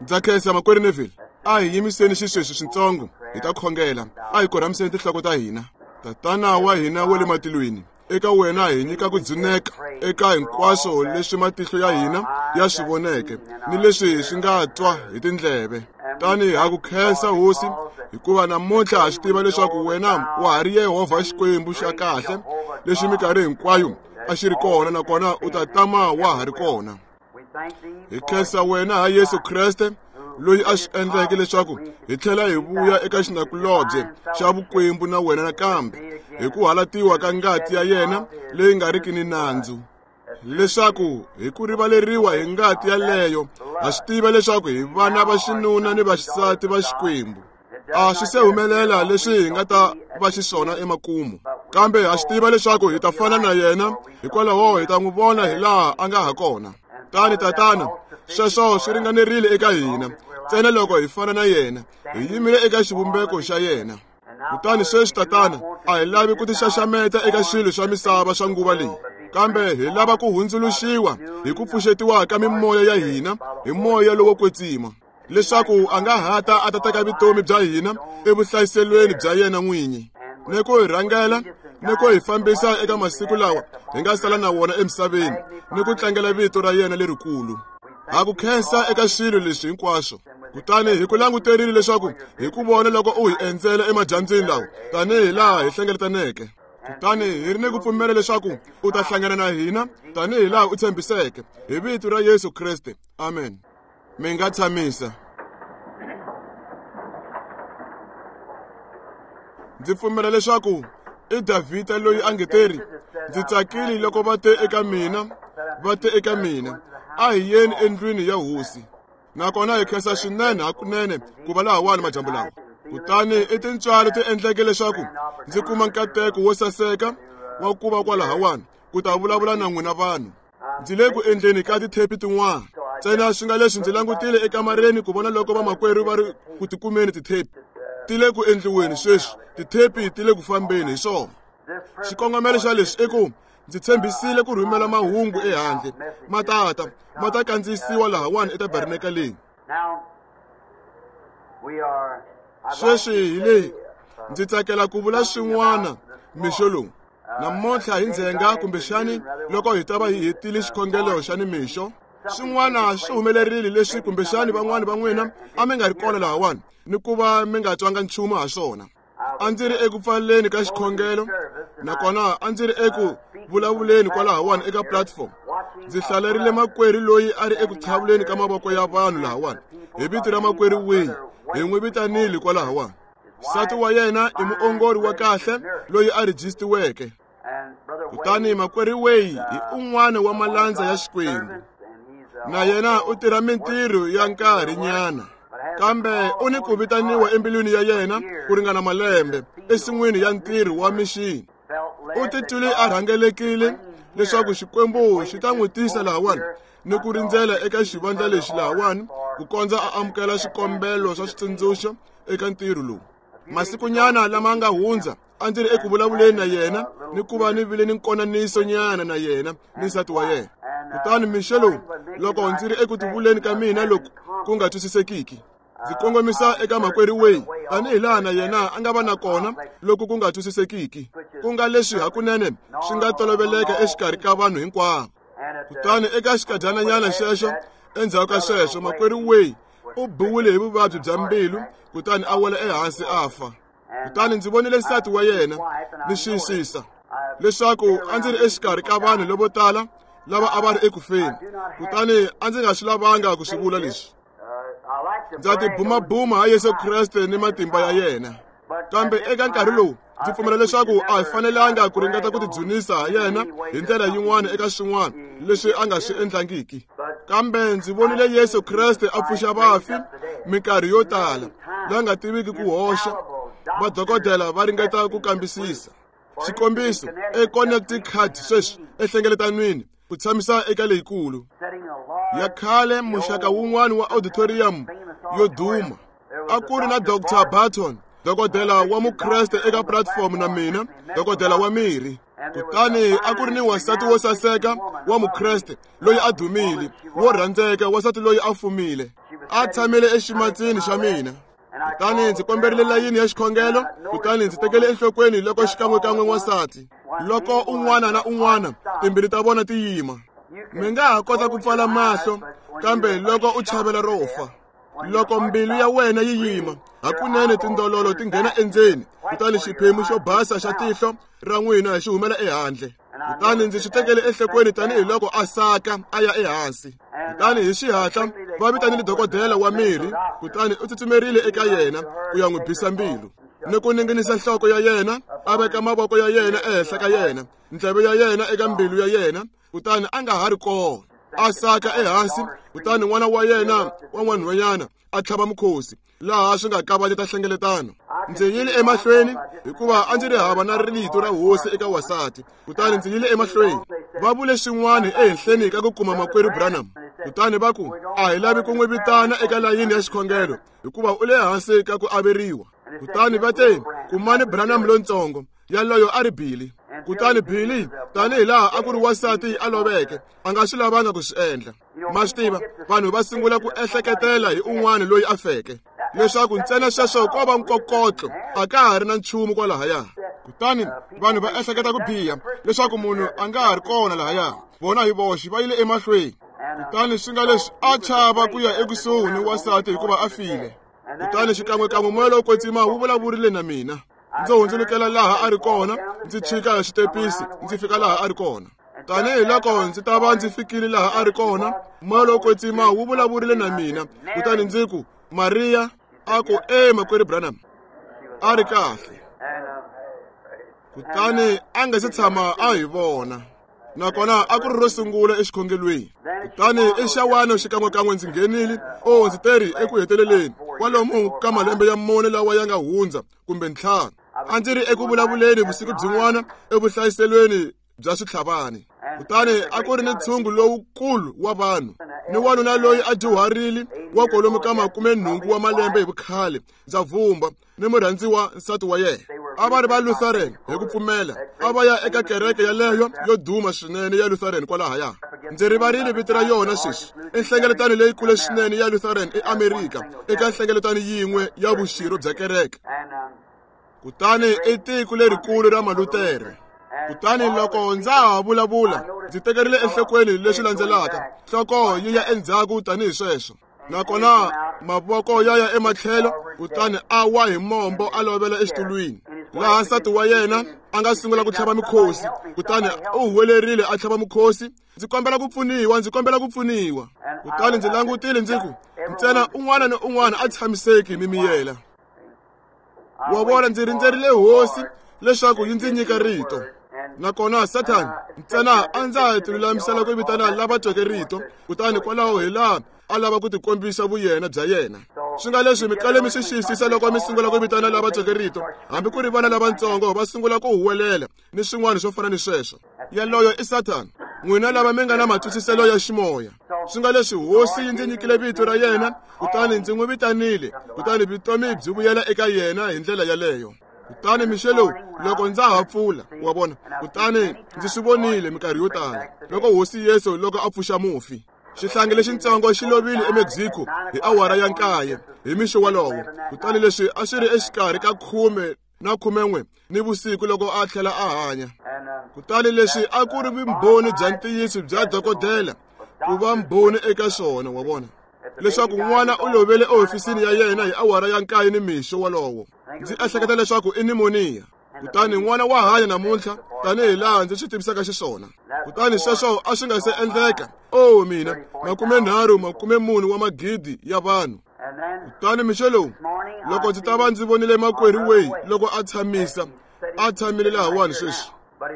Ndza khensa makwerhu Neville. A hi yimiseni xisweswi switsongo hi ta khongela. A hi korhamiseni tinhloko ta hina. Tatana wa hina wa le matilweni, eka wena hi nyika ku dzuneka eka hinkwaswo leswi matihlo ya hina ya swi voneke ni leswi swi nga twa hi tindleve. Tani ha ku khensa Hosi, hikuva namuntlha ha swi tiva leswaku wena wa ha ri Yehovha Xikwembu xa kahle lexi minkarhi hinkwayo a xi ri kona, nakona u ta tama wa ha ri kona. Hi khensa wena ha Yesu Kreste loyi a swi endleke leswaku hi tlhela hi vuya eka xinakulobye xa vukwembu na wena nakambe hi ku halatiwa ka ngati ya yena leyi nga riki ni nandzu, leswaku hi ku rivaleriwa hi ngati yaleyo ha swi tiva leswaku hi vana va xinuna ni vaxisati va Xikwembu. A swi se humelela leswi hi nga ta va xiswona emakumu, kambe ha swi tiva leswaku hi ta fana na yena, hikwalaho hi ta n'wi vona hi laha a nga ha kona. Tani Tatana, sweswo swi ringanerile eka hina, ntsena loko hi fana na yena, hi yimile eka xivumbeko xa yena. Kutani sweswi Tatana, a hi lavi ku tixaxameta eka swilo swa misava swa nguva leyi, kambe hi lava ku hundzuluxiwa hi ku pfuxetiwa ka mimoya ya hina hi moya lowo kwetsima, leswaku a nga hata a ta teka vutomi bya hina evuhlayiselweni bya yena n'winyi, ni ku hi rhangela ni ku hi fambisa eka masiku lawa hi nga sala na wona emisaveni, ni ku tlangela vito ra yena lerikulu. Ha ku khensa eka swilo leswi hinkwaswo. Kutani hi ku languterile leswaku hi ku vona loko u hi endzela emadyambyini lawa tanihi laha hi hlengeletaneke. Kutani hi ri ni ku pfumela leswaku u ta hlangana na hina tanihi laha u tshembiseke, hi vito ra Yesu Kreste. Amen. Mi nga tshamisa. Ndzi pfumela leswaku i Davhida loyi a nge teri, ndzi tsakile loko va te eka mina, va te eka mina, a hi yeni endlwini ya Hosi. Nakona hi khensa swinene hakunene ku va lahawani madyambu lawa. Kutani i tintswalo ti endleke leswaku ndzi kuma nkateko wo saseka wa ku va kwalahawani ku ta vulavula na n'wina vanhu. Ndzi le ku endleni ka tithepi tin'wana, ntsena swi nga leswi ndzi langutile ekamareni ku vona loko vamakwerhu va ri ku tikumeni tithepi. Ti le ku endliweni sweswi, tithepi ti le ku fambeni hi swona. Xikongomelo xa leswi i ku ndzi tshembisile ku rhumela mahungu ehandle, ma tata ma ta kandziyisiwa lahawani etabernakeleni. Sweswi hi leyi ndzi tsakela ku vula swin'wana mixo lowu. Namuntlha hi ndzhenga, kumbexani loko hi ta va hi hetile xikhongelo xa nimixo, swin'wana swi humelerile leswi kumbexani van'wani va n'wina a mi nga ri kona lahawani ni ku va mi nga twanga nchumu ha swona. A ndzi ri eku pfaleni ka xikhongelo, nakona a ndzi ri eku vulavuleni kwalahawani eka platform. Ndzi hlalerile makwerhu loyi a ri eku qhavuleni ka mavoko ya vanhu lahawani hi vito ra makwerhu Wayne, hi n'wi vitanile kwalahawani. Nsati wa yena i muongori wa kahle loyi a rejistiweke. Kutani makwerhu Wayne hi un'wana wa malandza ya Xikwembu, na yena u tirha mintirho ya nkarhinyana, kambe u ni ku vitaniwa embilwini ya yena ku ringana malembe ensin'wini ya ntirho wa mixini. U titwile a rhangelekile leswaku Xikwembu xi ta n'wi tisa lahawani ni ku rindzela eka xivandla lexi lahawani ku kondza a amukela swikombelo swa switsundzuxo eka ntirho lowu. Masikunyana lama nga hundza a ndzi ri eku vulavuleni na yena ni ku va ni vile ni nkonaniso nyana na yena ni nsati wa yena. Kutani mixo lowu loko ndzi ri eku tivuleni ka mina loku ku nga twisisekiki, ndzi kongomisa eka makwerhu Wayne tanihi laha na yena a nga va na kona loku ku nga twisisekiki, ku nga leswi hakunene swi nga toloveleka exikarhi ka vanhu hinkwavo. Kutani eka xikadyananyana xexo, endzhaku ka sweswo, makwerhu Wayne u biwile hi vuvabyi bya mbilu kutani a wela ehansi a fa. Kutani ndzi vonile nsati wa yena ni xiyisisa leswaku a ndzi ri exikarhi ka vanhu lavo tala lava a va ri eku feni, kutani a ndzi nga swi lavanga ku swi vula leswi. Ndza tibumabuma ha Yesu Kreste ni matimba ya yena, kambe eka nkarhi lowu ndzi pfumela leswaku a hi fanelanga ku ringeta ku tidzunisa ha yena hi ndlela yin'wana eka swin'wana leswi a nga swi endlangiki. Kambe ndzi vonile Yesu Kreste a pfuxa vafi minkarhi yo tala, la nga tiviki ku hoxa. Vadokodela va ringeta ku kambisisa. Xikombiso, eConnecticut sweswi ehlengeletanwini ku tshamisa eka leyikulu ya khale muxaka wun'wana wa auditorium yo duma, a ku ri na Dr. Barton, dokodela wa Mukreste eka platform na mina, dokodela wa mirhi. Kutani a ku ri ni wansati wo saseka wa Mukreste loyi a dumile, wo rhandzeka, wansati loyi a fumile. A tshamile eximatsini xa mina. Kutani ndzi komberile layini ya xikhongelo, kutani ndzi tekele enhlokweni loko xikan'wekan'we n'wansati, loko un'wana na un'wana timbilu ta vona ti yima. Mi nga ha kota ku pfala mahlo, kambe loko u chavela ro fa, loko mbilu ya wena yi yima, hakunene tindololo ti nghena endzeni, kutani xiphemu xo basa xa tihlo ra n'wina xi humela ehandle. Kutani ndzi swi tekele enhlokweni tanihiloko a saka a ya ehansi. Kutani hi xihatla va vitanile dokodela wa mirhi, kutani u tsutsumerile eka yena ku ya n'wi bisa mbilu ni ku ninginisa nhloko ya yena, a veka mavoko ya yena ehenhla ka yena, ndleve ya yena eka mbilu ya yena, kutani a nga ha ri kona. A saka ehansi, kutani n'wana wa yena wa n'wanhwanyana a tlhava mukhosi, laha swi nga kavanyeta nhlengeletano. Ndzi yile emahlweni hikuva a ndzi ri hava na rito ra hosi eka wasati, kutani ndzi yile emahlweni. Va vule xin'wana ehenhleni ka ku kuma makwerhu Branham, kutani va ku a hi lavi ku n'wi vitana eka layini ya xikhongelo hikuva u le hansi ka ku averiwa. Kutani va te kumani Branham lontsongo, yaloyo a ri Billy. Kutani Billy, tanihi laha a ku ri wansati a loveke, a nga swi lavanga ku swi endla. Ma swi tiva, vanhu va sungula ku ehleketela hi un'wana loyi a feke, leswaku ntsena sweswo ko va nkokotlo, a ka ha ri na nchumu kwalahaya. Kutani vanhu va ehleketa ku biha leswaku munhu a nga ha ri kona lahaya, vona hi voxe va yile emahlweni. Kutani swi nga leswi a chava ku ya ekusuhi ni wansati hikuva a file. Kutani xikan'wekan'we moya lowo kwetsima wu vulavurile na mina. Ndzi hundzulukela laha a ri kona, ndzi chika hi xitepisi, ndzi fika laha a ri kona. Tanihi loko ndzi ta va ndzi fikile laha a ri kona, moya lowo kwetsima wu vulavurile na mina. Kutani ndzi ku, Maria, a ku, e makwerhu Branham, a ri kahle. Kutani a nga se tshama a hi vona, nakona a ku ri ro sungula exikhongelweni. Kutani exawani xikan'wekan'we ndzi nghenile, o ndzi teri eku heteleleni kwalomu ka malembe ya 4 lawa ya nga hundza kumbe 5, a ndzi ri eku vulavuleni vusiku byin'wana evuhlayiselweni bya switlhavani. Kutani a ku ri ni ntshungu lowukulu wa vanhu, ni wanuna loyi a dyuharile wa kwalomu ka 80 wa malembe hi vukhale, ndza vumba, ni murhandziwa nsati wa yena. A va ri va Lutheran hi ku pfumela, a va ya eka kereke yaleyo yo duma swinene ya Lutheran kwalahaya. Ndzi rivarile vito ra yona sweswi. I nhlengeletano leyikulu swinene ya Lutheran eAmerika, eka nhlengeletano yin'we ya vuxirho bya kereke. Kutani i tiko lerikulu ra Malutere. Kutani loko ndza ha vulavula, ndzi tekerile enhlokweni leswi landzelaka, nhloko yi ya endzhaku tanihi sweswo, nakona mavoko ya ya ematlhelo, kutani a wa hi mombo a lovela exitulwini, laha nsati wa yena a nga sungula ku tlhava mukhosi. Kutani u huwelerile a tlhava mukhosi, ndzi kombela ku pfuniwa, ndzi kombela ku pfuniwa. Kutani ndzi langutile ndzi ku, ntsena un'wana ni un'wana a tshamiseki mi miyela. Wa vona, ndzi rindzerile hosi leswaku yi ndzi nyika rito. Nakona Sathana ntsena a ndza ha tilulamisela ku vitana lava tweke rito, kutani kwalaho hi laha a lava ku tikombisa vuyena bya yena. Swi nga leswi mi kale mi swi xiyisisa loko mi sungula ku vitana lava tweke rito, hambi ku ri vana lavatsongo va sungula ku huwelela ni swin'wana swo fana ni sweswo. Yaloyo i Sathana. N'wina lava mi nga na matwisiselo ya ximoya, swi nga leswi hosi yi ndzi nyikile vito ra yena, kutani ndzi n'wi vitanile, kutani vutomi byi vuyela eka yena hi ndlela yaleyo. Kutani mixo lowu loko ndza ha pfula, wa vona, kutani ndzi swi vonile minkarhi yo tala loko hosi Yesu loko a pfuxa mufi. Xihlangi lexintsongo xi lovile eMexico hi awara ya 9 hi mixo walowo. Kutani leswi a swi ri exikarhi ka 10 na 11 ni vusiku loko a tlhela a hanya. Kutani leswi a ku ri vumbhoni bya ntiyiso bya dokodela ku va mbhoni eka swona, wa vona, leswaku n'wana u lovele ehofisini ya yena hi awara ya 9 ni mixo walowo. Ndzi ehleketa leswaku i pneumonia. Kutani n'wana wa hanya namuntlha tanihi laha ndzi swi tivisaka xiswona. Kutani sweswo a swi nga se endleka. O mina, 34 40 wa magidi ya vanhu. Kutani mixo lowu loko ndzi ta va ndzi vonile makwerhu Way loko a tshamisa, a tshamile lahawani sweswi,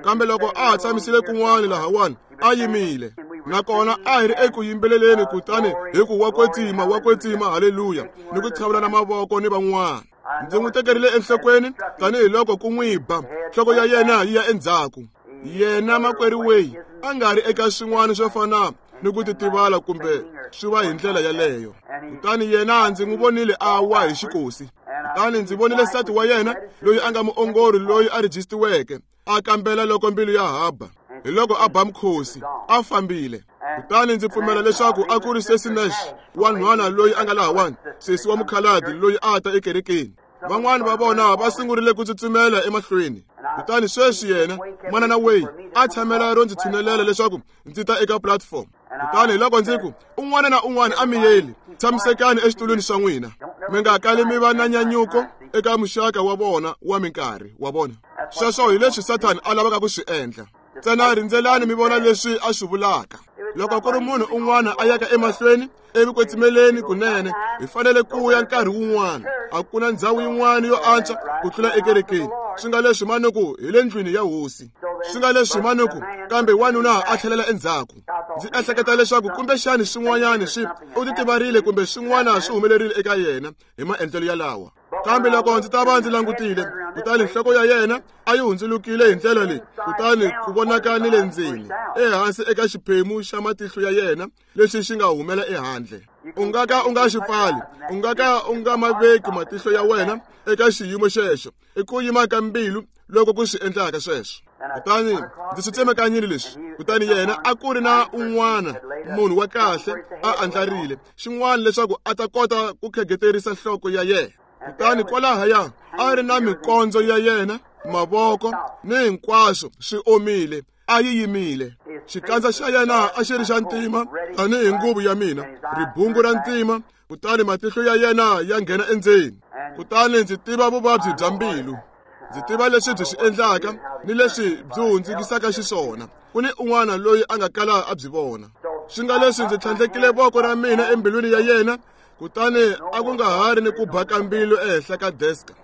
kambe loko a ha tshamisile kun'wana lahawani a yimile, nakona a hi ri eku yimbeleleni, kutani hi ku wa kwetsima, wa kwetsima, haleluya, ni ku qhavulana mavoko ni van'wana. Ndzi n'wi tekerile enhlokweni tanihiloko ku n'wi ba, nhloko ya yena yi ya endzhaku. Yena makwerhu Way a nga ri eka swin'wana swo fana ni ku titivala kumbe swi va hi ndlela yaleyo. Kutani yena ndzi n'wi vonile a wa hi xikosi. Kutani ndzi vonile nsati wa yena loyi a nga muongori loyi a rejistiweke, a kambela loko mbilu ya haba. Hi loko a ba mukhosi, a fambile. Kutani ndzi pfumela leswaku a ku ri Sesi Nash, wanhwana loyi a nga lahawani, sesi wa mukhalabye loyi a ta ekerekeni. Van'wani va vona va sungurile ku tsutsumela emahlweni. Kutani sweswi yena, Manana Way, a tshamela ro ndzi tshunelela leswaku ndzi ta eka platform. Kutani hi loko ndzi ku, un'wana na un'wana a miyeli, tshamisekani exitulwini swa n'wina. Mi nga kali mi va na nyanyuko eka muxaka wa vona wa minkarhi wa vona. Sweswo hi leswi Sathani a lavaka ku swi endla. Ntsena rindzelani mi vona leswi a swi vulaka. Loko ku ri munhu un'wana a yaka emahlweni evukwetsimeleni kunene, hi fanele ku ya nkarhi wun'wana. A ku na ndhawu yin'wana yo antswa ku tlula ekerekeni. Swi nga leswi manuku hi le ndlwini ya hosi. Swi nga leswi manuku, kambe wanuna a tlhelela endzhaku. Ndzi ehleketa leswaku kumbexani swin'wanyana swi u titivarile kumbe swin'wana swi humelerile eka yena hi maendlelo yalawa. Kambe loko ndzi ta va ndzi langutile, kutani nhloko ya yena a yi hundzulukile hi ndlela leyi, kutani ku vonaka ni le ndzeni, ehansi eka xiphemu xa matihlo ya yena lexi xi nga humela ehandle. U nga ka u nga xi pfali, u nga ka u nga ma veki matihlo ya wena eka xiyimo xexo. I ku yima ka mbilu loko ku swi endlaka sweswo. Kutani ndzi swi tsemekanyile leswi. Kutani yena a ku ri na un'wana munhu wa kahle a andlarile xin'wana leswaku a ta kota ku khegeterisa nhloko ya yena. Kutani kwalahaya a ri na mikondzo ya yena, mavoko ni hinkwaswo swi omile, a yi yimile. Xikandza xa yena a xi ri xa ntima tanihi nguvu ya mina, ribungu ra ntima, kutani matihlo ya yena ya nghena endzeni. Kutani ndzi tiva vuvabyi bya mbilu. Ndzi tiva leswi byi swi endlaka ni leswi byi hundzukisaka xiswona. Ku ni un'wana loyi a nga kala a byi vona. Swi nga leswi ndzi tlhandlekile voko ra mina embilwini ya yena, kutani a ku nga ha ri ni ku ba ka mbilu ehenhla ka deska,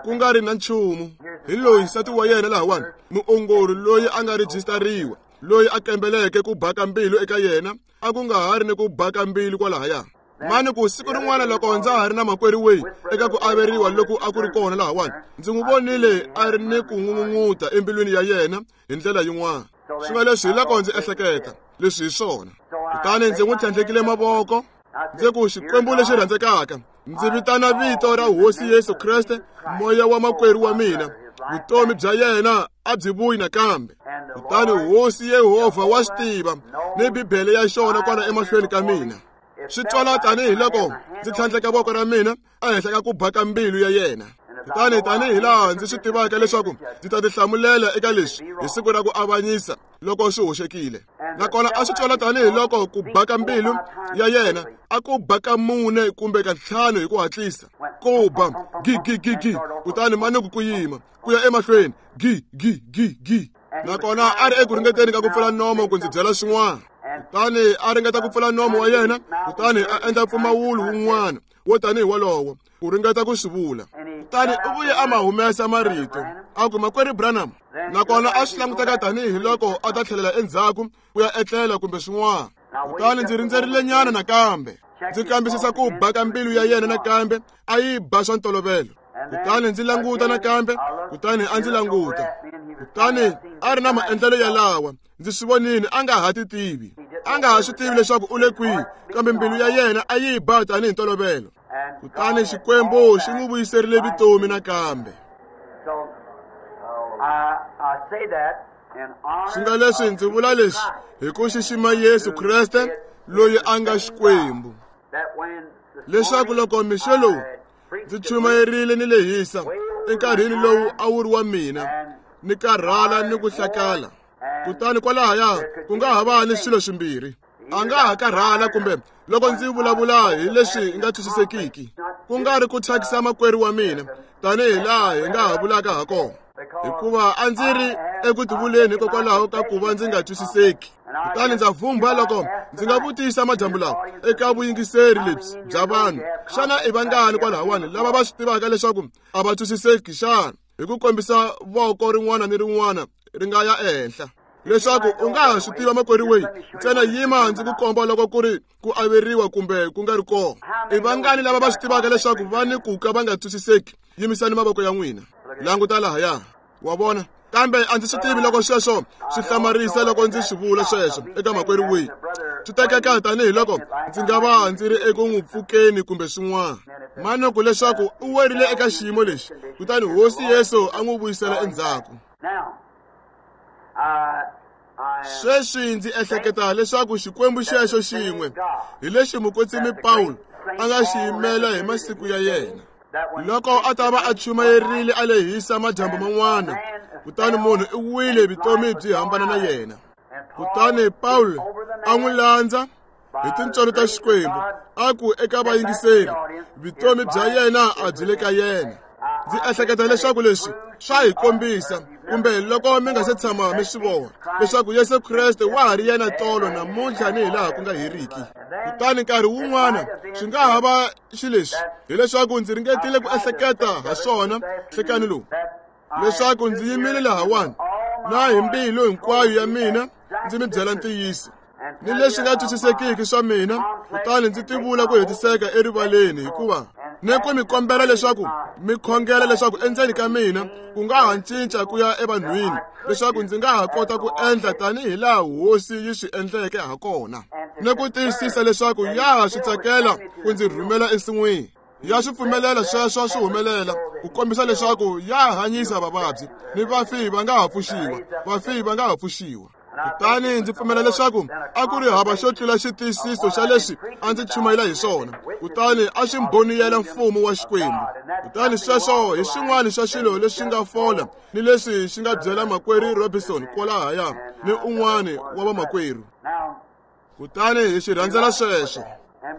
ku nga ri na nchumu. Hi loyi nsati wa yena lahawani, muongori loyi a nga rejistariwa, loyi a kambeleke ku ba ka mbilu eka yena, a ku nga ha ri ni ku ba ka mbilu kwalahaya. Mani ku siku rin'wana loko ndza ha ri na makwerhu Way eka ku averiwa loku a ku ri kona lahawani, ndzi n'wi vonile a ri ni ku n'ungun'uta embilwini ya yena hi ndlela yin'wana. Swi nga leswi hi loko ndzi ehleketa leswi hi swona. Kutani ndzi n'wi tlhandlekile mavoko, ndzi ku, Xikwembu lexi rhandzekaka, ndzi vitana vito ra Hosi Yesu Kreste, moya wa makwerhu wa mina, vutomi bya yena a byi vuyi nakambe. Kutani Hosi Yehovha wa swi tiva, ni Bibele ya xona kwala emahlweni ka mina. Swi twala tanihi loko ndzi tlhandleka voko ra mina ehenhla ka ku ba ka mbilu ya yena. Kutani tanihi laha ndzi swi tivaka leswaku ndzi ta tihlamulela eka leswi hi siku ra ku avanyisa loko swi hoxekile. Nakona a swi twala tanihi loko ku ba ka mbilu ya yena a ku ba ka 4 kumbe ka 5 hi ku hatlisa. Ku ba gi gi gi gi, kutani manuku ku yima ku ya emahlweni gi gi gi gi. Nakona a ri eku ringeteni ka ku pfula nomo ku ndzi byela swin'wana. Kutani a ringeta ku pfula nomo wa yena, kutani a endla mpfumawulo wun'wana wo tanihi wolowo ku ringeta ku swi vula. Kutani u vuye a ma humesa marito, a ku, Makwerhu Branham. Nakona a swi languteka tanihi loko a ta tlhelela endzhaku ku ya etlela kumbe swin'wana. Kutani ndzi rindzerile nyana nakambe, ndzi kambisisa ku ba ka mbilu ya yena nakambe, a yi ba swa ntolovelo. Kutani ndzi languta nakambe, kutani a ndzi languta. Kutani a ri na maendlelo yalawa, ndzi swi vonile a nga ha ti tivi. A nga ha swi tivi leswaku u le kwihi, kambe mbilu ya yena a yi ba tanihi ntolovelo. Kutani Xikwembu xi n'wi vuyiserile vutomi nakambe. Swi nga leswi ndzi vula leswi hi ku xixima Yesu Kreste loyi a nga Xikwembu, leswaku loko mixo lowu ndzi chumayerile ni lehisa enkarhini lowu a wu ri wa mina, ni karhala ni ku hlakala. Kutani kwalahaya ku nga ha va ni swilo swimbirhi. A nga ha karhala kumbe loko ndzi vulavula hi leswi nga twisisekiki, ku nga ri ku thyakisa makwerhu wa mina tanihi laha hi nga ha vulaka ha kona, hikuva a ndzi ri eku tivuleni hikokwalaho ka ku va ndzi nga twisiseki. Kutani ndza vhumbha loko ndzi nga vutisa madyambu lawa eka vuyingiseri lebyi bya vanhu, xana i vangani kwalahawani lava va swi tivaka leswaku a va twisiseki xana? Hi ku kombisa voko rin'wana ni rin'wana ri nga ya ehenhla, leswaku u nga ha swi tiva makwerhu Way, ntsena yima ndzi ku komba loko ku ri ku averiwa kumbe ku nga ri kona. I vangani lava va swi tivaka leswaku va ni ku ka va nga twisiseki? Yimisani mavoko ya n'wina. Languta lahaya. Wa vona? Kambe a ndzi swi tivi loko sweswo swi hlamarisa loko ndzi swi vula sweswo eka makwerhu Way. Swi tekeka tanihi loko ndzi nga va ndzi ri eku n'wi pfukeni kumbe swin'wana. Manuku leswaku u werile eka xiyimo lexi, kutani Hosi Yesu a n'wi vuyisela endzhaku. Sweswi ndzi ehleketa leswaku Xikwembu xexo xin'we hi lexi mukwetsimi Pawulo a nga xi yimela hi masiku ya yena. Loko a ta va a chumayerile a lehisa madyambu man'wana, kutani munhu i wile vutomi byi hambana na yena. Kutani Pawulo a n'wi landza hi tintswalo ta Xikwembu, a ku eka vayingiseri, vutomi bya yena a byi le ka yena. Ndzi ehleketa leswaku leswi swa hi kombisa, kumbe loko mi nga se tshama mi swi vona, leswaku Yesu Kreste wa ha ri yena tolo namuntlha ni hilaha ku nga heriki. Kutani nkarhi wun'wana swi nga ha va xileswi, hileswaku ndzi ringetile ku ehleketa ha swona nhlekani lowu, leswaku ndzi yimile lahawani na hi mbilu hinkwayo ya mina ndzi mi byela ntiyiso ni leswi nga twisisekiki swa mina, kutani ndzi tivula ku hetiseka erivaleni, hikuva ni ku mi kombela leswaku mi khongela leswaku endzeni ka mina ku nga ha cinca ku ya evanhwini, leswaku ndzi nga ha kota ku endla tanihi laha Hosi yi swi endleke ha kona, ni ku tiyisisa leswaku ya ha swi tsakela ku ndzi rhumela ensin'wini. Ya swi pfumelela sweswo swi humelela ku kombisa leswaku ya hanyisa vavabyi ni vafi va nga ha pfuxiwa, vafi va nga ha pfuxiwa. Kutani ndzi pfumela leswaku a ku ri hava xo tlula xitiyisiso xa leswi a ndzi chumayela hi swona, kutani a swi mboniyela mfumo wa Xikwembu. Kutani sweswo hi swin'wana swa swilo leswi nga fola ni leswi xi nga byela makwerhu Robinson kwalahaya ni un'wana wa vamakwerhu. Kutani hi swi rhandzela sweswo,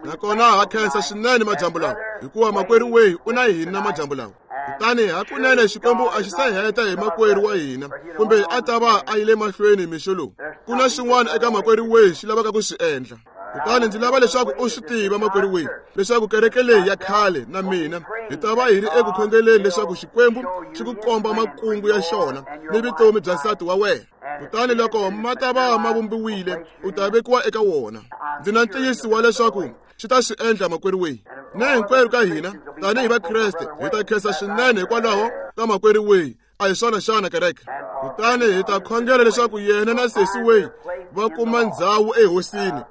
nakona ha khensa swinene madyambu lawa, hikuva makwerhu Way u na hina madyambu lawa. Kutani hakunene Xikwembu a xi se heta hi makwerhu wa hina, kumbe a ta va a yile mahlweni mixo lowu. Ku na xin'wana eka makwerhu Way xi lavaka ku swi endla. Kutani ndzi lava leswaku u swi tiva, makwerhu Way, leswaku kereke leyi ya khale na mina hi ta va hi ri eku khongeleni leswaku Xikwembu xi ku komba makungu ya xona ni vutomi bya nsati wa wena. Kutani loko ma ta va ma vumbiwile, u ta vekiwa eka wona. Ndzi na ntiyiso wa leswaku xi ta swi endla, makwerhu Way. Ni hinkwerhu ka hina tanihi Vakreste hi ta khensa swinene hikwalaho ka makwerhu Way. A hi swona xana, kereke? Kutani hi ta khongela leswaku yena na sesi Way va kuma ndzhawu ehosini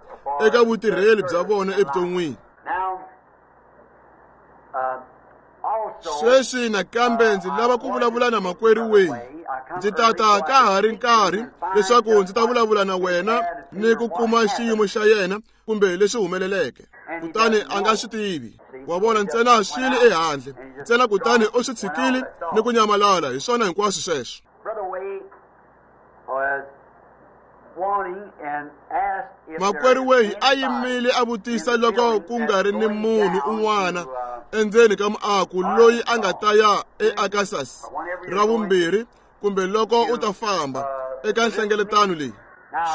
eka vutirheli bya vona evuton'wini. Sweswi nakambe ndzi lava ku vulavula na makwerhu Way. Ndzi tata ka ha ri nkarhi leswaku ndzi ta vulavula na wena ni ku kuma xiyimo xa yena kumbe leswi humeleleke. Kutani a nga swi tivi, wa vona, ntsena swi le ehandle ntsena, kutani u swi tshikile ni ku nyamalala. Hi swona hinkwaswo sweswo. Makwerhu Way a yimile a vutisa loko ku nga ri ni munhu un'wana endzeni ka muako loyi a nga ta ya eArkansas ra vumbirhi, kumbe loko u ta famba eka nhlengeletano leyi.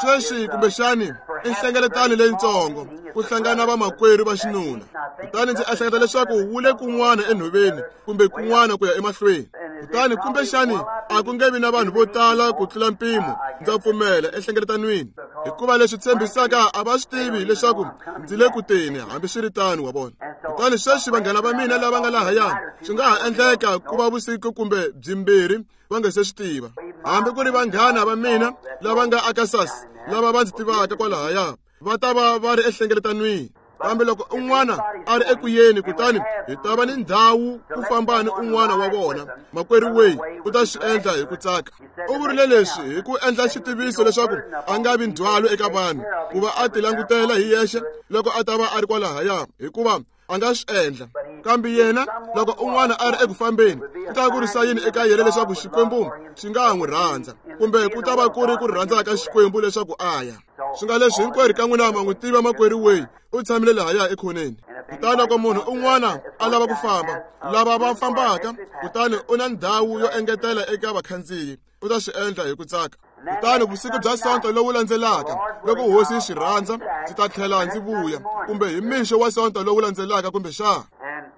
Sweswi kumbexani i nhlengeletano leyitsongo ku hlangana vamakwerhu va xinuna. Kutani ndzi ehleketa leswaku wu le kun'wana enhoveni kumbe kun'wana ku ya emahlweni. Kutani kumbexani a ku nge vi na vanhu vo tala ku tlula mpimo, ndza pfumela, enhlengeletanweni, hikuva leswi tshembisaka a va swi tivi leswaku ndzi le ku teni, hambiswiritano, wa vona. Kutani sweswi vanghana va mina lava nga lahaya, swi nga ha endleka ku va vusiku kumbe byimbirhi va nga se swi tiva. Hambi ku ri vanghana va mina lava nga Arkansas, lava va ndzi tivaka kwalahaya, va ta va va ri enhlengeletanweni. Kambe loko un'wana a ri eku yeni, kutani hi ta va ni ndhawu ku famba ni un'wana wa vona, makwerhu Way u ta swi endla hi ku tsaka. U vurile leswi hi ku endla xitiviso leswaku a nga vi ndzhwalo eka vanhu, ku va a tilangutela hi yexe loko a ta va a ri kwalahaya, hikuva a nga swi endla. Kambe yena loko un'wana a ri eku fambeni, ku ta ku ri sayini eka yena leswaku Xikwembu xi nga ha n'wi rhandza, kumbe ku ta va ku ri ku rhandza ka Xikwembu leswaku a ya. Swi nga leswi hinkwerhu ka n'wina ma n'wi tiva makwerhu Way, u tshamile lahaya ekhoneni. Kutani loko munhu un'wana a lava ku famba, lava va fambaka, kutani u na ndhawu yo engetela eka vakhandziyi, u ta swi endla hi ku tsaka. Kutani vusiku bya Sonto lowu landzelaka, loko Hosi yi swi rhandza, ndzi ta tlhela ndzi vuya, kumbe hi mixo wa Sonto lowu landzelaka kumbexana.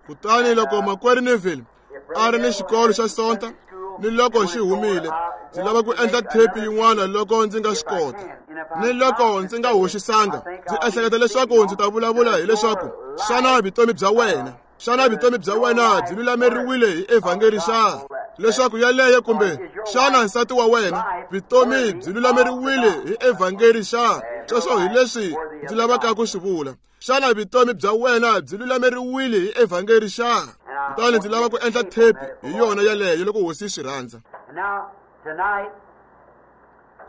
Kutani loko makwerhu Neville a ri ni xikolo xa Sonta, ni loko xi humile, ndzi lava ku endla thepi yin'wana loko ndzi nga swi kota. Ni loko ndzi nga hoxisanga, ndzi ehleketa leswaku ndzi ta vulavula hileswaku xana vutomi bya wena, xana vutomi bya wena byi lulameriwile hi evhangeli xa? Leswaku yaleyo, kumbe xana nsati wa wena vutomi byi lulameriwile hi evhangeli xa? Sweswo hi leswi ndzi lavaka ku swi vula. Xana vutomi bya wena byi lulameriwile hi evhangeli xa? Kutani ndzi lava ku endla thepi hi yona yaleyo loko Hosi yi swi rhandza.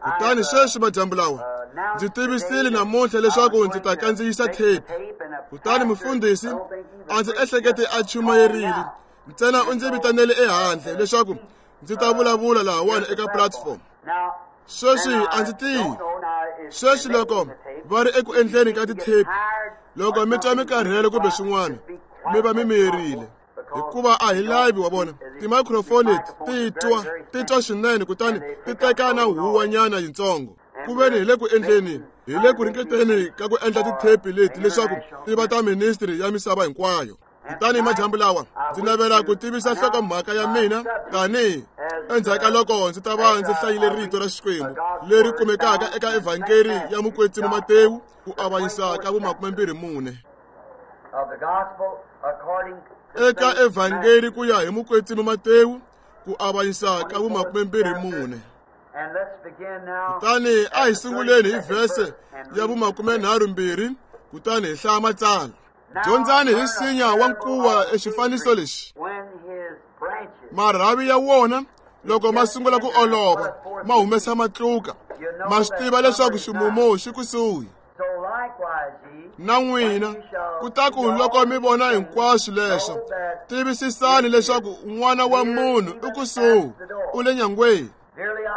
Kutani sweswi madyambu lawa ndzi tivisile namuntlha leswaku ndzi ta kandziyisa thepi. Kutani mufundhisi a ndzi ehlekete a chumayerile ntsena u ndzi vitanele ehandle leswaku ndzi ta vulavula lahawani eka platform. Sweswi a ndzi tivi. Sweswi loko va ri eku endleni ka tithepi, loko mi twa mi karhele kumbe swin'wana, mi va mi miyerile. Hikuva a hi lavi wa vona timicrophone leti ti twa swinene kutani ti teka na huwanyana yitsongo. Ku veni hi le ku endleni, hi le ku ringeteni ka ku endla tithepi leti leswaku ti va ta ministry ya misava hinkwayo. Kutani madyambu lawa ndzi navela ku tivisa nhlokomhaka ya mina tanihi endzhaku ka loko ndzi ta va ndzi hlayile rito ra Xikwembu leri kumekaka eka Evhangeli ya Mukwetsimi Matewu ku avanyisa ka vu-24. Eka Evhangeli ku ya hi Mukwetsimi Matewu ku avanyisa ka vu-24. Kutani a hi sunguleni hi vhese ya vu-32 kutani hi hlaya matsalwa. Dyondzani hi nsinya wa nkuwa exifaniso lexi. Marhavi ya wona loko ma sungula ku olova ma humesa matluka, ma swi tiva leswaku ximumu xi kusuhi. Na n'wina kutaku loko mi vona hinkwaswo leswo, tivisisani leswaku N'wana wa Munhu i kusuhi, u le nyangweni.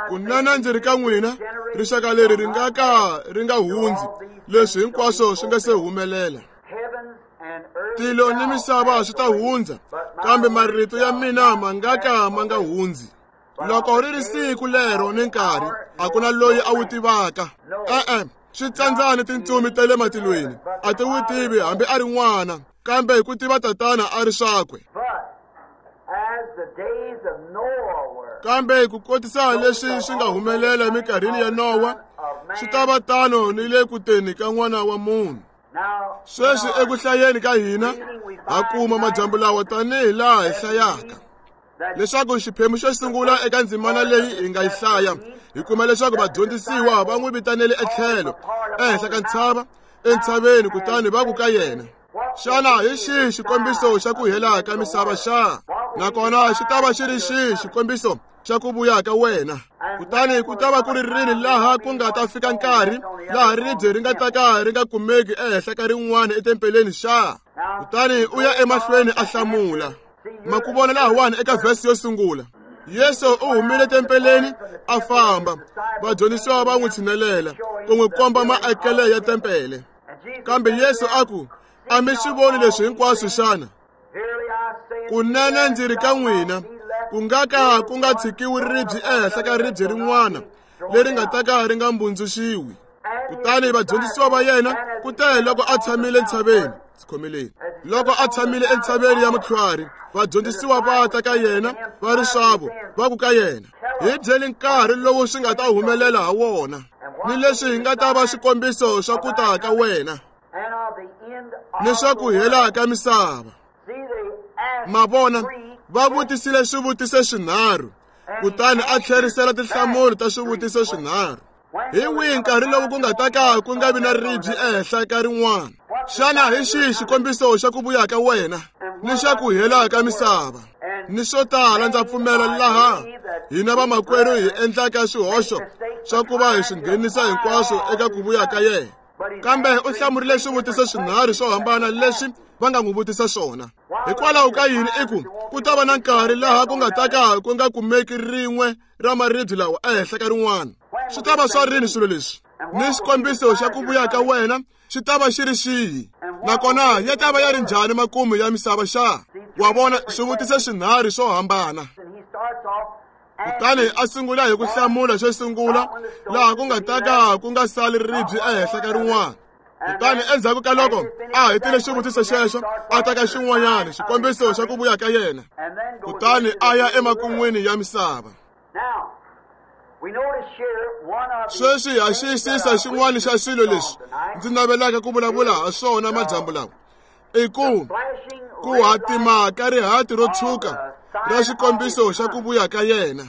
Kunene ndzi ri ka n'wina, rixaka leri ri nga ka ri nga hundzi leswi hinkwaswo swi nga se humelela. Tilo ni misava swi ta hundza, kambe marito ya mina ma nga ka ma nga hundzi. Loko ri ri siku lero ni nkarhi, a ku na loyi a wu tivaka. E-e, swi tsandzani tintsumi ta le matilweni, a ti wu tivi hambi a ri n'wana, kambe hi ku tiva Tatana a ri swakwe. Kambe ku kotisa leswi swi nga humelela eminkarhini ya Nowa, swi ta va tano ni le ku teni ka N'wana wa Munhu. Sweswi eku hlayeni ka hina ha kuma madyambu lawa tanihi laha hi hlayaka leswaku xiphemu xo sungula eka ndzimana leyi hi nga yi hlaya, hi kuma leswaku vadyondzisiwa va n'wi vitanele etlhelo ehenhla ka ntshava entshaveni, kutani va ku ka yena, xana hi xihi xikombiso xa ku hela ka misava xa? Nakona xi ta va xi ri xihi xikombiso xa ku vuya ka wena? Kutani ku ta va ku ri rini laha ku nga ta fika nkarhi laha ribye ri nga ta ka ri nga kumeki ehenhla ka rin'wana etempeleni xa? Kutani u ya emahlweni a hlamula. Ma ku vona lahawani eka vhesi yo sungula, Yesu u humile tempeleni a famba, vadyondzisiwa va n'wi tshinelela ku n'wi komba maakele ya tempele. Kambe Yesu a ku, a mi swi voni leswi hinkwaswo xana? Kunene ndzi ri ka n'wina, ku nga ka ku nga tshikiwi ribye ehenhla ka ribye rin'wana leri nga ta ka ri nga mbundzuxiwi. Kutani vadyondzisiwa va yena kute loko a tshamile entshaveni, khomeleni, loko a tshamile entshaveni ya Mutlhwari, vadyondzisiwa va ta ka yena va ri swavo, va ku ka yena, hi byeli nkarhi lowu swi nga ta humelela ha wona, ni leswi hi nga ta va swikombiso swa ku ta ka wena ni swa ku hela ka misava. Ma vona, va vutisile swivutiso swinharhu, kutani a tlherisela tinhlamulo ta swivutiso swinharhu. Hi wihi nkarhi lowu ku nga ta ka ku nga vi na ribye ehenhla ka rin'wana? Xana hi xihi xikombiso xa ku vuya ka wena ni xa ku hela ka misava? Ni swo tala ndza pfumela laha hina vamakwerhu hi endlaka swihoxo swa ku va hi swi nghenisa hinkwaswo eka ku vuya ka yena. Kambe u hlamurile swivutiso swinharhu swo hambana leswi va nga n'wi vutisa swona. Hikwalaho ka yini i ku ku ta va na nkarhi laha ku nga ta ka ku nga kumeki rin'we ra maribye lawa ehenhla ka rin'wana? Swi ta va swa rini swilo leswi? Ni xikombiso xa ku vuya ka wena xi ta va xi ri xihi? Nakona ya ta va ya ri njhani makumu ya misava xa? Wa vona, swivutiso swinharhu swo hambana. Kutani a sungula hi ku hlamula xo sungula laha ku nga ta ka ku nga sali ribye ehenhla ka rin'wana. Kutani endzhaku ka loko a hetile xivutiso xexo, a ta ka xin'wanyana xikombiso xa ku vuya ka yena, kutani a ya emakun'wini ya misava. Sweswi ha xiyisisa xin'wana xa swilo leswi ndzi navelaka ku vulavula ha swona madyambu lawa, i ku ku hatima ka rihati ro tshuka ra xikombiso xa ku vuya ka yena.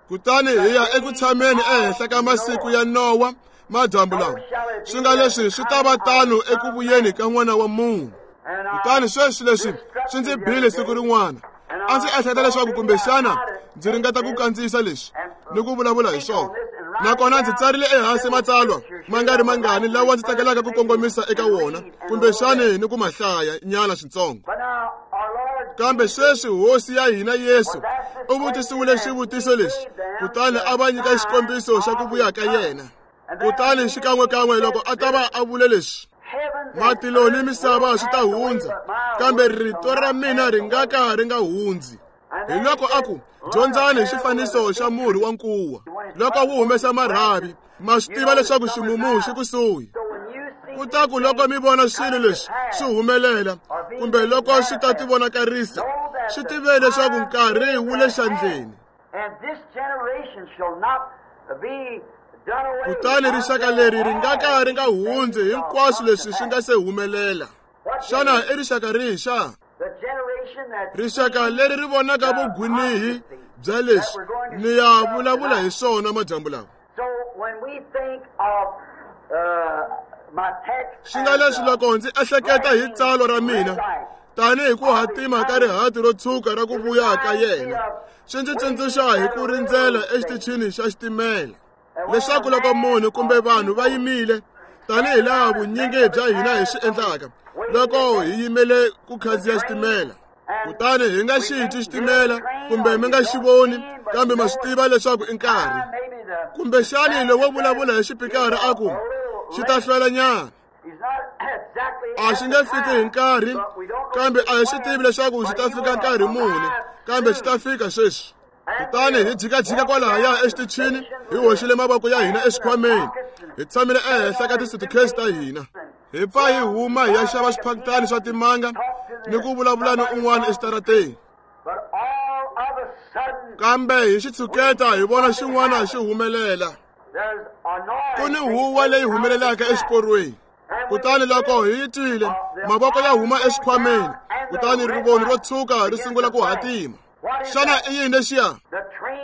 Kutani hi ya eku tshameni ehenhla ka masiku ya Nowa madyambu lawa, swi nga leswi swi ta va tano eku vuyeni ka N'wana wa Munhu. Kutani sweswi leswi swi ndzi bile siku rin'wana, A ndzi ehleketa leswaku kumbexana ndzi ringeta ku kandziyisa leswi ni ku vulavula hi swona. Nakona ndzi tsarile ehansi matsalwa ma nga ri mangani lawa ndzi tsakelaka ku kongomisa eka wona, kumbexani ni ku ma hlaya nyana switsongo. Kambe sweswi Hosi ya hina Yesu u vutisiwile xivutiso lexi, kutani a va nyika xikombiso xa ku vuya ka yena. Kutani xikan'wekan'we loko a ta va a vule leswi, matilo ni misava swi ta hundza, kambe rito ra mina ri nga ka ri nga hundzi. Hi loko a ku, dyondzani hi xifaniso xa murhi wa nkuwa. Loko wu humesa marhavi, ma swi tiva leswaku ximumu xi kusuhi. Kutaku loko mi vona swilo leswi swi humelela, kumbe loko swi ta tivonakarisa, swi tiveni leswaku nkarhi wu le xandleni. Kutani rixaka leri ri nga ka ri nga hundzi hinkwaswo leswi swi nga se humelela. Xana i rixaka rihi xa? Rixaka leri ri vonaka vugwinihi bya leswi ni ya vulavula hi swona madyambu lawa. Swi nga leswi loko ndzi ehleketa hi tsalwa ra mina tanihi ku hatima ka rihati ro tshuka ra ku vuya ka yena, swi ndzi tsundzuxa hi ku rindzela exitichini xa xitimela, leswaku loko munhu kumbe vanhu va yimile, tanihi laha vunyingi bya hina hi swi endlaka loko hi yimele ku khandziya xitimela, kutani hi nga xi twi xitimela kumbe mi nga xi voni, kambe ma swi tiva leswaku i nkarhi. Kumbexani lowo vulavula hi xipikara a ku xi ta hlwela nyana, a xi nge fiki hi nkarhi, kambe a hi swi tivi leswaku xi ta fika nkarhi muni, kambe xi ta fika sweswi. Kutani hi jikajika kwalahaya exitichini, hi hoxile mavoko ya hina exikhwameni, hi tshamile ehenhla ka tisutukesi ta hina, hi pfa hi huma hi ya xava swiphakitani swa timanga ni ku vulavula ni un'wana exitarateni. Kambe hi xitshuketa hi vona xin'wana xi humelela. Ku ni huwa leyi humelelaka exiporweni. Kutani loko hi yi twile, mavoko ya huma exikhwameni, kutani rivoni ro tshuka ri sungula ku hatima. Xana i yini lexiya?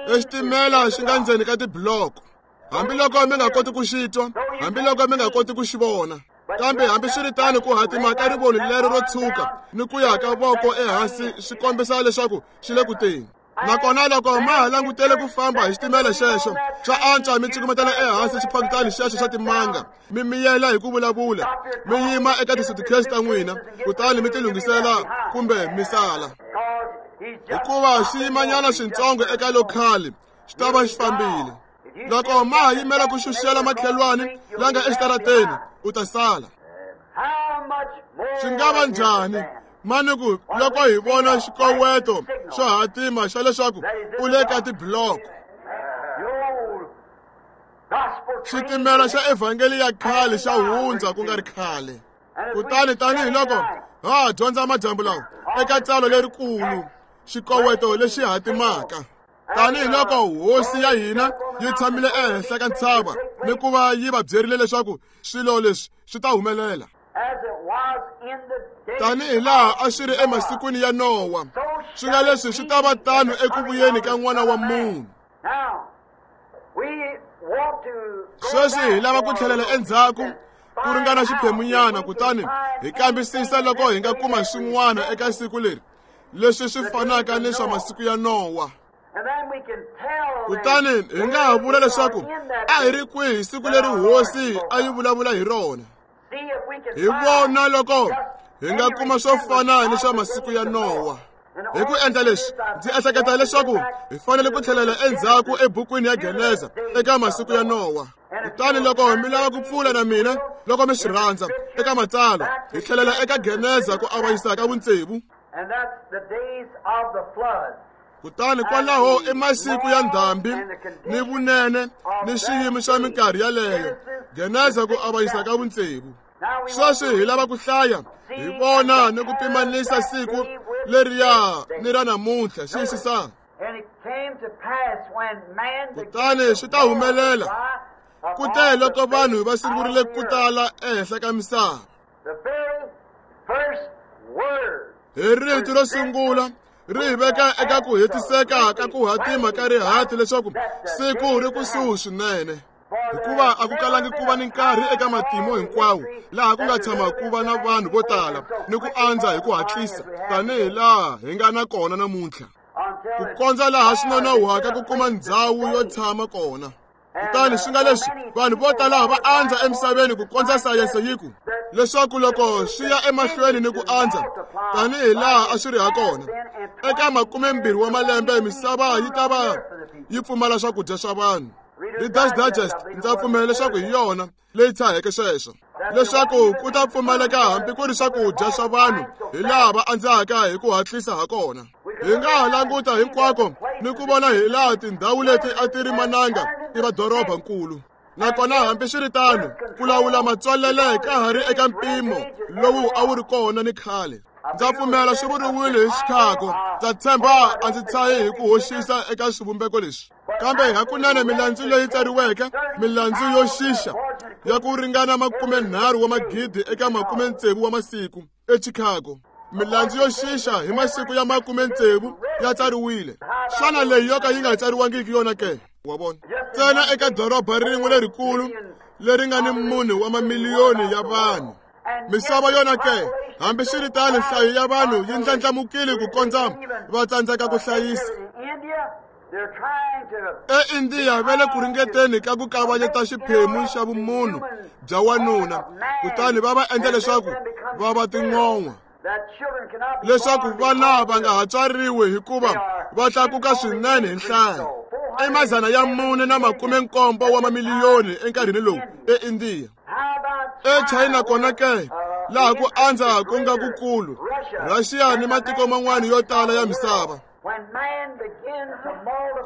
Exitimela xi nga ndzeni ka tibloko. Hambiloko mi nga koti ku xi twa, hambiloko mi nga koti ku xi vona, kambe hambiswiritano ku hatima ka rivoni lero ro tshuka ni ku ya ka voko ehansi swi kombisa leswaku xi le ku teni. Nakona loko ma ha langutele ku famba hi xitimela xexo, swa antswa mi cukumetela ehansi xiphakitani xexo xa timanga, mi miyela hi ku vulavula, mi yima eka tisutukesi ta n'wina, kutani mi tilunghisela kumbe mi sala. Hikuva xi yimanyana swintsongo eka lokhali, xi ta va xi fambile. Loko ma ha yimela ku xuxela makhelwani la nga exitarateni, u ta sala. Swi nga va njhani mani ku loko hi vona xikoweto xo hatima xa leswaku u le ka tibloko? Xitimela xa evhangeli ya khale xa hundza ku nga ri khale. Kutani tanihiloko ha dyondza madyambu lawa eka tsalwa lerikulu, xikoweto lexi hatimaka, tanihiloko Hosi ya hina yi tshamile ehenhla ka ntshava ni ku va yi va byerile leswaku swilo leswi swi ta humelela, tanihi laha a swi ri emasikwini ya Nowa, swi nga leswi swi ta va tano eku vuyeni ka N'wana wa Munhu. Sweswi hi lava ku tlhelela endzhaku ku ringana xiphemunyana, kutani hi kambisisa loko hi nga kuma swin'wana eka siku leri leswi swi fanaka ni swa masiku ya Nowa. Kutani hi nga ha vula leswaku a hi ri kwihi siku leri Hosi a yi vulavula hi rona. Hi vona loko hi nga kuma swo fana ni swa masiku ya Nowa. Hi ku endla leswi, ndzi ehleketa leswaku hi fanele ku tlhelela endzhaku ebukwini ya Geneza eka masiku ya Nowa. Kutani loko mi lava ku pfula na mina, loko mi swi rhandza, eka matsalwa, hi tlhelela eka Geneza ku avanyisa ka vutsevu. Kutani kwalaho i masiku ya ndhambi ni vunene ni xiyimo xa minkarhi yaleyo. Geneza ku avanyisa ka vutsevu. Sweswi hi lava ku hlaya, hi vona ni ku pimanisa siku leriya ni ra namuntlha. Xiyisisani. Kutani swi ta humelela kute loko vanhu va sungurile ku tala ehenhla ka misava, hi rito ro sungula ri hi veka eka ku hetiseka ka ku hatima ka rihati leswaku siku ri kusuhi swinene. Hikuva a ku kalangi ku va ni nkarhi eka matimu hinkwawo laha ku nga tshama ku va na vanhu vo tala ni ku andza hi ku hatlisa tanihi laha hi nga na kona namuntlha. Ku kondza laha swi nonohwaka ku kuma ndhawu yo tshama kona. Kutani swi nga leswi vanhu vo tala va andza emisaveni ku kondza sayense yi ku leswaku loko swi ya emahlweni ni ku andza tanihi laha a swi ri ha kona eka 20 wa malembe misava yi ta va yi pfumala swakudya swa vanhu. Reader's Digest ndza pfumela leswaku hi yona leyi tshaheke sweswo leswaku ku ta pfumaleka hambi ku ri swakudya swa vanhu hi laha va andzaka hi ku hatlisa ha kona. Hi nga ha languta hinkwako ni ku vona hi laha tindhawu leti a ti ri mananga ti va dorobankulu. Nakona hambiswiritano ku lawula matswalele ka ha ri eka mpimo lowu a wu ri kona ni khale. Ndza pfumela swi vuriwile hi Chicago. Ndza tshemba a ndzi tshahi hi ku hoxisa eka swivumbeko leswi. Kambe hakunene milandzu leyi tsariweke, milandzu yo xixa ya ku ringana 30 wa magidi eka 60 wa masiku eChicago. Milandzu yo xixa hi masiku ya 60 ya tsariwile. Xana leyi yo ka yi nga tsariwangiki yona ke? Wa vona? Ntsena eka doroba rin'we lerikulu leri nga ni 4 wa mamiliyoni ya vanhu. Misava yona ke, hambiswiritano nhlayo ya vanhu yi ndlandlamukile ku kondza va tsandzeka ku hlayisa. EIndiya va le ku ringeteni ka ku kavanyeta xiphemu xa vumunhu bya wanuna kutani va va endla leswaku va va tin'on'wa leswaku vana va nga ha tswariwi hikuva va tlakuka swinene hi nhlayo. I 470 wa mamiliyoni enkarhini lowu eIndiya. EChina kona ke, laha ku andza ku nga kukulu, Russia ni matiko man'wana yo tala ya misava.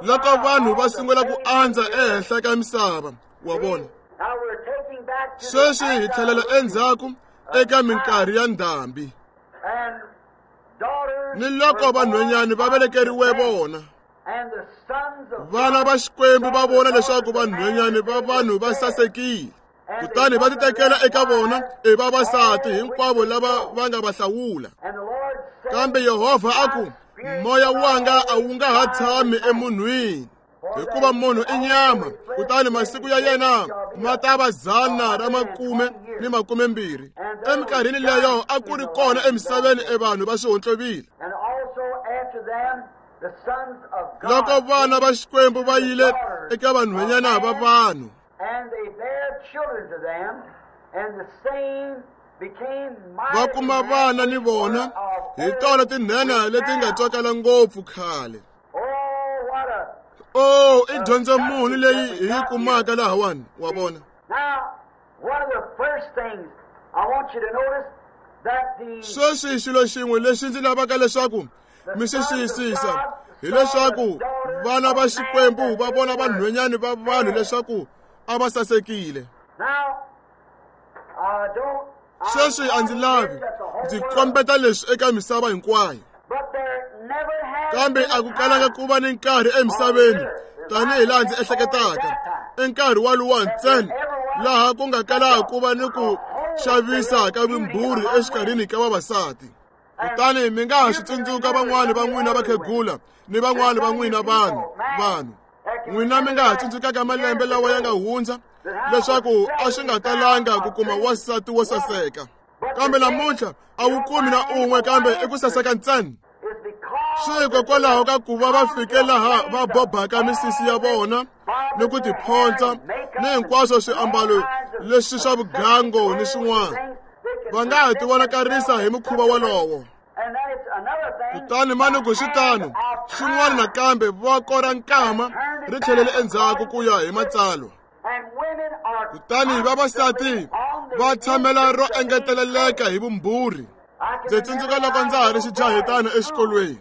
Loko vanhu va sungula ku andza ehenhla ka misava, wa vona. Sweswi hi tlhelela endzhaku eka minkarhi ya ndhambi. Ni loko vanhwanyana va velekeriwe vona. Vana va Xikwembu va vona leswaku vanhwanyana va vanhu va sasekile. Kutani va titekela eka vona i vavasati hinkwavo lava va nga va hlawula. Kambe Yehovha a ku, moya wanga a wu nga ha tshami emunhwini, hikuva munhu i nyama, kutani masiku ya yena ma ta va 120. Eminkarhini leyo a ku ri kona emisaveni evanhu va swihontlovile. Loko vana va Xikwembu va yile eka vanhwanyana va vanhu, va kuma vana ni vona hi tona tinhenha leti nga tswakala ngopfu khale. Oh, i dyondzo muni leyi hi yi kumaka lahawani, wa vona. Sweswi xilo xin'we lexi ndzi lavaka leswaku mi xi xiyisisa hileswaku vana va Xikwembu va vona vanhwanyana va vanhu leswaku a va sasekile. Sweswi a ndzi lavi ndzi kombeta leswi eka misava hinkwayo. Kambe a ku kalanga ku va ni nkarhi emisaveni tanihi laha ndzi ehleketaka, i nkarhi waluwa ntsena laha ku nga kalaka ku va ni ku xavisa ka vumbhurhi exikarhini ka vavasati. Kutani mi nga ha swi tsundzuka van'wani va n'wina vakhegula ni van'wani va n'wina vanhu. N'wina mi nga ha tsundzukaka malembe lawa ya nga hundza leswaku a swi nga talanga ku kuma wansati wo saseka. Kambe namuntlha a wu kumi na un'we kambe i ku saseka ntsena. Swi hikokwalaho ka ku va va fike laha va bobaka misisi ya vona ni ku tiphontswa ni hinkwaswo swiambalo leswi swa vugango ni swin'wana. Va nga ha tivonakarisa hi mukhuva wolowo. Kutani manuku swi tano, xin'wana nakambe voko ra nkama ri tlhelele endzhaku ku ya hi matsalwa. Kutani vavasati va tshamela ro engeteleleka hi vumbhurhi. Ndzi tsundzuka loko ndza ha ri xijahetana exikolweni.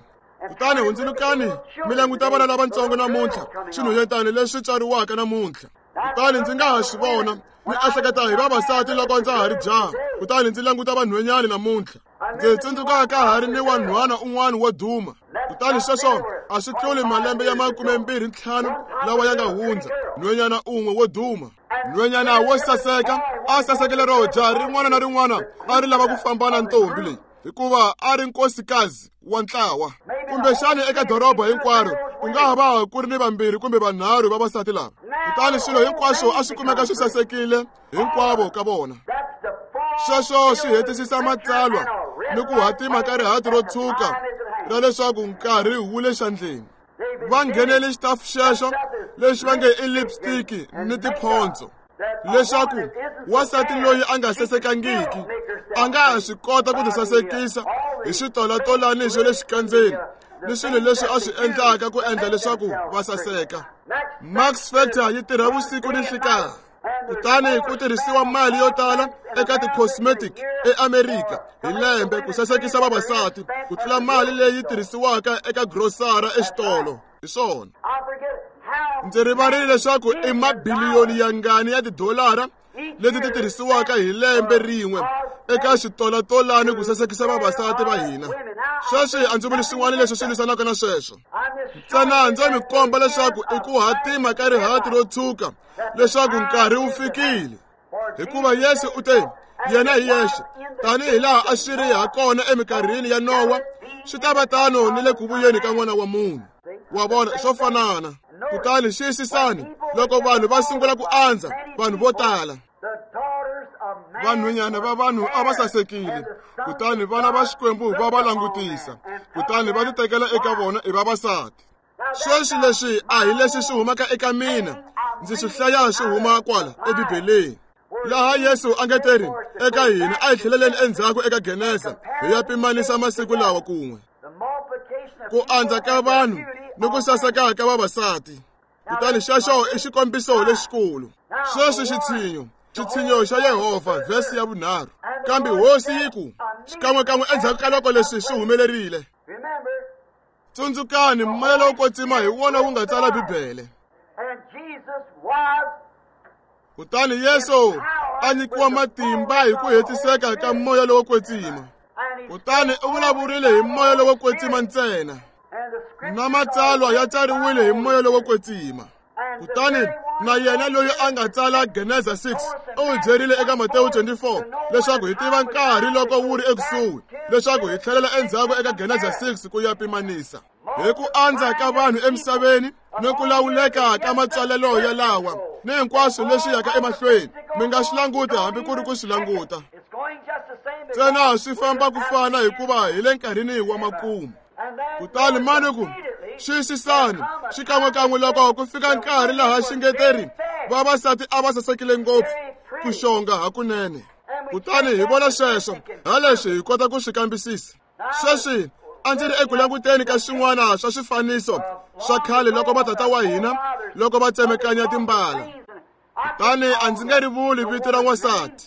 Kutani hundzulukani mi languta vana lavatsongo namuntlha, swinhwanyetana leswi tswariwaka namuntlha. Kutani ndzi nga ha swi vona ni ehleketa hi vavasati loko ndza ha ri jaha, kutani ndzi languta vanhwanyana namuntlha. Ndzi tsundzuka ka ha ri ni wanhwana un'wana wo duma. Kutani sweswo a swi tluli malembe ya 25 lawa ya nga hundza, nhwanyana un'we wo duma. Nhwanyana wo saseka a sasekile ro jaha rin'wana na rin'wana a ri lava ku famba na ntombi leyi, hikuva a ri nkosikazi wa ntlawa. Kumbexani eka doroba hinkwaro ku nga ha va ku ri ni vambirhi kumbe vanharhu vavasati lava. Kutani swilo hinkwaswo a swi kumeka swi sasekile hinkwavo ka vona. Sweswo swi hetisisa matsalwa ni ku hatima ka rihati ro tshuka ra leswaku nkarhi wu le xandleni. Va nghenele xitafu xexo lexi va nge i lipstick ni tiphondzo leswaku wansati loyi a nga sasekangiki a nga ha swi kota ku tisasekisa hi switolatolani swa le xikandzeni ni swilo leswi a swi endlaka ku endla leswaku va saseka. Max Factor yi tirha vusiku ni nhlikanhi. Kutani ku tirhisiwa mali yo tala eka ti-cosmetic eAmerika hi lembe ku sasekisa vavasati ku tlula mali leyi tirhisiwaka eka grosara exitolo. Hi swona. Ndzi rivarile leswaku i mabiliyoni yangani ya tidolara leti ti tirhisiwaka hi lembe rin'we eka switolatolani ku sasekisa vavasati va hina. Sweswi a ndzi vuli swin'wana leswi swi lwisanaka na sweswo. Ntsena ndzo mi komba leswaku i ku hatima ka rihati ro tshuka leswaku nkarhi wu fikile. Hikuva Yesu u te, yena hi yexe, tanihi laha a swi ri ha kona eminkarhini ya Nowa, swi ta va tano ni le ku vuyeni ka N'wana wa Munhu. Wa vona, swo fanana. Kutani xiyisisani, loko vanhu va sungula ku andza, vanhu vo tala, vanhwanyana va vanhu a va sasekile, kutani vana va Xikwembu va va langutisa, kutani va titekela eka vona i vavasati. Sweswi leswi a hi leswi swi humaka eka mina, ndzi swi hlaya swi huma kwala eBibeleni. Laha Yesu a nge teri eka hina a hi tlheleleni endzhaku eka Genesa hi ya pimanisa masiku lawa kun'we. Ku andza ka vanhu ni ku saseka ka vavasati. Kutani xexo i xikombiso lexikulu. Sweswi xitshinyo, xitshinyo xa Yehovha, vhesi ya vunharhu. Kambe Hosi yi ku, xikan'wekan'we endzhaku ka loko leswi swi humelerile. Tsundzukani, moya lowo kwetsima hi wona wu nga tsala Bibele. Kutani Yesu a nyikiwa matimba hi ku hetiseka ka moya lowo kwetsima. Kutani u vulavurile hi moya lowo kwetsima ntsena. Na matsalwa ya tsariwile hi moya lowo kwetsima. Kutani na yena loyi a nga tsala Genesa 6 u hi byerile eka Matewu 24 leswaku hi tiva nkarhi loko wu ri ekusuhi, leswaku hi tlhelela endzhaku eka Genesa 6 ku ya pimanisa. Hi ku andza ka vanhu emisaveni ni ku lawuleka ka matsalelo ya lawa ni hinkwaswo leswi yaka emahlweni, mi nga swi languti hambi ku ri ku swi languta. Ntsena swi famba ku fana hikuva hi le nkarhini wa makumu. Kutani mani ku xiyisisani xikan'wekan'we loko ku fika nkarhi laha xingeteri vavasati a va sasekile ngopfu ku xonga hakunene. Kutani hi vona sweswo ha leswi hi kota ku swi kambisisa. Sweswi a ndzi ri eku languteni ka swin'wana swa swifaniso swa khale loko vatata wa hina loko va tsemekanya timbala. Kutani a ndzi nge ri vuli vito ra n'wansati,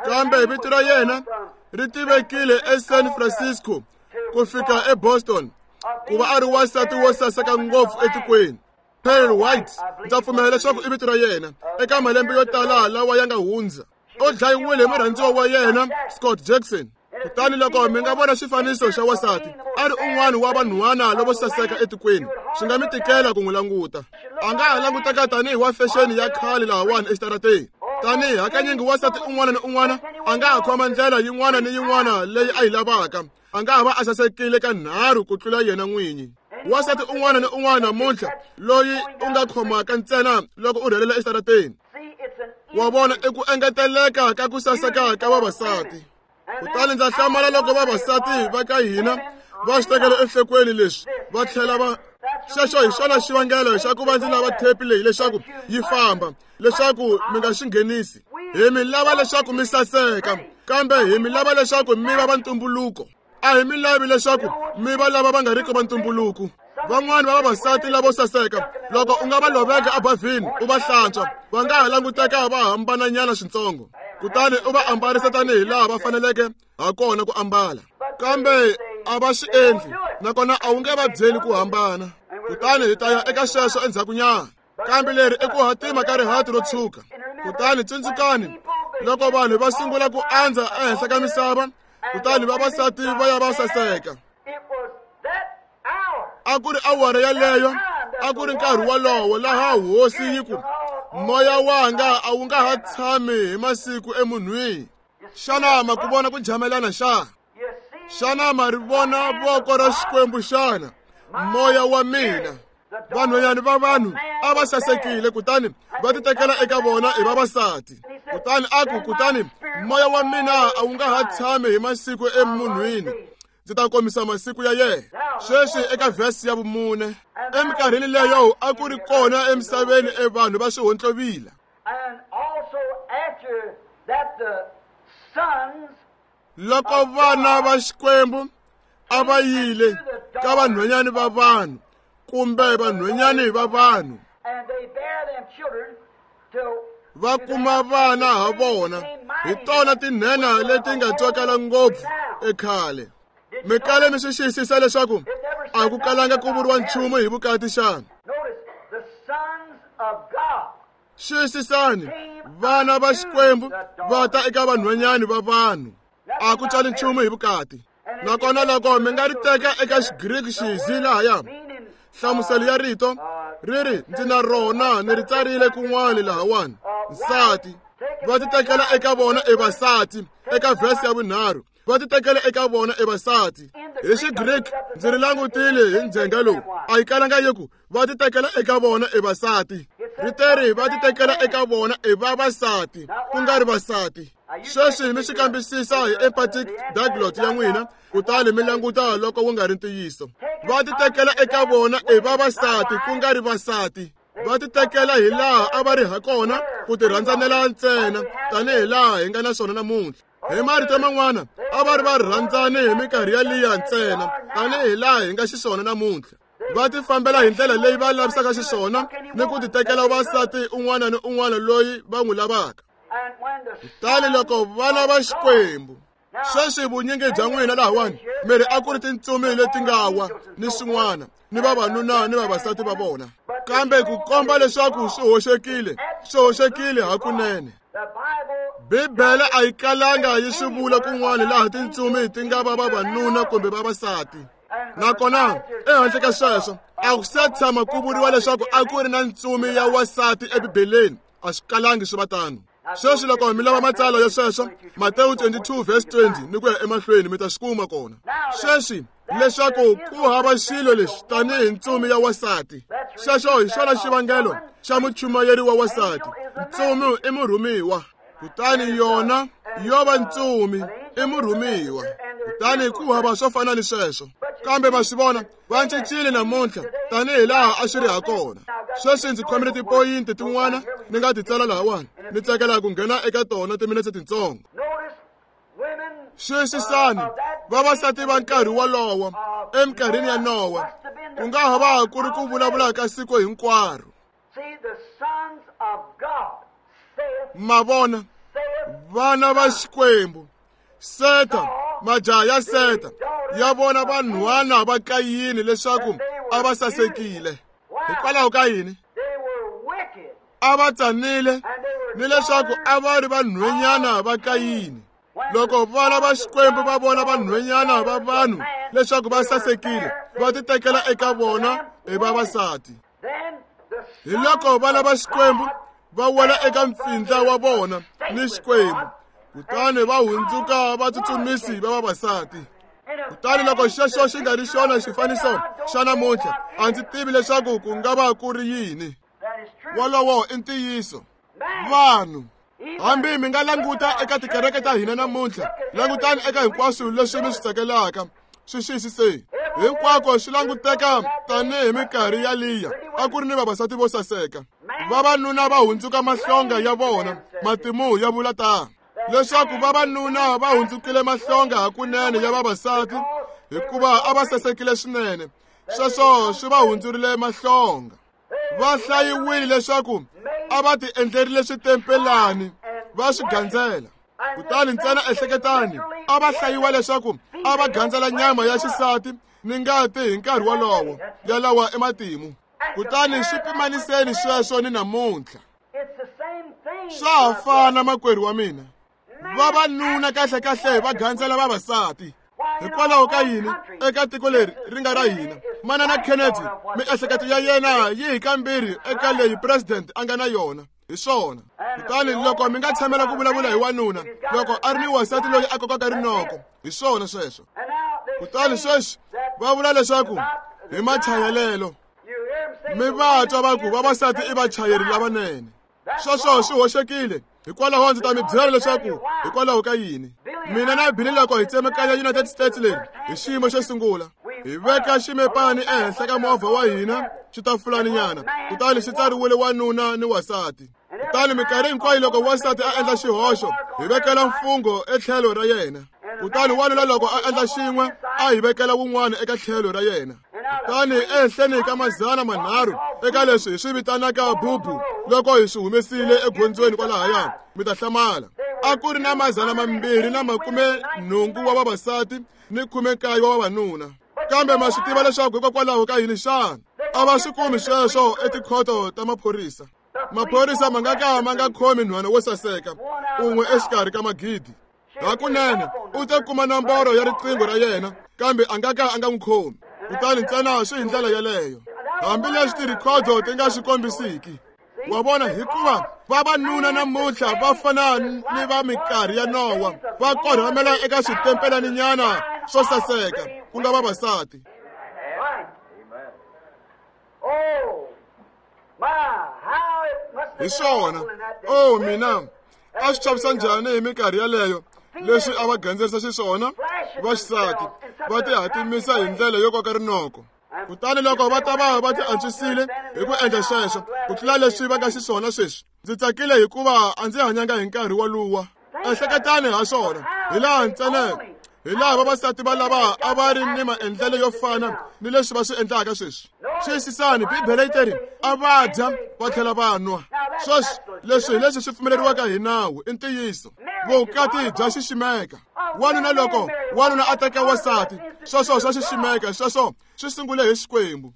kambe vito ra yena ri tivekile eSan Francisco ku fika eBoston ku va a ri wansati wo saseka ngopfu etikweni. Pearl White, ndza pfumela leswaku i vito ra yena, eka malembe yo tala lawa ya nga hundza. U dlayiwile hi murhandziwa wa yena Scott Jackson. Kutani loko mi nga vona xifaniso xa wansati a ri un'wana wa vanhwana lavo saseka etikweni, swi nga mi tikela ku n'wi languta. A nga ha languteka tanihi wa fexeni ya khale lahawani exitarateni. Tanihi hakanyingi wansati un'wana ni un'wana a nga ha khoma ndlela yin'wana ni yin'wana leyi a yi lavaka, a nga ha va a sasekile ka nharhu ku tlula yena n'winyi. Wansati un'wana ni un'wana namuntlha loyi u nga khomaka ntsena loko u rhelela exitarateni. Wa vona, i ku engeteleka ka ku saseka ka vavasati. Kutani ndza hlamala loko vavasati va ka hina va swi tekela enhlokweni leswi va tlhela va xexo hi xona xivangelo xa ku va ndzi lava thepi leyi leswaku yi famba, leswaku mi nga xi nghenisi. Hi mi lava leswaku mi saseka, kambe hi mi lava leswaku mi va va ntumbuluko. A hi mi lavi leswaku mi va lava va nga riki va ntumbuluko. Van'wani va vavasati lavo saseka, loko u nga va loveka ebavhini u va hlantswa, va nga ha languteka va hambananyana swintsongo, kutani u va ambarisa tanihi laha va faneleke ha kona ku ambala. Kambe a va swi endli, nakona a wu nge va byeli ku hambana. Kutani hi ta ya eka sweswo endzhakunyana. Kambe leri i ku hatima ka rihati ro tshuka. Kutani tsundzukani, loko vanhu va sungula ku andza ehenhla ka misava, kutani vavasati va ya va saseka. A ku ri awara yaleyo, a ku ri nkarhi wolowo laha Hosi yi ku, moya wanga a wu nga ha tshami hi masiku emunhwini. Xana ma ku vona ku jamelana xa? Xana ma ri vona voko ra Xikwembu xana? Moya wa mina. Vanhwanyana va vanhu a va sasekile, kutani va titekela eka vona hi vavasati. Kutani a ku, kutani moya wa mina a wu nga ha tshami hi masiku emunhwini, ndzi ta komisa masiku ya yena. Sweswi eka vhesi ya vumune, eminkarhini leyo a ku ri kona emisaveni evanhu va swihontlovila. Loko vana va Xikwembu a va yile ka vanhwanyani va vanhu kumbe vanhwanyani va vanhu, va kuma vana ha vona, hi tona tinhenha leti nga tswakala ngopfu ekhale. Mi kale mi swi xiyisisa leswaku a ku kalanga ku vuriwa nchumu hi vukati xana? Xiyisisani, vana va Xikwembu va ta eka vanhwanyani va vanhu, a ku tsali nchumu hi vukati. Nakona loko mi nga ri teka eka Xigriki xizi lahaya, nhlamuselo ya rito ri ri, ndzi na rona ni ri tsarile kun'wana lahawani, nsati. Va titekela eka vona evasati, eka vhesi ya vunharhu, va titekela eka vona evasati. Hi Xigriki ndzi ri langutile hi ndzhenga lowu, a yi kalanga yi ku va titekela eka vona evasati, ri teri va titekela eka vona evavasati, ku nga ri vasati. Sweswi mi swi kambisisa hi empathic diglot ya n'wina, kutani mi languta loko wu nga ri ntiyiso. Va titekela eka vona evavasati, ku nga ri vasati. Va titekela hi laha a va ri ha kona, ku tirhandzanela ntsena, tanihi laha hi nga na swona namuntlha. Hi marito man'wana, a va ri va rhandzani hi minkarhi ya liya ntsena, tanihi laha hi nga xiswona namuntlha. Va tifambela hi ndlela leyi va lavisaka xiswona ni ku titekela vasati un'wana ni un'wana loyi va n'wi lavaka. Kutani loko vana va Xikwembu, sweswi vunyingi bya n'wina lahawani mi ri a ku ri tintsumi leti nga wa ni swin'wana, ni vavanuna ni vavasati va vona, kambe ku komba leswaku swi hoxekile, swi hoxekile hakunene. Bibele a yi kalanga yi swi vula kun'wana laha tintsumi ti nga va vavanuna kumbe vavasati. Nakona ehandle ka sweswo, a ku se tshama ku vuriwa leswaku a ku ri na ntsumi ya wasati eBibeleni, a swi kalangi swi va tano. Sweswi loko mi lava matsalwa ya sweswo, Matewu 22 verse 20 ni ku ya emahlweni, mi ta swi kuma kona. Sweswi leswaku ku hava xilo lexi tanihi ntsumi ya wasati, xexo hi xona xivangelo xa muchumayeri wa wasati. Ntsumi i murhumiwa, kutani yona yo va ntsumi i murhumiwa, kutani ku hava swo fana ni sweswo. Kambe ma swi vona, va cincile namuntlha tanihi laha a swi ri ha kona. Sweswi ndzi khomile tipoyinti tin'wana ni nga ti tsala lahawani, ni tsakela ku nghena eka tona timinetse tintsongo. Xiyisisani, vavasati va nkarhi wolowo eminkarhini ya Nowa, ku nga ha va ku ri ku vulavula ka siku hinkwaro. Ma vona, vana va Xikwembu, Seta, majaha ya Seta, ya vona vanhwana va Kayini leswaku a va sasekile. Hikwalaho ka yini? A va tsanile, ni leswaku a va ri vanhwenyana va Kayini. Loko vana va Xikwembu va vona vanhwenyana va vanhu leswaku va sasekile, va titekela eka vona hi vavasati. Hi loko vana va Xikwembu va wela eka mpfindla wa vona ni Xikwembu, kutani va hundzuka vatsutsumisi va vavasati. Kutani loko xexo xi nga ri xona xifaniso xa namuntlha, a ndzi tivi leswaku ku nga va ku ri yini. Wolowo i ntiyiso. Vanhu, hambi mi nga languta eka tikereke ta hina namuntlha, langutani eka hinkwaswo leswi mi swi tsakelaka, swi xiyisiseni. Hinkwako swi languteka tanihi minkarhi ya liya a ku ri ni vavasati vo saseka. Vavanuna va hundzuka mahlonga ya vona, matimu ya vula tano, leswaku vavanuna va hundzukile mahlonga hakunene ya vavasati, hikuva a va sasekile swinene. Sweswo swi va hundzurile mahlonga. Va hlayiwile leswaku a va ti endlerile switempelani va swi gandzela. Kutani ntsena ehleketani, a va hlayiwa leswaku a va gandzela nyama ya xisati ni ngati hi nkarhi wolowo ya lawa ematimu. Kutani swi pimaniseni sweswo ni namuntlha. Swa ha fana, makwerhu wa mina. Vavanuna kahle-kahle va gandzela vavasati. Hikwalaho ka yini eka tiko leri ri nga ra hina, Manana Kennedy, miehleketo ya yena yi hi kambirhi eka leyi president a nga na yona. Hi swona. Kutani loko mi nga tshamela ku vulavula hi wanuna loko a ri ni wansati loyi a kokaka rinoko, hi swona sweswo. Kutani sweswi va vula leswaku hi machayelelo. Mi va twa va ku vavasati i vachayeri lavanene. Sweswo swi hoxekile. Hikwalaho ndzi ta mi byela leswaku hikwalaho ka yini. Mina na Billy loko hi tsemakanya United States leri hi xiyimo xo sungula, hi veka ximepani ehenhla ka movha wa hina xitafulaninyana, kutani xi tsariwile wanuna ni wasati. Kutani minkarhi hinkwayo loko wansati a endla xihoxo, hi vekela mfungho etlhelo ra yena. Kutani wanuna loko a endla xin'we, a hi vekela wun'wana eka tlhelo ra yena. Kutani ehenhleni ka 300 eka leswi hi swi vitanaka bubu, loko hi swi humesile egondzweni kwalahaya, mi ta hlamala. A ku ri na 280 wa vavasati ni 19 wa vavanuna. Kambe ma swi tiva leswaku hikokwalaho ka yini xana? A va swi kumi sweswo etikhoto ta maphorisa. Maphorisa ma nga ka ma nga khomi nhwana wo saseka un'we exikarhi ka magidi. Hakunene u ta kuma nomboro ya riqingho ra yena, kambe a nga ka a nga n'wi khomi. Kutani ntsena swi hi ndlela yeleyo, hambileswi tirhikhodo ti nga swi kombisiki. Wa vona, hikuva vavanuna namuntlha va fana ni va minkarhi ya Nowa, va korhamela eka switempelaninyana swo saseka, ku nga vavasati. Hi swona, oh mina, a swi chavisa njhani hi minkarhi yeleyo leswi a va gandzerisa xiswona vaxisati va tihatimisa hi ndlela yo koka rinoko. Kutani loko va ta va va ti antswisile hi ku endla sweswo ku tlula leswi va nga xiswona sweswi. Ndzi tsakile hikuva a ndzi hanyanga hi nkarhi woluwa. Ehleketani ha swona, hilaha ntsena hilaha vavasati va lava a va ri ni maendlelo yo fana ni leswi va swi endlaka sweswi. Xiyisisani, Bibele yi teri a va dya va tlhela va nwa. Sweswi leswi hi leswi swi pfumeleriwaka hi nawu, i ntiyiso. Vukati bya xiximeka. Wanuna loko wanuna a teka wansati, sweswo swa xiximeka, sweswo swi sungule hi Xikwembu.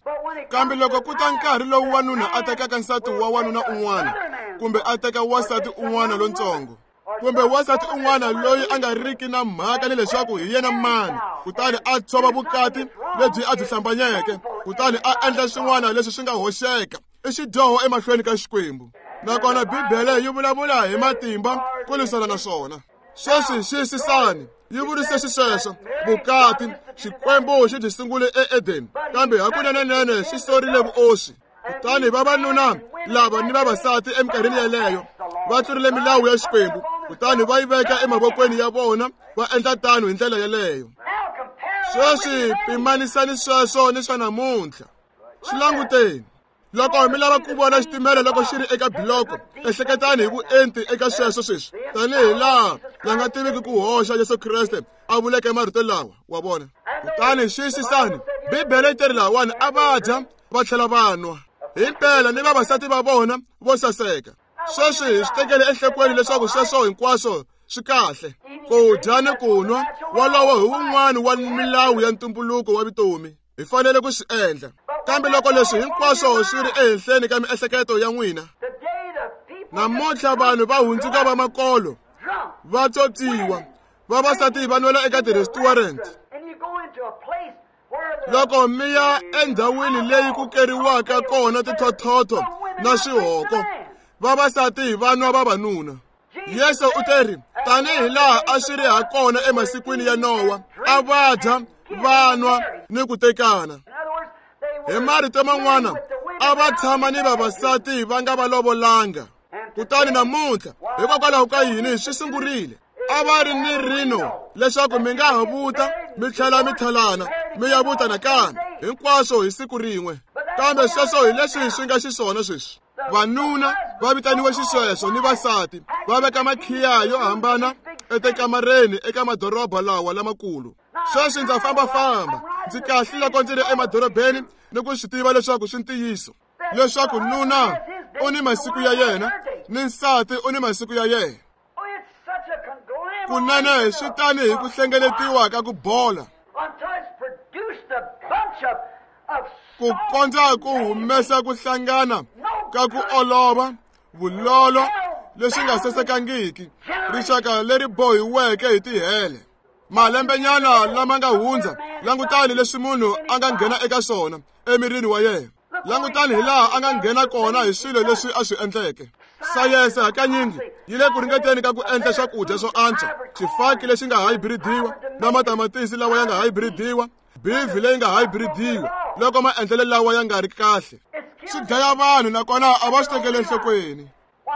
Kambe loko ku ta nkarhi lowu wanuna a tekaka nsati wa wanuna un'wana, kumbe a teka wansati un'wana lontsongo, kumbe wansati un'wana loyi a nga riki na mhaka ni leswaku hi yena mani, kutani a tshova vukati lebyi a byi hlambanyeke, kutani a endla swin'wana leswi swi nga hoxeka, i xidyoho emahlweni ka Xikwembu. Nakona Bibele yi vulavula hi matimba ku lwisana na swona. Sweswi xiyisisani, yi vurise xisweswo vukati Xikwembu xi byi sungule eEdeni, kambe hakunenenene xi sorile vuoswi. Kutani vavanuna lava ni vavasati eminkarhini yeleyo va tlurile milawu ya Xikwembu, kutani va yi veka emavokweni ya vona, va endla tano hi ndlela yeleyo. Sweswi pimanisani sweswo ni swa namuntlha. Swi languteni. Loko mi lava ku vona xitimela loko xi ri eka biloko, ehleketani hi vuenti eka sweswo sweswi, tanihi laha la nga tiviki ku hoxa Yesu Kreste a vuleke marito lawa, wa vona. Kutani xiyisisani, Bibele yi teri lahawani a va dya va tlhela va nwa, himpela ni vavasati va vona vo saseka. Sweswi hi swi tekele enhlokweni leswaku sweswo hinkwaswo swi kahle. Ku dya ni ku nwa, wolowo hi wun'wana wa milawu ya ntumbuluko wa vutomi. Hi fanele ku swi endla. Kambe loko leswi hinkwaswo swi ri ehenhleni ka miehleketo ya n'wina, namuntlha vanhu va hundzuka va makolo, va tswotswiwa, vavasati va nwela eka ti-restaurant. Loko mi ya endhawini leyi ku keriwaka kona tithothotho na swihoko, vavasati va nwa vavanuna. Yesu u teri, tanihi laha a swi ri ha kona emasikwini ya Nowa, a va dya, va nwa ni ku tekana. Hi marito man'wana, a va tshama ni vavasati va nga va lovolanga. Kutani namuntlha, hikokwalaho ka yini swi sungurile? A va ri ni rino leswaku mi nga ha vuta mi tlhela mi thalana, mi ya vuta nakambe, hinkwaswo hi siku rin'we. Kambe sweswo hi leswi swi nga xiswona sweswi. Vanuna va vitaniwe xisweswo ni vasati va veka makhiya yo hambana etikamareni eka madoroba lawa lamakulu. Sweswi ndza fambafamba, ndzi kahle loko ndzi ri emadorobeni ni ku swi tiva leswaku swi ntiyiso leswaku nuna u ni masiku ya yena ni nsati u ni masiku ya yena. Kunene swi tani hi ku hlengeletiwa ka ku bola, ku kondza ku humesa ku hlangana ka ku olova, vulolo leswi nga sasekangiki, rixaka leri bohiweke hi tihele. Malembenyana lama nga hundza, langutani leswi munhu a nga nghena eka swona emirini wa yena. Langutani hi laha a nga nghena kona hi swilo leswi a swi endleke. Sayense hakanyingi yi le ku ringeteni ka ku endla swakudya swo antswa, xifaki lexi nga hybridiwa na matamatisi lawa ya nga hybridiwa, beef leyi nga hybridiwa, loko maendlelo lawa ya nga ri kahle. Swi dlaya vanhu nakona a va swi tekeli enhlokweni.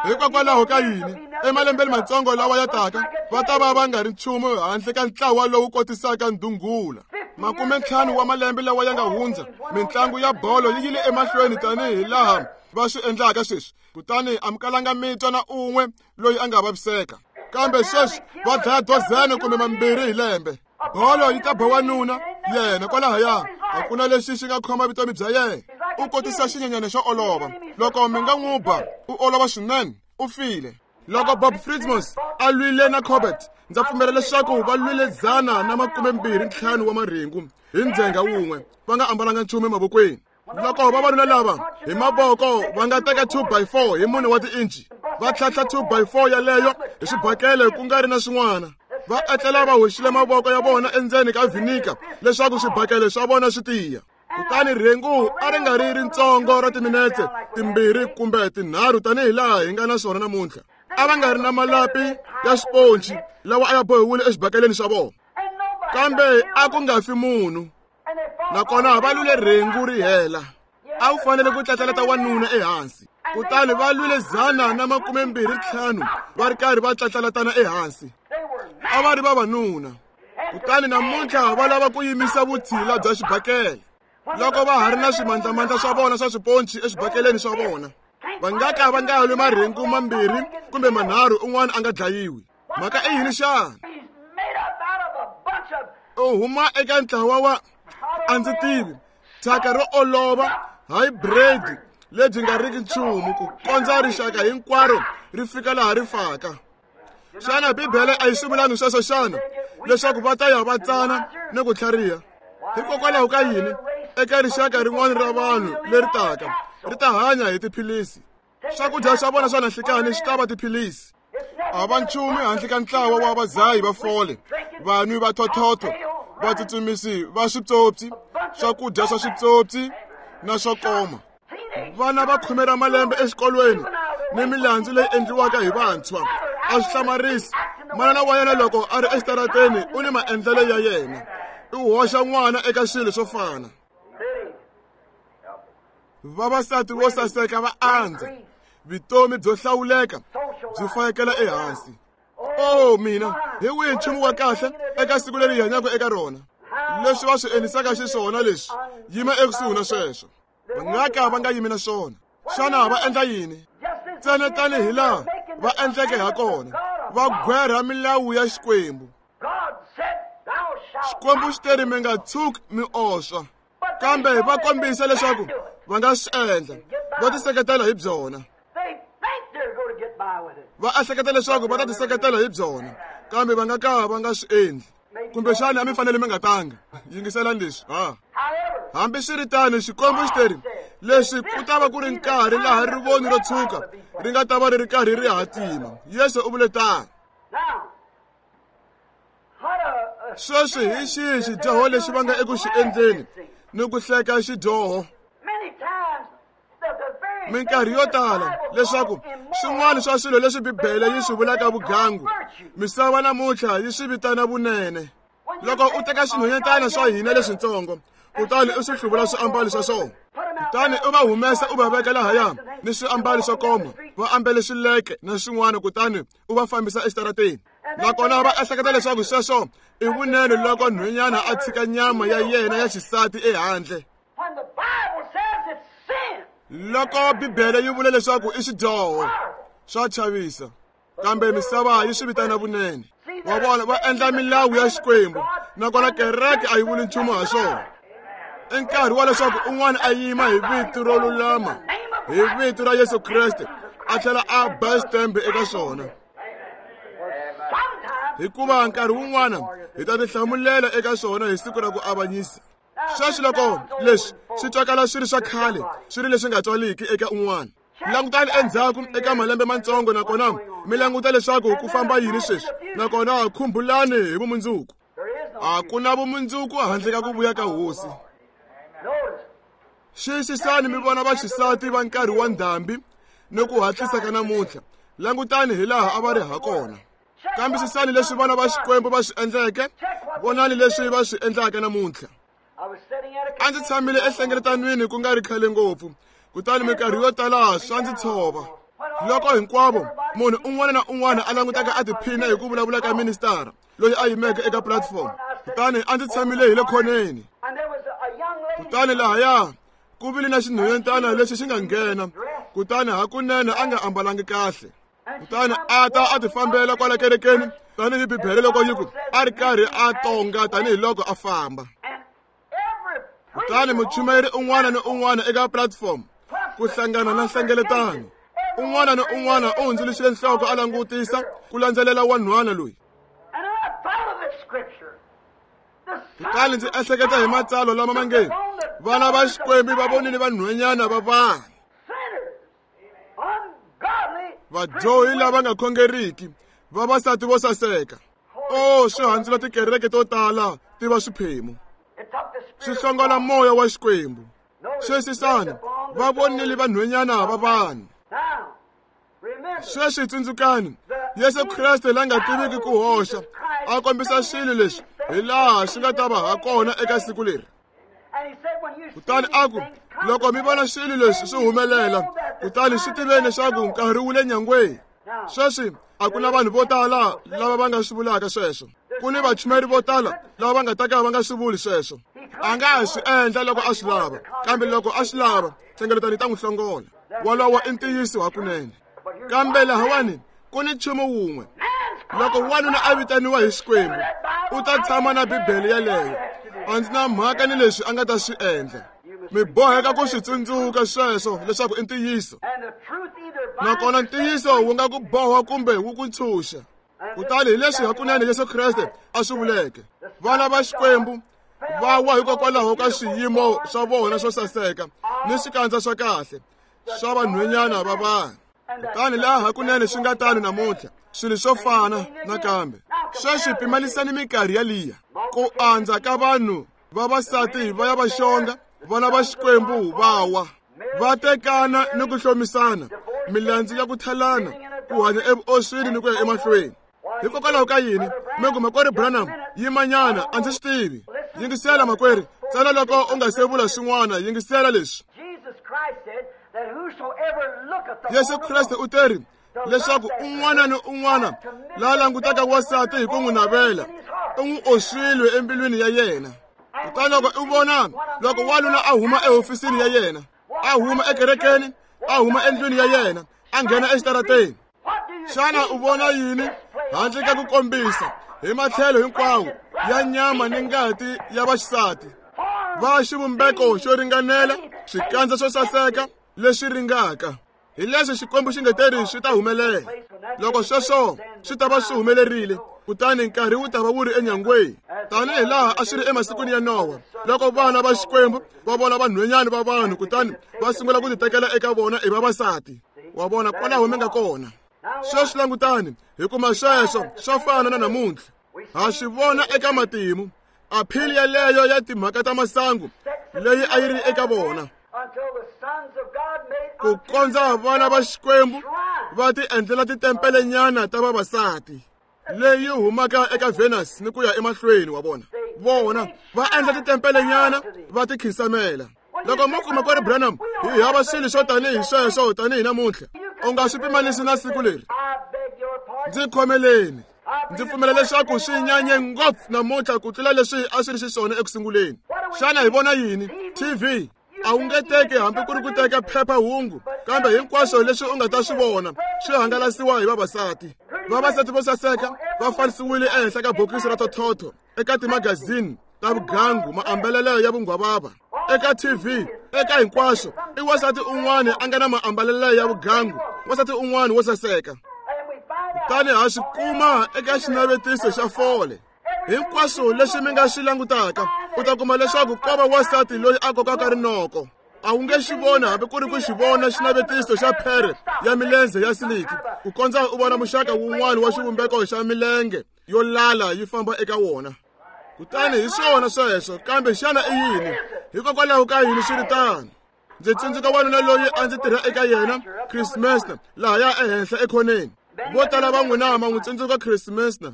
Hikokwalaho ka yini emalembeni matsongo lawa ya taka va ta va va nga ri nchumu handle ka ntlawa lowu kotisaka ndhungula? 50 wa malembe lawa ya nga hundza, mintlangu ya bolo yi yile emahlweni tanihi laha va swi endlaka sweswi, kutani a mi kalanga mi twa na un'we loyi a nga vaviseka. Kambe sweswi va dlaya 12 kumbe 2 hi lembe. Bolo yi ta ba wanuna yena kwalahaya, a ku na lexi xi nga khoma vutomi bya yena. U kotisa xinyenyana xo olova, loko mi nga n'wi ba u olova swinene, u file. Loko Bob Fritzmos a lwile na Corbett, ndza pfumela leswaku va lwile 125 wa marhengu hi ndzhenga wun'we, va nga ambalanga nchumu emavokweni. Loko vavanuna lava hi mavoko va nga teka 2x4 hi 4 wa tiinci, va tlhantlha 2x4 yaleyo hi xibakele ku nga ri na swin'wana, va etlela va hoxile mavoko ya vona endzeni ka vinika leswaku swibakele swa vona swi tiya. Kutani rhengu a ri nga ri ritsongo ra timinetse 2 kumbe 3 tanihi laha hi nga na swona namuntlha. A va nga ri na malapi ya xiponci lawa a ya bohiwile exibakeleni xa vona, kambe a ku nga fi munhu. Nakona va lwile rhengu ri hela. A wu fanele ku tlatlaleta wanuna ehansi, kutani va lwile 125 va ri karhi va tlatlalatana ehansi. A va ri vavanuna. Kutani namuntlha va lava ku yimisa vutshila bya xibakele loko va ha ri na swimandlamandla swa vona swa swiponci exibakeleni swa vona. Va nga ka va nga lwi marhengu 2 kumbe 3 un'wana a nga dlayiwi. Mhaka i yini xana? U huma eka ntlawa wa a ndzi tivi thyaka ro olova hybrid lebyi nga riki nchumu ku kondza rixaka hinkwaro ri fika laha ri faka. Xana Bibele a yi swi vulangi sweswo xana, leswaku va ta ya va tsana ni ku tlhariha? Hikokwalaho ka yini eka rixaka rin'wana ra vanhu leri taka ri ta hanya hi tiphilisi? Swakudya swa vona swa nanhlikani swi ta va tiphilisi. A va nchumu handle ka ntlawa wa vadzahi va fole, vanwi va thothotho, vatsutsumisi va switsotsi, swakudya swa switsotsi na swo koma. Vana va 10 ra malembe exikolweni ni milandzu leyi endliwaka hi vantshwa. A swi hlamarisi, manana wa yena loko a ri exitarateni u ni maendlelo ya yena, u hoxa n'wana eka swilo swo fana. Vavasati vo saseka va andza, vutomi byo hlawuleka byi fayekela ehansi. Oh mina, hi wihi nchumu wa kahle eka siku leri hi hanyaka eka rona? Leswi va swi endlisaka xiswona leswi, yima ekusuhi na sweswo. Va nga ka va nga yimi na swona. Xana va endla yini? Ntsena tanihi laha va endleke ha kona, va gwerha milawu ya Xikwembu. Xikwembu xi teri mi nga tshuki mi oswa, kambe va kombisa leswaku va nga swi endla, va tiseketela hi byona. Va ehleketa leswaku va ta tiseketela hi byona, kambe va nga ka va nga swi endli. Kumbexana a mi fanele mi nga tanga. Yingiselani leswi. Hambiswiritano, Xikwembu xi teri leswi ku ta va ku ri nkarhi laha rivoni ro tshuka ri nga ta va ri ri karhi ri hatima. Yesu u vule tano. Sweswi hi xihi xidyoho lexi va nga eku xi endleni ni ku hleka xidyoho? Minkarhi yo tala leswaku swin'wana swa swilo leswi Bibele yi swi vulaka vugangu, misava namuntlha yi swi vitana vunene. Loko u teka swinhwanyetana swa hina leswitsongo kutani u swi hluvula swiambalo swa swona, kutani u va humesa u va veka lahaya ni swiambalo swo koma, va ambele swileke na swin'wana, kutani u va fambisa exitarateni. Nakona va ehleketa leswaku sweswo i vunene loko nhwenyana a tshika nyama ya yena ya xisati ehandle. Loko Bibele yi vula leswaku i xidyoho, swa chavisa, kambe misava yi swi vitana vunene. Wa vona, va endla milawu ya Xikwembu, nakona kereke a yi vuli nchumu ha swona. I nkarhi wa leswaku un'wana a yima hi vito ro lulama, hi vito ra Yesu Kreste, a tlhela a ba xitembe eka swona. Hikuva nkarhi wun'wana hi ta tihlamulela eka swona hi siku ra ku avanyisa. Sweswi loko leswi swi twakala swi ri swa khale, swi ri leswi nga twaliki eka un'wana, langutani endzhaku eka malembe matsongo nakona mi languta leswaku ku famba yini sweswi, nakona khumbulani hi vumundzuku. A ku na vumundzuku handle ka ku vuya ka Hosi. Xiyisisani mi vona vaxisati va nkarhi wa ndhambi ni ku hatlisa ka namuntlha. Langutani hi laha a va ri ha kona. Kambisisani leswi vana va Xikwembu va swi endleke, vonani leswi va swi endlaka namuntlha. A ndzi tshamile ehlengeletanweni ku nga ri khale ngopfu, Kutani minkarhi yo tala swa ndzi tshova. Loko hinkwavo munhu un'wana na un'wana a langutaka a tiphina hi ku vulavula ka ministara loyi a yimeke eka platform, kutani a ndzi tshamile hi le khoneni. Kutani lahaya ku vile na xinhwanyetana lexi xi nga nghena, kutani hakunene a nga ambalangi kahle. Kutani a ta a tifambela kwala kerekeni tanihi Bibele loko yi ku a ri karhi a tonga tanihiloko a famba. Kutani muchumayeri un'wana ni un'wana eka platform ku hlangana na nhlengeletano, un'wana ni un'wana u hundzuluxile nhloko a langutisa ku landzelela wanhwana loyi. Kutani ndzi ehleketa hi matsalwa lama ma nge vana va Xikwembu va vonile vanhwanyana va vanhu, vadyohi lava nga khongeriki, vavasati vo saseka. O, swi handzula tikereke to tala ti va swiphemu, swi hlongola moya wa Xikwembu. Sweswisana va vonile vanhwanyana va vanhu. Sweswi tsundzukani, Yesu Kreste la nga tiviki ku hoxa a kombisa swilo leswi hi laha swi nga ta va ha kona eka siku leri. Kutani a ku, loko mi vona swilo leswi swi humelela, kutani swi tiveni leswaku nkarhi wu le nyangweni. Sweswi a ku na vanhu vo tala lava va nga swi vulaka sweswo. Ku ni vachumayeri vo tala lava va nga ta ka va nga swi vuli sweswo. A nga ha swi endla loko a swi lava, kambe loko a swi lava, nhlengeletano yi ta n'wi hlongola. Wolowo i ntiyiso hakunene. Kambe lahawani ku ni nchumu wun'we. Loko wanuna a vitaniwa hi Xikwembu, u ta tshama na Bibele yeleyo. A ndzi na mhaka ni leswi a nga ta swi endla. Mi boheka ku swi tsundzuka sweswo leswaku i ntiyiso. Nakona ntiyiso wu nga ku boha kumbe wu ku ntshunxa. Kutani hi leswi hakunene Yesu Kreste a swi vuleke, vana va Xikwembu va wa hikokwalaho ka swiyimo swa vona swo saseka ni swikandza swa kahle swa vanhwanyana va vanhu. Kutani laha hakunene swi nga tano namuntlha, swilo swo fana nakambe. Sweswi pimanisani minkarhi yaliya, ku andza ka vanhu vavasati va ya va xonga, vana va Xikwembu va wa, va tekana ni ku hlomisana, milandzu ya ku thalana, ku hanya evuoswini ni ku ya emahlweni. Hikokwalaho ka yini mi ku makwerhu Branham yimanyana, a ndzi swi tivi. Yingisela makwerhu, ntsena loko u nga se vula swin'wana, yingisela leswi. Yesu Kreste u teri leswaku un'wana ni un'wana la langutaka wansati hi ku n'wi navela, u n'wi oswile embilwini ya yena. Kutani loko u vona loko wanuna a huma ehofisini ya yena, a huma ekerekeni, a huma endlwini ya yena, a nghena exitarateni, xana u vona yini handle ka ku kombisa hi matlhelo hinkwawo ya nyama ni ngati ya vaxisati va xivumbeko xo ringanela, swikandza swo saseka leswi ringaka? Hi leswi Xikwembu xi nge teri swi ta humelela. Loko sweswo swi ta va swi humelerile, kutani nkarhi wu ta va wu ri enyangweni, tanihi laha a swi ri emasikwini ya Nowa, loko vana va Xikwembu va vona vanhwanyana va vanhu, kutani va sungula ku titekela eka vona i vavasati. Wa vona kwalaho mi nga kona. Sweswi langutani, hi kuma sweswo swa fana na namuntlha. Ha swi vona eka matimu, aphili yaleyo ya timhaka ta masangu leyi a yi ri eka vona, ku kondza vana va Xikwembu va ti endlela titempelenyana ta vavasati leyi humaka eka Venus ni ku ya emahlweni. Wa vona, vona va endla titempelenyana va ti khinsamela. Loko mo kuma kweri Branham hi hava swilo swo tanihi sweswo tanihi namuntlha, u nga swi pimanisi na siku leri. Ndzi khomeleni, ndzi pfumela leswaku swi nyanye ngopfu namuntlha ku tlula leswi a swi ri xiswona eku sunguleni. Xana hi vona yini? TV a wu nge teki hambi ku ri ku teka phephahungu, kambe hinkwaswo leswi u nga ta swi vona swi hangalasiwa hi vavasati. Vavasati vo saseka va fanisiwile ehenhla ka bokisi ra thothotho, eka timagazini ta vugangu, maambalelo ya vunghwavava eka TV, eka hinkwaswo. I wansati un'wana a nga na maambalelo ya vugangu, wansati un'wana wo saseka. Kutani ha swi kuma eka xinavetiso xa fole. Hinkwaswo leswi mi nga swi langutaka, u ta kuma leswaku ko va wansati loyi a kokaka rinoko. A wu nge xi voni hambi ku ri ku xi vona xinavetiso xa phere ya milenze ya siliki, ku kondza u vona muxaka wun'wana wa xivumbeko xa milenge yo lala yi famba eka wona. Kutani hi swona sweswo, kambe xana i yini? Hikokwalaho ka yini swi ri tano? Ndzi tsundzuka wanuna loyi a ndzi tirha eka yena, Chris Messner, lahaya ehenhla ekhoneni. Vo tala va n'wina ma n'wi tsundzuka Chris Messner.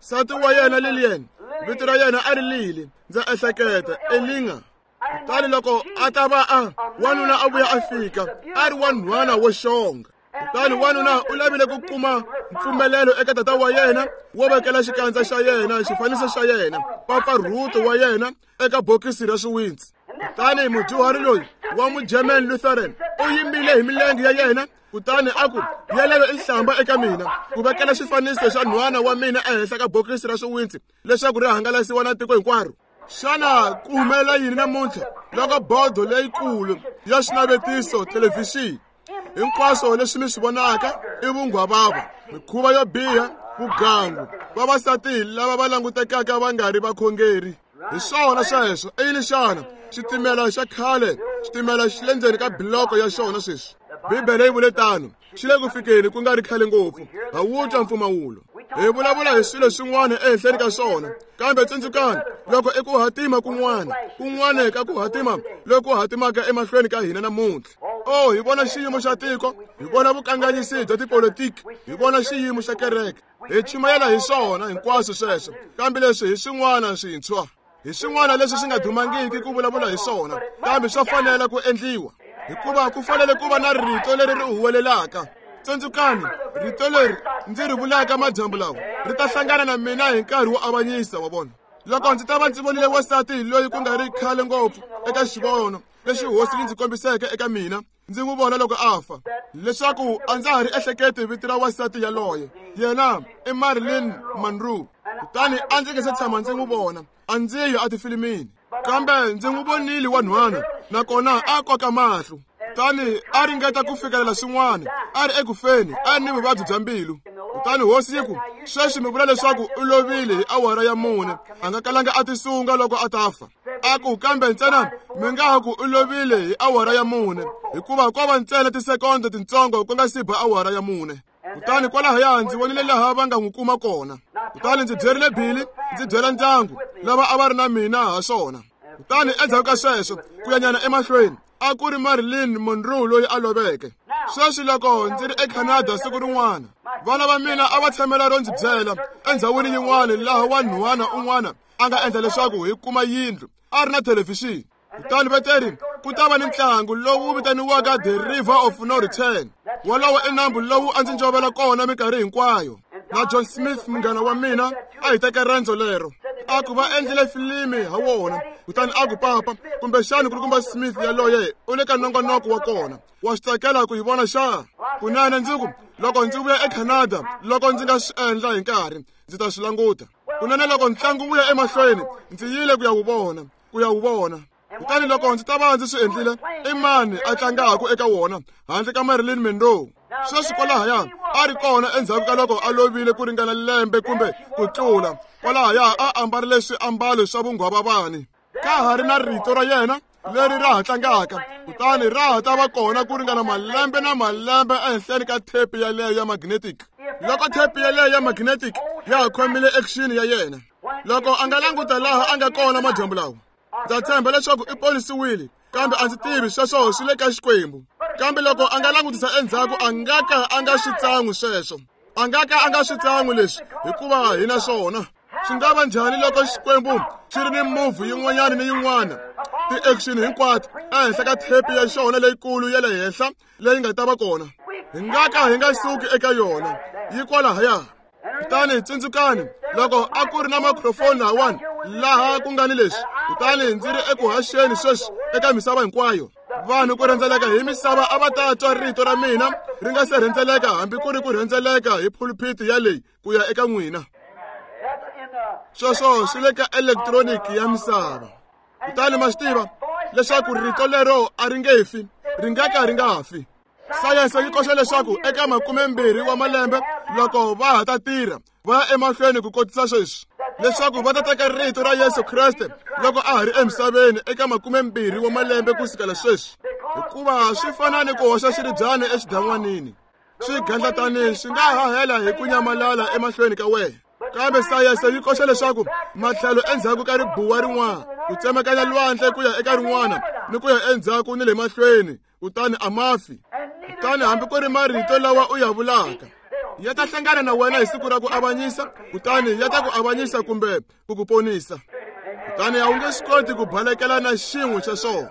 Nsati wa yena Lillian, vito ra yena a ri Lily, ndza ehleketa, Elinga. Kutani loko a ta va a wanuna a vuya a fika a ri wanhwana wo xonga. Kutani wanuna u lavile ku kuma mpfumelelo eka tata wa yena wo vekela xikandza xa yena xifaniso xa yena mpfapfarhuto wa yena eka bokisi ra swiwintsi. Kutani mudyuhari loyi wa Mugerman Lutheran u yimile hi milenge ya yena kutani a ku, yeleyo i nhlamba eka mina ku vekela xifaniso xa nhwana wa mina ehenhla ka bokisi ra swiwintsi leswaku ri hangalasiwa na tiko hinkwaro. Xana ku humelela yini namuntlha loko bodo leyikulu ya xinavetiso thelevhixini hinkwaswo leswi mi swi vonaka i vunghwavava, mikhuva yo biha, vugangu, vavasati lava va langutekaka va nga ri vakhongeri? Hi swona sweswo. I yini xana? Xitimela xa khale, xitimela xi le ndzeni ka biloko ya xona sweswi. Bibele yi vule tano. Xi le ku fikeni ku nga ri khale ngopfu. Ha wu twa mpfumawulo. Hi vulavula hi swilo swin'wana ehenhleni ka swona, kambe tsundzukani, loko i ku hatima kun'wana, kun'wana ka ku hatima loku hatimaka emahlweni ka hina namuntlha. Oh, hi vona xiyimo xa tiko, hi vona vukanganyisi bya tipolitiki, hi vona xiyimo xa kereke. Hi chumayela hi swona hinkwaswo sweswo, kambe leswi hi swin'wana swintshwa. Hi swin'wana leswi swi nga dumangiki ku vulavula hi swona, kambe swa fanela ku endliwa, hikuva ku fanele ku va na rito leri ri huwelelaka. Tsundzukani, rito leri ndzi ri vulaka madyambu lawa ri ta hlangana na mina hi nkarhi wo avanyisa, wa vona. Loko ndzi ta va ndzi vonile wansati loyi ku nga ri khale ngopfu eka xivono lexi hosi yi ndzi kombiseke eka mina, ndzi n'wi vona loko a fa, leswaku a ndza ha ri ehleketi vito ra wansati yaloye. Yena i Marilyn Monroe. Kutani a ndzi nge se tshama ndzi n'wi vona, a ndzi yi etifilimini, kambe ndzi n'wi vonile wanhwana, nakona a koka mahlo. Kutani a ringeta ku fikelela swin'wana, a ri eku feni, a ri ni vuvabyi bya mbilu. Kutani hosi yi ku, sweswi mi vula leswaku u lovile hi awara ya 4, a nga kalanga a tisunga loko a ta fa. A ku, kambe ntsena mi nga ha ku u lovile hi awara ya 4, hikuva ko va ntsena tisekondo tintsongo ku nga si ba awara ya 4. Kutani kwalahaya ndzi vonile laha va nga n'wi kuma kona. Kutani ndzi byerile Billy, ndzi byela ndyangu lava a va ri na mina ha swona. Kutani endzhaku ka sweswo, ku ya nyana emahlweni, a ku ri Marilyn Monroe loyi a loveke. Sweswi loko ndzi ri eCanada siku rin'wana, vana va mina a va tshamela ro ndzi byela endhawini yin'wana laha wanhwana un'wana a nga endla leswaku hi kuma yindlu, a ri na thelevhixini. Kutani veteri ku ta va ni ntlangu lowu vitaniwaka The River of No Return. Wolowo i nambu lowu a ndzi njovela kona minkarhi hinkwayo. Na John Smith munghana wa mina a hi teka rendzo lero. A ku va endlile filimi ha wona. Kutani a ku, papa, kumbexani kulukumba Smith yaloye u le ka nongonoko wa kona. Wa swi tsakela ku yi vona xa? Kunene ndzi ku, loko ndzi vuya eCanada, loko ndzi nga swi endla hi nkarhi, ndzi ta swi languta. Kunene loko ntlangu wu ya emahlweni, ndzi yile ku ya wu vona, ku ya wu vona. Kutani loko ndzi ta va ndzi swi endlile, i mani a tlangaka eka wona handle ka Marilyn Monroe? Sweswi kwalahaya a ri kona endzhaku ka loko a lovile ku ringana lembe kumbe ku tlula. Kwalahaya a ambarile swiambalo swa vunghwavavani. Ka ha ri na rito ra yena leri ra ha tlangaka, kutani ra ha ta va kona ku ringana malembe na malembe ehenhleni ka thepi yaleyo ya magnetic. Loko thepi yaleyo ya magnetic ya ha khomile action ya yena, loko a nga languta laha a nga kona madyambu lawa, ndza tshemba leswaku i ponisiwile, kambe a ndzi tivi sweswo swi le ka Xikwembu. Kambe loko a nga langutisa endzhaku, a nga ka a nga swi tsan'wi sweswo, a nga ka a nga swi tsan'wi leswi, hikuva hi na swona. Swi nga va njhani loko Xikwembu xi ri ni movie yin'wanyana ni yin'wana, ti-action hinkwato ehenhla ka thepi ya xona leyikulu ya le henhla leyi nga ta va kona? Hi nga ka hi nga suki eka yona, yi kwalahaya. Kutani tsundzukani, loko a ku ri na microphone lahawani laha ku nga ni leswi, kutani ndzi ri eku haxeni sweswi eka misava hinkwayo, vanhu ku rhendzeleka hi misava a va ta twa rito ra mina ri nga se rhendzeleka hambi ku ri ku rhendzeleka hi phulphiti ya leyi ku ya eka n'wina. Sweswo swi le ka elektroniki ya misava. Kutani ma swi tiva leswaku rito lero a ri nge fi, ri nga ka ri nga fi. Sayense yi koxa leswaku eka 20 wa malembe loko va ha ta tirha va ya emahlweni ku kotisa sweswi, leswaku va ta teka rito ra Yesu Kreste loko a ha ri emisaveni eka 20 wa malembe ku sukela sweswi, hikuva swi fana ni ku hoxa xiribyana exidan'wanini, swi gandlatani swi nga hahela hi ku nyamalala emahlweni ka wena. Kambe sayense yi koxa leswaku matlhelo endzhaku ka ribuwa rin'wana, ku tsemakanya lwandle ku ya eka rin'wana ni ku ya endzhaku ni le mahlweni, kutani a ma fi. Kutani hambi ku ri marito lawa u ya vulaka ya ta hlangana na wena hi siku ra ku avanyisa, kutani ya ta ku avanyisa kumbe ku ku ponisa. Kutani a wu nge swi koti ku balekela na xin'we xa swona.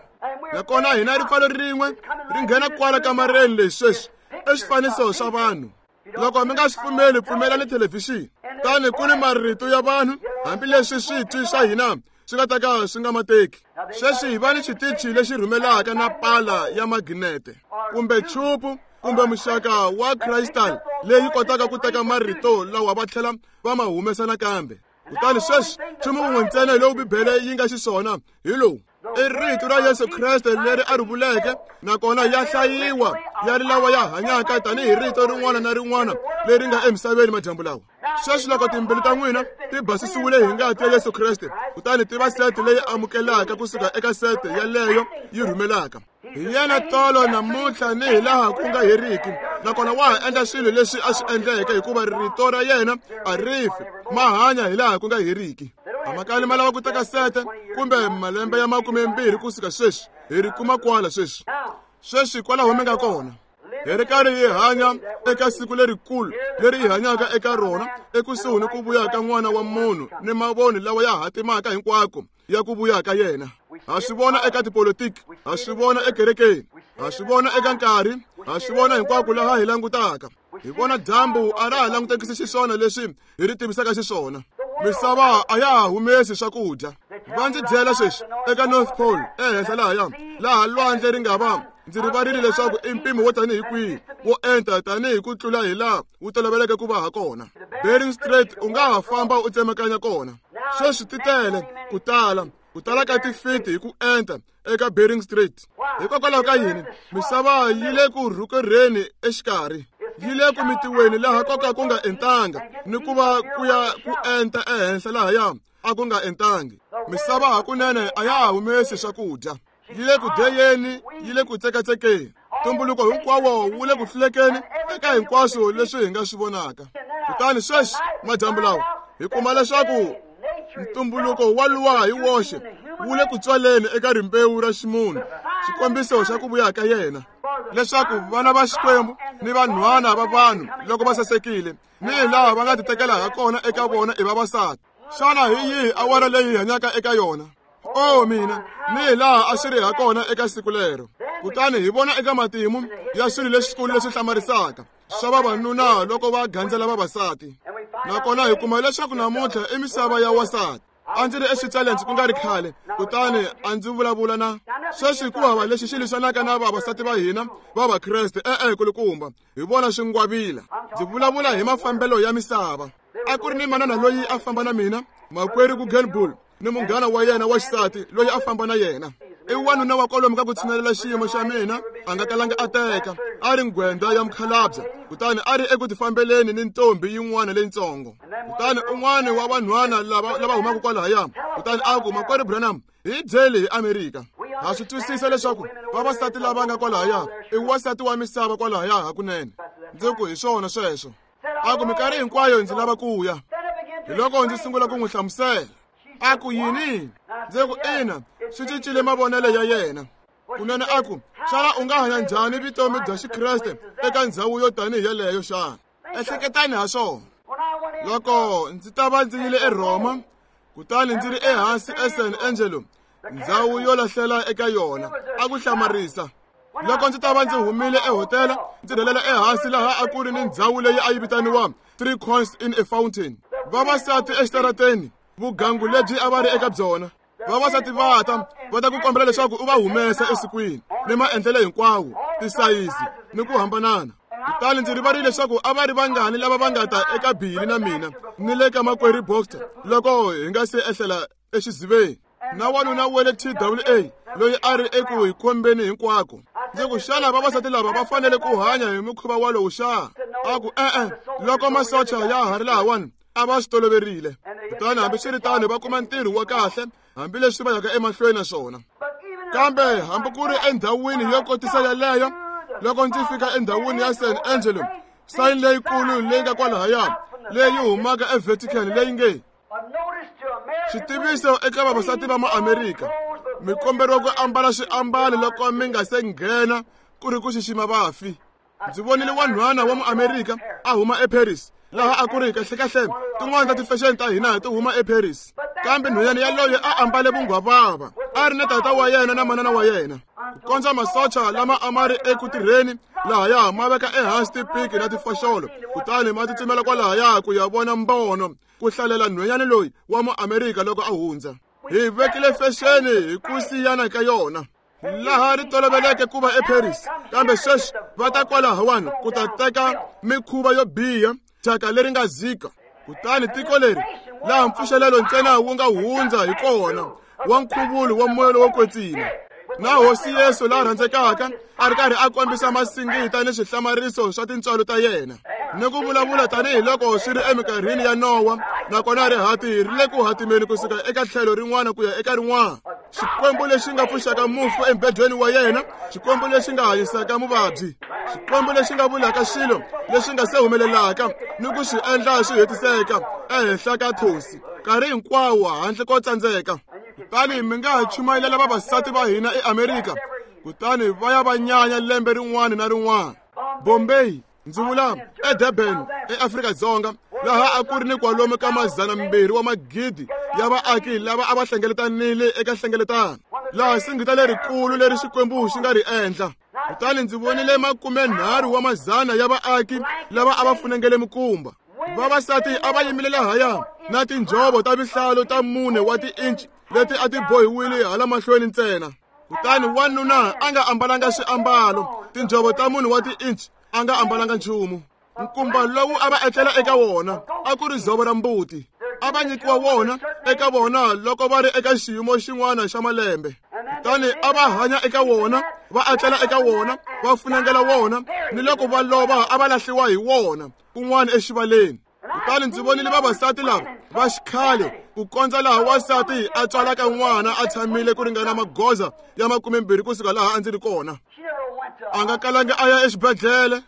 Nakona hina ripfalo rin'we ri nghena kwala kamareni leyi sweswi i swifaniso swa vanhu. Loko mi nga swi pfumeli, pfumelani thelevhixini. Tani ku ni marito ya vanhu, hambileswi switwi swa hina swi nga ta ka swi nga ma teki. Sweswi hi va ni xitichi lexi rhumelaka na pala ya maginete kumbe chupu kumbe muxaka wa crystal leyi kotaka ku teka marito lawa va tlhela va ma humesa nakambe. Kutani sweswi nchumu wun'we ntsena lowu Bibele yi nga xiswona hi lowu: i rito ra Yesu Kreste leri a ri vuleke, nakona ya hlayiwa ya ri lawa ya hanyaka tanihi rito rin'wana na rin'wana leri nga emisaveni madyambu lawa. Sweswi loko timbilu ta n'wina ti basisiwile hi ngati ya Yesu Kreste, kutani ti va sete leyi amukelaka kusuka eka sete yaleyo yi rhumelaka. Hi yena tolo namuntlha ni hi laha ku nga heriki, nakona wa ha endla swilo leswi a swi endleke, hikuva rito ra yena a ri fi, ma hanya hi laha ku nga heriki. A ma kali ma lava ku teka sete kumbe malembe ya 20 kusuka sweswi, hi ri kuma kwala sweswi. Sweswi kwalaho mi nga kona. Hi ri karhi hi hanya eka siku lerikulu leri hi hanyaka eka rona, ekusuhi ni ku vuya ka N'wana wa Munhu ni mavoni lawa ya hatimaka hinkwako ya ku vuya ka yena. Ha swi vona eka tipolitiki, ha swi vona ekerekeni, ha swi vona eka nkarhi, ha swi vona hinkwako laha hi langutaka. Hi vona dyambu a ra ha langutekisi xiswona leswi hi ri tivisaka xiswona. Misava a ya ha humesi swakudya. Va ndzi byela sweswi eka North Pole ehenhla lahaya, laha lwandle ri nga va ndzi rivarile leswaku i mpimo wo tanihi kwihi wo enta tanihi ku tlula hi laha wu toloveleke ku va ha kona. Bering Strait u nga ha famba u tsemakanya kona. Sweswi ti tele ku tala, ku tala ka tifiti hi ku enta eka Bering Strait. Hikokwalaho ka yini? Misava yi le ku rhukerheni exikarhi, yi le ku mitiweni laha ko ka ku nga entanga, ni ku va ku ya ku enta ehenhla lahaya a ku nga entangi. Misava hakunene a ya ha humesi swakudya, yi le ku deyeni, yi le ku tsekatsekeni. Ntumbuluko hinkwawo wu le ku hlulekeni eka hinkwaswo leswi hi nga swi vonaka. Kutani sweswi madyambu lawa hi kuma leswaku ntumbuluko wa luwa hi woxe wu le ku tswaleni eka rimbewu ra ximunhu, xikombiso xa ku vuya ka yena, leswaku vana va Xikwembu ni vanhwana va vanhu loko va sasekile ni hi laha va nga titekela ha kona eka vona i vavasati. Xana hi yihi awara leyi hi hanyaka eka yona? O mina, ni hi laha a swi ri ha kona eka siku lero. Kutani hi vona eka matimu ya swilo leswikulu leswi hlamarisaka swa vavanuna loko va gandzela vavasati. Nakona hi kuma leswaku namuntlha i misava ya wasati. A ndzi ri eSwitzerland ku nga ri khale, kutani a ndzi vulavula na sweswi ku hava lexi xi lwisanaka na vavasati va hina va Vakreste. E-e, kulukumba, hi vona swingwavila. Ndzi vulavula hi mafambelo ya misava. A ku ri ni manana loyi a famba na mina, makwerhu Guggenbuhl, ni munghana wa yena wa xisati loyi a famba na yena. I wanuna wa kwalomu ka ku tshinelela xiyimo xa mina, a nga kalanga a teka, a ri nghwendza ya mukhalabye, kutani a ri eku tifambeleni ni ntombi yin'wana leyitsongo. Kutani un'wana wa vanhwana lava humaka kwalahaya, kutani a ku, Makwerhu Branham, hi byeli hi Amerika. Ha swi twisisa leswaku vavasati lava nga kwalahaya i wasati wa misava kwalahaya hakunene. Ndzi ku hi swona sweswo. A ku minkarhi hinkwayo ndzi lava ku ya. Hi loko ndzi sungula ku n'wi hlamusela. A ku yini? Ndzi ku ina, swi cincile mavonelo ya yena. Kunene a ku, xana u nga hanya njhani vutomi bya Xikreste eka ndhawu yo tanihi yeleyo xana? Ehleketani ha swona. Loko ndzi ta va ndzi yile eRhoma, kutani ndzi ri ehansi eSan Angelo, ndhawu yo lahlela eka yona, a ku hlamarisa. Loko ndzi ta va ndzi humile ehotela, ndzi rhelela ehansi laha a ku ri ni ndhawu leyi a yi vitaniwa Three Coins in a Fountain. Vavasati exitarateni, vugangu lebyi a va ri eka byona. Vavasati va ta, va ta ku kombela leswaku u va humesa esikwini, ni maendlelo hinkwawo, tisayizi ni ku hambanana. Kutani ndzi rivarile leswaku a va ri vangani lava va nga ta eka Billy na mina ni le ka makwerhu Boxer loko hi nga se ehlela exiziveni. Na wanuna wa le TWA loyi a ri eku hi kombeni hinkwako. Ndzi ku, xana vavasati lava va fanele ku hanya hi mukhuva walowu xa? A ku, e-e, loko masocha ya ha ri lahawani a va swi toloverile. Kutani hambiswiritano va kuma ntirho wa kahle hambileswi va yaka emahlweni na swona. Kambe hambi ku ri endhawini yo kotisa yaleyo, loko ndzi fika endhawini ya San Angelo, sayini leyikulu leyi nga kwalahaya leyi humaka eVatican leyi nge xitiviso eka vavasati va maAmerika, mi komberiwa ku ambala swiambalo loko mi nga se nghena ku ri ku xixima vafi. Ndzi vonile wanhwana wa muAmerika a huma eParis, laha a ku ri kahlekahle tin'wana ta tifexeni ta hina ti huma eParis. Kambe nhwanyana yaloye a ambale vunghwavava, a ri na tata wa yena na manana wa yena. Ku kondza masocha lama a ma ri eku tirheni lahaya ma veka ehansi tipiki na tifoxolo, kutani ma tsutsumela kwalahaya ku ya vona mbono, ku hlalela nhwanyana loyi wa muamerika loko a hundza. Hi vekile fexeni hi ku siyana ka yona laha ri toloveleke ku va eParis, kambe sweswi va ta kwalahawani ku ta teka mikhuva yo biha, thyaka leri nga zika. Kutani tiko leri laha mpfuxelelo ntsena wu nga hundza hi kona wa nkhuvulo wa moya lowo kwetsima, na Hosi Yesu la rhandzekaka a ri karhi a kombisa masingita ni swihlamariso swa tintswalo ta yena, ni ku vulavula tanihiloko swi ri eminkarhini ya Nowa, nakona rihati ri le ku hatimeni kusuka eka tlhelo rin'wana ku ya eka rin'wana. Xikwembu lexi nga pfuxaka mufu embedweni wa yena, Xikwembu lexi nga hanyisaka muvabyi, Xikwembu lexi nga vulaka swilo leswi nga se humelelaka ni ku swi endla swi hetiseka ehenhla ka thosi nkarhi hinkwawo handle ko tsandzeka. Kutani mi nga ha chumayelela vavasati va hina eAmerika, kutani va ya va nyanya lembe rin'wana na rin'wana. Bombay, ndzi vula eDurban eAfrika-Dzonga, laha a ku ri ni kwalomu ka 200 wa magidi ya vaaki lava a va hlengeletanile eka nhlengeletano, laha singita lerikulu leri Xikwembu xi nga ri endla. Kutani ndzi vonile 30 wa mazana ya vaaki lava a va funengele mikumba. Vavasati a va yimile lahaya na tinjhovo ta vihlalo ta 4 wa tiinci leti a ti bohiwile hala mahlweni ntsena. Kutani wanuna a nga ambalanga swiambalo, tinjhovo ta 4 wa tiinci, a nga ambalanga nchumu. Nkumba lowu a va etlela eka wona a ku ri dzovo ra mbuti, a va nyikiwa wona eka vona loko va ri eka xiyimo xin'wana xa malembe. Kutani a va hanya eka wona, va etlela eka wona, va funengela wona, ni loko va lova a va lahliwa hi wona kun'wana exivaleni. Kutani ndzi vonile vavasati lava va xikhale ku kondza laha wansati a tswalaka n'wana a tshamile ku ringana magoza ya 20 kusuka laha a ndzi ri kona. A nga kalanga a ya exibedhlele,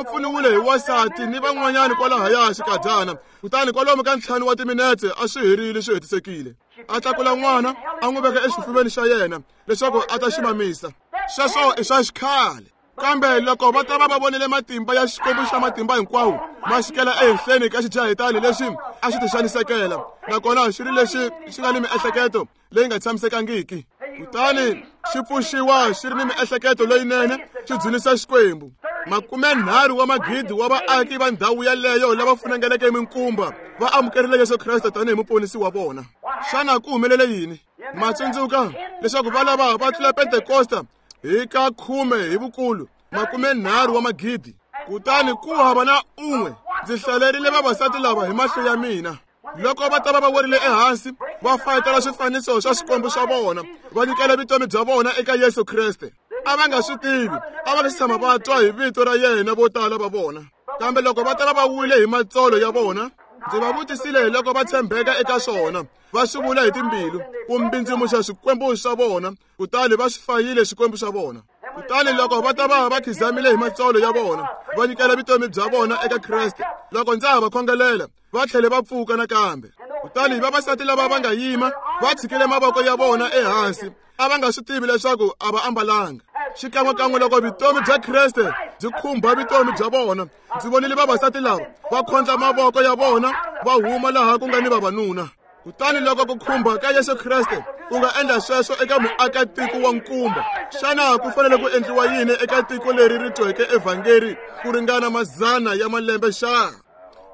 u pfuniwile hi wansati ni van'wanyana kwalahaya xikadyana. Kutani kwalomu ka 5 wa timinetse a swi herile swi hetisekile. A tlakula n'wana a n'wi veka exifuveni xa yena leswaku a ta xi mamisa. Sweswo i swa xikhale. Kambe loko va ta va va vonile matimba ya Xikwembu xa matimba hinkwawo ma xikela ehenhleni ka xijahetani lexi a xi tixanisekela, nakona xi ri lexi xi nga ni miehleketo leyi nga tshamisekangiki, kutani xi pfuxiwa xi ri ni miehleketo leyinene, xi dzunisa Xikwembu. 30 wa magidi wa vaaki va ndhawu yaleyo lava funengeleke minkumba va amukerile Yesu Kreste tanihi muponisi wa vona. Xana ku humelele yini? Ma tsundzuka leswaku va lava va tlula Pentekosta hi ka 10 hi vukulu, 30 wa magidi. Kutani ku hava na un'we. Ndzi hlalerile vavasati lava hi mahlo ya mina loko va ta va va werile ehansi, va fayetela swifaniso swa swikwembu swa vona, va nyikela vutomi bya vona eka Yesu Kreste. A va nga swi tivi, a va nga si tshama va twa hi vito ra yena vo tala va vona. Kambe loko va ta va va wile hi matsolo ya vona, ndzi va vutisile loko va tshembeka eka swona, va swi vula hi timbilu ku mbindzimuxa swikwembu swa vona, kutani va swi fayile swikwembu swa vona. Kutani loko va ta va va khizamile hi matsolo ya vona, va nyikela vutomi bya vona eka Kreste. Loko ndza ha va khongelela, va tlhele va pfuka nakambe. Kutani vavasati lava va nga yima va tshikile mavoko ya vona ehansi, a va nga swi tivi leswaku a va ambalanga. Xikan'wekan'we loko vutomi bya Kreste byi khumba vutomi bya vona, ndzi vonile vavasati lava va khondla mavoko ya vona va huma laha ku nga ni vavanuna. Kutani loko ku khumba ka Yesu Kreste ku nga endla sweswo eka muakatiko wa nkumba, xana ku fanele ku endliwa yini eka tiko leri ri tweke evhangeri ku ringana mazana ya malembe xa?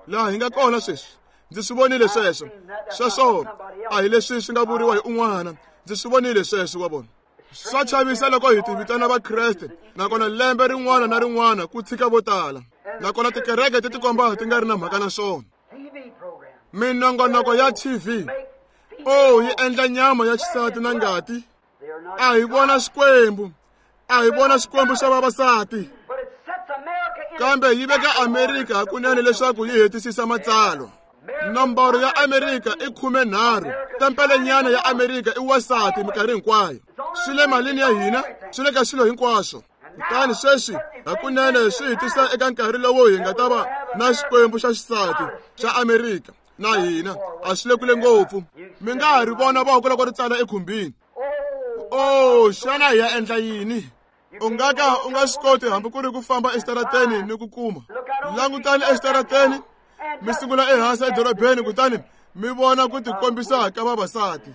Laha hi nga kona sweswi, ndzi swi vonile sweswo. Sweswo a hi leswi swi nga vuriwa hi un'wana, ndzi swi vonile sweswo wa vona. Swa chavisa loko hi ti vitana Vakreste, nakona lembe rin'wana na rin'wana ku tshika vo tala, nakona tikereke ti tikomba ti nga ri na mhaka na swona. Minongonoko ya TV, oh, yi endla nyama ya xisati na ngati. A hi vona Xikwembu, a hi vona Xikwembu xa vavasati, kambe yi veka Amerika hakunene leswaku yi hetisisa matsalwa. Nomboro ya Amerika i 13. Tempelenyana ya Amerika i wasati minkarhi hinkwayo. Swi le malini ya hina, swi le ka swilo hinkwaswo. Kutani sweswi hakunene swi hi tisa eka nkarhi lowu hi nga ta va na Xikwembu xa xisati xa Amerika na hina. A swi le kule ngopfu. Mi nga ha ri vona voko loko ri tsala ekhumbini. Oh, xana hi ya endla yini? U nga ka u nga swi koti hambi ku ri ku famba exitarateni ni ku kuma. Langutani exitarateni, mi sungula ehansi edorobeni, kutani Mi vona ku tikombisa ka vavasati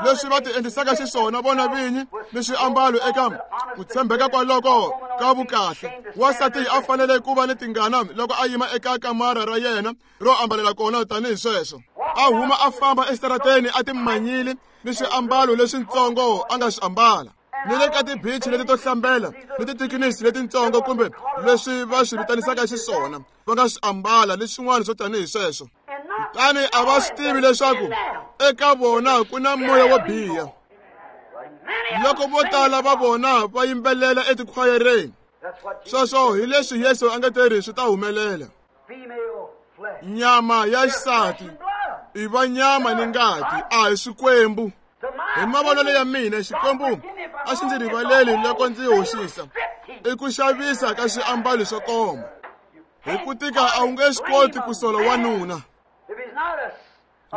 leswi va ti endlisaka xiswona vona vinyi ni swiambalo eka ku tshembeka kwaloko ka vukahle. Wansati a fanele ku va ni tingana loko a yima eka kamara ra yena ro ambalela kona tanihi sweswo, a huma a famba exitarateni a timanyile ni swiambalo leswintsongo a nga swi ambala, ni le ka tibichi leti to hlambela ni tithikinisi letintsongo kumbe leswi va swi vitanisaka xiswona va nga swi ambala ni swin'wana swo tanihi sweswo. Kutani a va swi tivi leswaku eka vona ku na moya wo biha. Loko vo tala va vona va yimbelela etikhwayereni, sweswo hi leswi Yesu a nga teri swi ta humelela. Nyama ya xisati i va nyama ni ngati, a hi swikwembu. Hi mavonelo ya mina, Xikwembu a xi ndzi rivaleli loko ndzi hoxisa i ku xavisa ka swiambalo swo koma. Hi ku tika a wu nge swi koti ku sola wanuna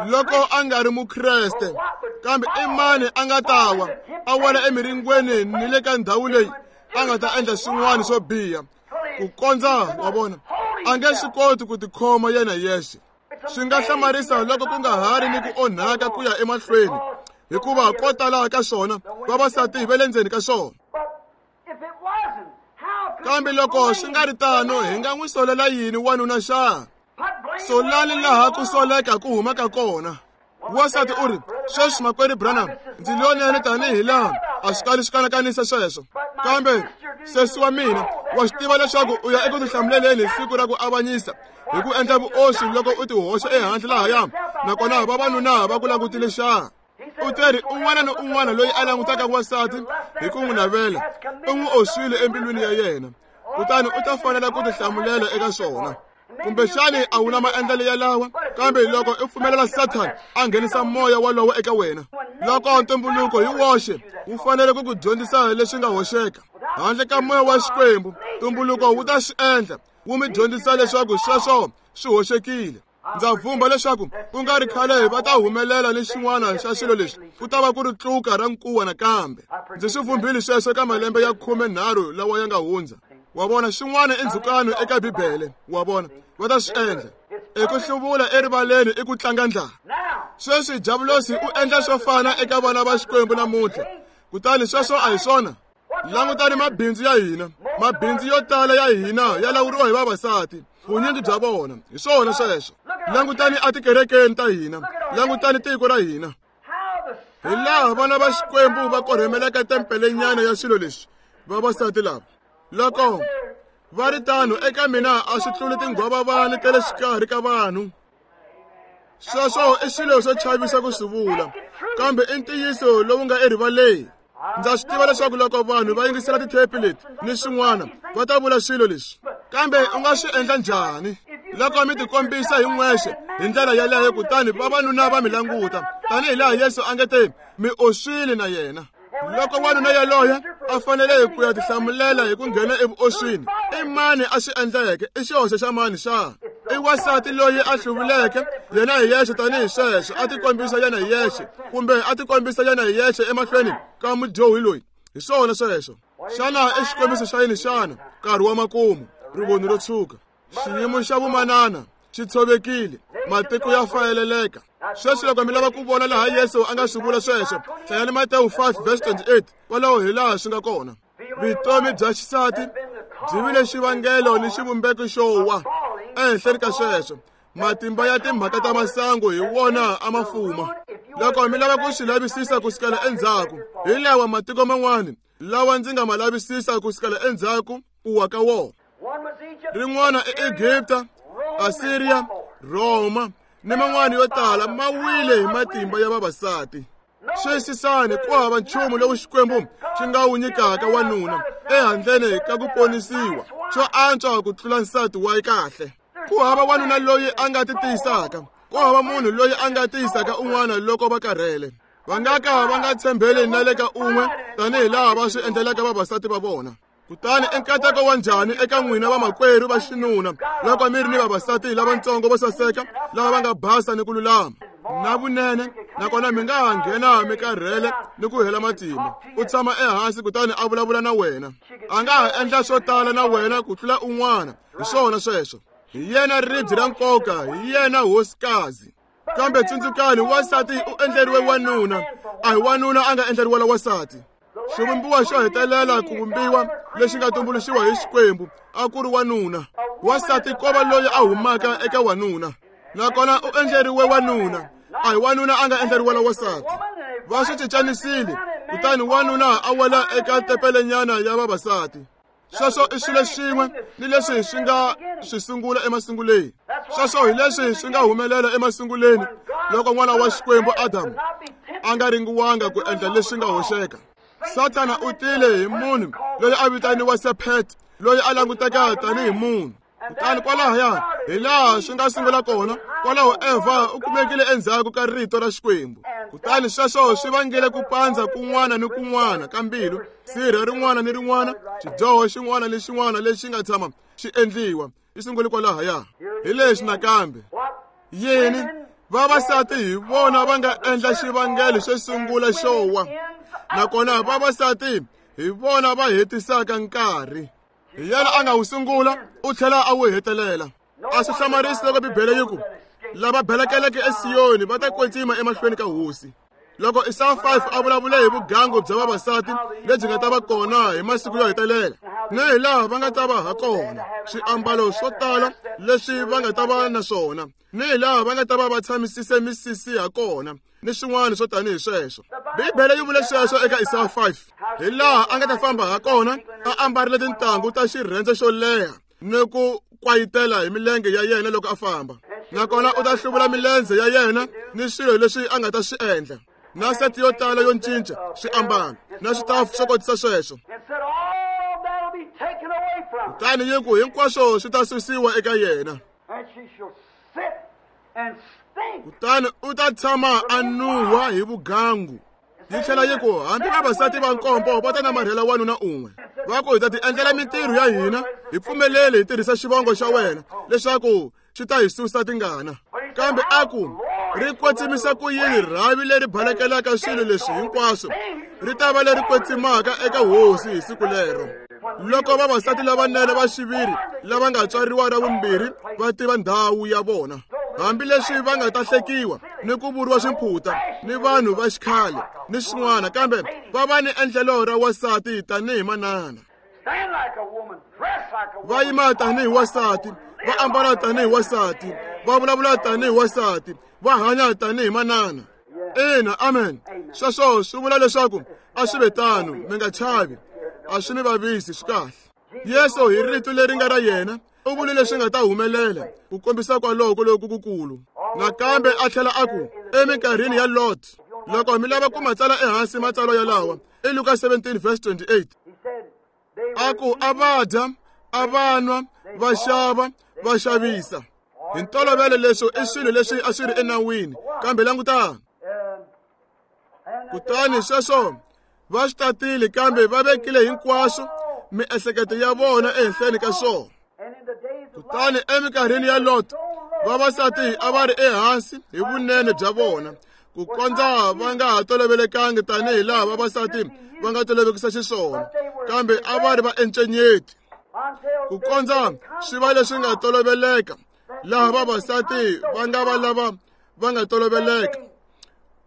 loko a nga ri Mukreste, kambe i mani a nga ta wa a wela emiringweni ni le ka ndhawu leyi a nga ta endla swin'wana swo biha ku kondza wa vona a nge swi koti ku tikhoma yena yexe. Swi nga hlamarisa loko ku nga ha ri ni ku onhaka ku ya emahlweni, hikuva ko tala ka swona vavasati va le ndzeni ka swona. Kambe loko swi nga ri tano, hi nga n'wi solela yini wanuna xa? Solani laha ku soleka ku humaka kona. Wansati u ri, sweswi makwerhu Branham, ndzi lonene tanihi laha a swi kali swi kanakanisa sweswo, kambe sesi wa mina wa swi tiva leswaku u ya eku tihlamuleleni hi siku ra ku avanyisa hi ku endla vuoswi loko u tihoxa ehandle lahaya, nakona vavanuna va ku langutile xa. U teri un'wana ni un'wana loyi a langutaka wansati hi ku n'wi navela u n'wi oswile embilwini ya yena, kutani u ta fanela ku tihlamulela eka swona. Kumbexani a wu na maendlelo yalawa, kambe loko u pfumelela Sathana a nghenisa moya walowo eka wena, loko ntumbuluko hi woxe wu fanele ku ku dyondzisa leswi nga hoxeka handle ka moya wa Xikwembu, ntumbuluko wu ta swi endla wu mi dyondzisa leswaku sweswo swi hoxekile. Ndza vhumba leswaku ku nga ri khale va ta humelela ni xin'wana xa swilo leswi ku ta va ku ri tluka ra nkuwa nakambe. Ndzi swi vhumbile sweswo eka malembe ya 13 lawa ya nga hundza. Wa vona, xin'wana i ndzhukano eka Bibele. Wa vona, va ta swi endla i ku hluvula erivaleni, i ku tlanga ndlala. Sweswi Diabulosi u endla swo fana eka vana va Xikwembu namuntlha, kutani sweswo a hi swona. Langutani mabindzu ya hina. Mabindzu yo tala ya hina ya lawuriwa hi vavasati, vunyingi bya vona. Hi swona sweswo. Langutani etikerekeni ta hina, langutani tiko ra hina, hi laha vana va Xikwembu va korhemelaka tempelenyana ya swilo leswi vavasati lava. Loko va ri tano, eka mina a swi tluli tinghwavavani ta le xikarhi ka vanhu. Sweswo i swilo swo chavisa ku swi vula, kambe i ntiyiso lowu nga erivaleni. Ndza swi tiva leswaku loko vanhu va yingisela tithepi leti ni swin'wana va ta vula swilo leswi, kambe u nga swi endla njhani loko mi tikombisa hi n'wexe hi ndlela yeleyo, kutani vavanuna va mi languta tanihi laha Yesu a nge te mi oswile na yena? Loko wanuna yaloye a fanele ku ya tihlamulela hi ku nghena evuoswini, i mani a swi endleke? I xihoxo xa mani xa? I wansati loyi a hluvuleke yena hi yexe tanihi sweswo, a tikombisa yena hi yexe, kumbe a tikombisa yena hi yexe emahlweni ka mudyohi loyi. Hi swona sweswo. Xana i xikombiso xa yini xana? Nkarhi wa makumu, rivoni ro tshuka, xiyimo xa vumanana xi tshovekile, matiko ya fayeleleka. Sweswi loko mi lava ku vona laha Yesu a nga swi vula sweswo, hlayani Matewu 5 verse 28, kwalaho hi laha swi nga kona. Vutomi bya xisati byi vile xivangelo ni xivumbeko xo wa. Ehenhleni ka sweswo, matimba ya timhaka ta masangu hi wona a ma fuma. Loko mi lava ku swi lavisisa ku sukela endzhaku, hi lawa matiko man'wana lawa ndzi nga ma lavisisa ku sukela endzhaku ku wa ka wona. Rin'wana i Egipta, Asiriya, Rhoma ni man'wana yo tala ma wile hi matimba ya vavasati. Xiyisisani, ku hava nchumu lowu Xikwembu xi nga wu nyikaka wanuna ehandleni ka ku ponisiwa xo antswa ku tlula nsati wa kahle. Ku hava wanuna loyi a nga ti tiyisaka, ku hava munhu loyi a nga tiyisaka un'wana loko va karhele. Va nga ka va nga tshembeli na le ka un'we tanihi laha va swi endlelaka vavasati va vona. Kutani i nkateko wa njhani eka n'wina vamakwerhu va xinuna loko mi ri ni vavasati lavatsongo vo saseka lava va nga basa ni ku lulama na vunene, nakona mi nga ha nghena mi karhele ni ku hela matimba. U tshama ehansi kutani a vulavula na wena. A nga ha endla swo tala na wena ku tlula un'wana. Hi swona sweswo. Hi yena ribye ra nkoka, hi yena hosikazi. Kambe tsundzukani, wansati u endleriwe wanuna, a hi wanuna a nga endleriwela wansati. Xivumbiwa xo hetelela ku vumbiwa lexi nga tumbuluxiwa hi Xikwembu a ku ri wanuna. Wansati ko va loyi a humaka eka wanuna, nakona u endleriwe wanuna, a hi wanuna a nga endleriwela wansati. Va swi cincanisile, kutani wanuna a wela eka tempelenyana ya vavasati. Sweswo i swilo xin'we ni leswi swi nga swi sungula emasunguleni. Sweswo hi leswi swi nga humelela emasunguleni loko n'wana wa Xikwembu Adamu a nga ringiwanga ku endla leswi nga hoxeka. Sathana u tile hi munhu loyi a vitaniwa Sephet, loyi a languteka tanihi munhu. Kutani kwalahaya hi laha swi nga sungula kona, kwalaho Evha u kumekile endzhaku ka rito ra Xikwembu. Kutani sweswo swi vangile ku pandza kun'wana ni kun'wana ka mbilu, sirha rin'wana ni rin'wana, xidyoho xin'wana ni xin'wana lexi nga tshama xi endliwa, xi sungule kwalahaya. Hi lexi nakambe. Yini? Vavasati hi vona va nga endla xivangelo xo sungula xo wa, nakona vavasati hi vona va hetisaka nkarhi. Hi yena a nga wu sungula, u tlhela a wu hetelela. A swi hlamarisi loko Bibele yi ku, lava belekeleke eSiyoni va ta kwetsima emahlweni ka Hosi. Loko Isaya 5 a vulavule hi vugangu bya vavasati lebyi nga ta va kona hi masiku yo hetelela, ni hi laha va nga ta va ha kona, swiambalo swo tala leswi va nga ta va na swona, ni hi laha va nga ta va va tshamisise misisi ha kona, ni swin'wana swo tanihi sweswo. Bibele yi vule sweswo eka Isaya 5, hi laha a nga ta famba ha kona a ambarile tintangu ta xirhendze xo leha ni ku kwayitela hi milenge ya yena loko a famba, nakona u ta hluvula milenze ya yena ni swilo leswi a nga ta swi endla, na seti yo tala yo cinca swiambalo na switafu swo kotisa sweswo. Kutani yi ku hinkwaswo swi ta susiwa eka yena, kutani u ta tshama a nuhwa hi vugangu. Yi tlhela yi ku hambi vavasati va nkombo va ta namarhela wanuna un'we, va ku hi ta ti endlela mintirho ya hina, hi pfumeleli hi tirhisa xivongo xa wena leswaku xi ta hi susa tingana. Kambe a ku ri kwetsimisa ku yini rhavi leri balekelaka swilo leswi hinkwaswo, ri ta va leri kwetsimaka eka Hosi hi siku lero. Loko vavasati lavanene va xiviri lava nga tswariwa ra vumbirhi va tiva ndhawu ya vona, hambileswi va nga ta hlekiwa ni ku vuriwa swimphuta ni vanhu va xikhale ni swin'wana, kambe va va ni endlelo ra wansati tanihi manana. Va yima tanihi wansati, va ambala tanihi wansati, va vulavula tanihi wansati, va hanya tanihi manana. Ina, amen. Sweswo swi vula leswaku a swi ve tano, mi nga chavi, a swi mi vavisi, swi kahle. Yesu hi rito leri nga ra yena u vule leswi nga ta humelela ku kombisa kwaloko loku kukulu. Nakambe a tlhela a ku eminkarhini ya Lot, loko mi lava ku matsala ehansi matsalwa yalawa, i Luka 17 verse 28. A ku a va dya, a va nwa, va xava, va xavisa. Hi ntolovelo leswo i swilo leswi a swi ri enawini, kambe langutani. Kutani sweswo va swi tatile, kambe va vekile hinkwaswo miehleketo ya vona ehenhleni ka swona. Kutani eminkarhini ya Lot, vavasati a va ri ehansi hi vunene bya vona, ku kondza va nga ha tolovelekangi tanihi laha vavasati va nga tolovekisa xiswona, kambe a va ri va encenyeti, ku kondza swi va leswi nga toloveleka laha vavasati va nga va lava va nga toloveleka.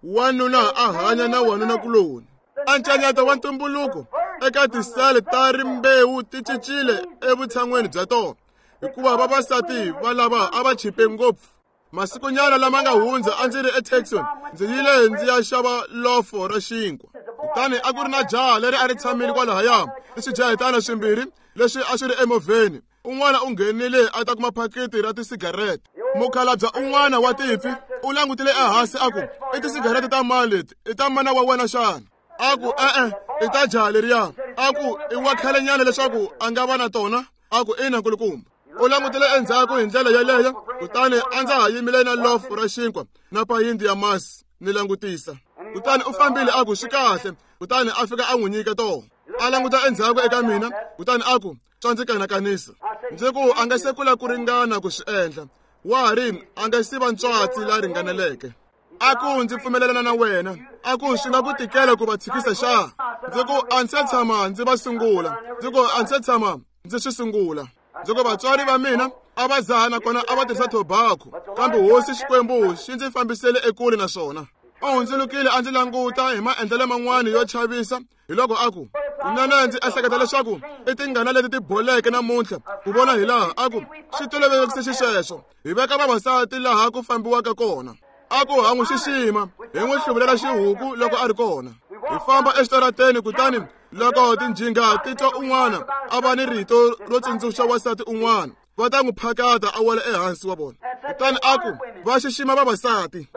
Wanuna a hanya na wanuna kuloni. Ancanyato wa ntumbuluko eka tisele ta rimbewu ti cincile evutshan'weni bya tona, hikuva vavasati va lava a va chipe ngopfu. Masikunyana lama nga hundza a ndzi ri eTucson, ndzi yile ndzi ya xava lofo ra xinkwa. Kutani a ku ri na jaha leri a ri tshamile kwalahaya ni swijahetana swimbirhi leswi a swi ri emovheni. Un'wana u nghenile a ta kuma phakiti ra tisigarete. Mukhalabye un'wana wa timpfi u langutile ehansi a ku, i tisigarete ta mani leti? I ta mana wa wena xana? A ku, e-e, i ta jaha leriya. A ku, i wa khalenyana leswaku a nga va na tona? A ku, ina nkulukumba. U langutile endzhaku hi ndlela yeleyo, kutani a ndza ha yimile na lofu ra xinkwa na payindi ya masi ni langutisa. Kutani u fambile a ku, swi kahle. Kutani a fika a n'wi nyika tona. A languta endzhaku eka mina, kutani a ku, swa ndzi kanakanisa. Ndzi ku, a nga se kula ku ringana ku swi endla. Wa ha ri, a nga si va ntswatsi la ringaneleke. A ku, ndzi pfumelelana na wena. A ku, swi nga ku tikela ku va tshikisa xa? Ndzi ku, a ndzi se tshama ndzi va sungula. Ndzi ku, a ndzi se tshama ndzi swi sungula. Ndzi ku, vatswari va mina A va dzaha nakona a va tirhisa tobacco, kambe hosi Xikwembu xi ndzi fambisele ekule na swona. U hundzulukile a ndzi languta hi maendlelo man'wana yo chavisa, hi loko a ku, kunene ndzi ehleketa leswaku i tingana leti ti boleke namuntlha ku vona hi laha a ku swi tolovelekise xisweswo hi veka vavasati laha ku fambiwaka kona. A ku ha n'wi xixima hi n'wi hluvulela xihuku loko a ri kona. Hi famba exitarateni, kutani loko tinjhinga ti twa un'wana a va ni rito ro tsundzuxa wansati un'wana, va ta n'wi phakata a wela ehansi wa vona. Kutani a ku va xixima vavasati,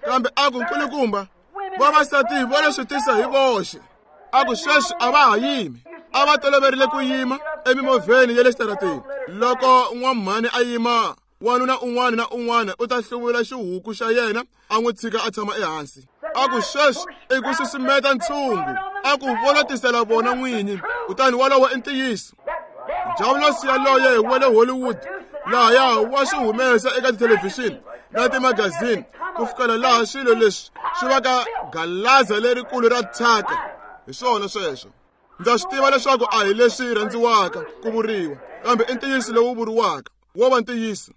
kambe a ku nkulukumba vavasati va lo swi tisa hi voxe. A ku sweswi a va ha yimi, a va toloverile ku yima emimovheni ya le xitarateni. Loko n'wamhani a yima, wanuna un'wana na un'wana u ta hluvula xihuku xa yena a n'wi tshika a tshama ehansi. A ku sweswi i ku susumeta ntshungu, a ku volotisela vona n'winyi. Kutani wolowo i ntiyiso. Diabulosi yaloye wa le Hollywood lahaya wa swi humesa eka tithelevhixini na timagazini ku fikela laha swilo leswi swi vaka galaza lerikulu ra thyaka. Hi swona sweswo. Ndza swi tiva leswaku a hi leswi rhandziwaka ku vuriwa, kambe i ntiyiso lowu vuriwaka wo va ntiyiso.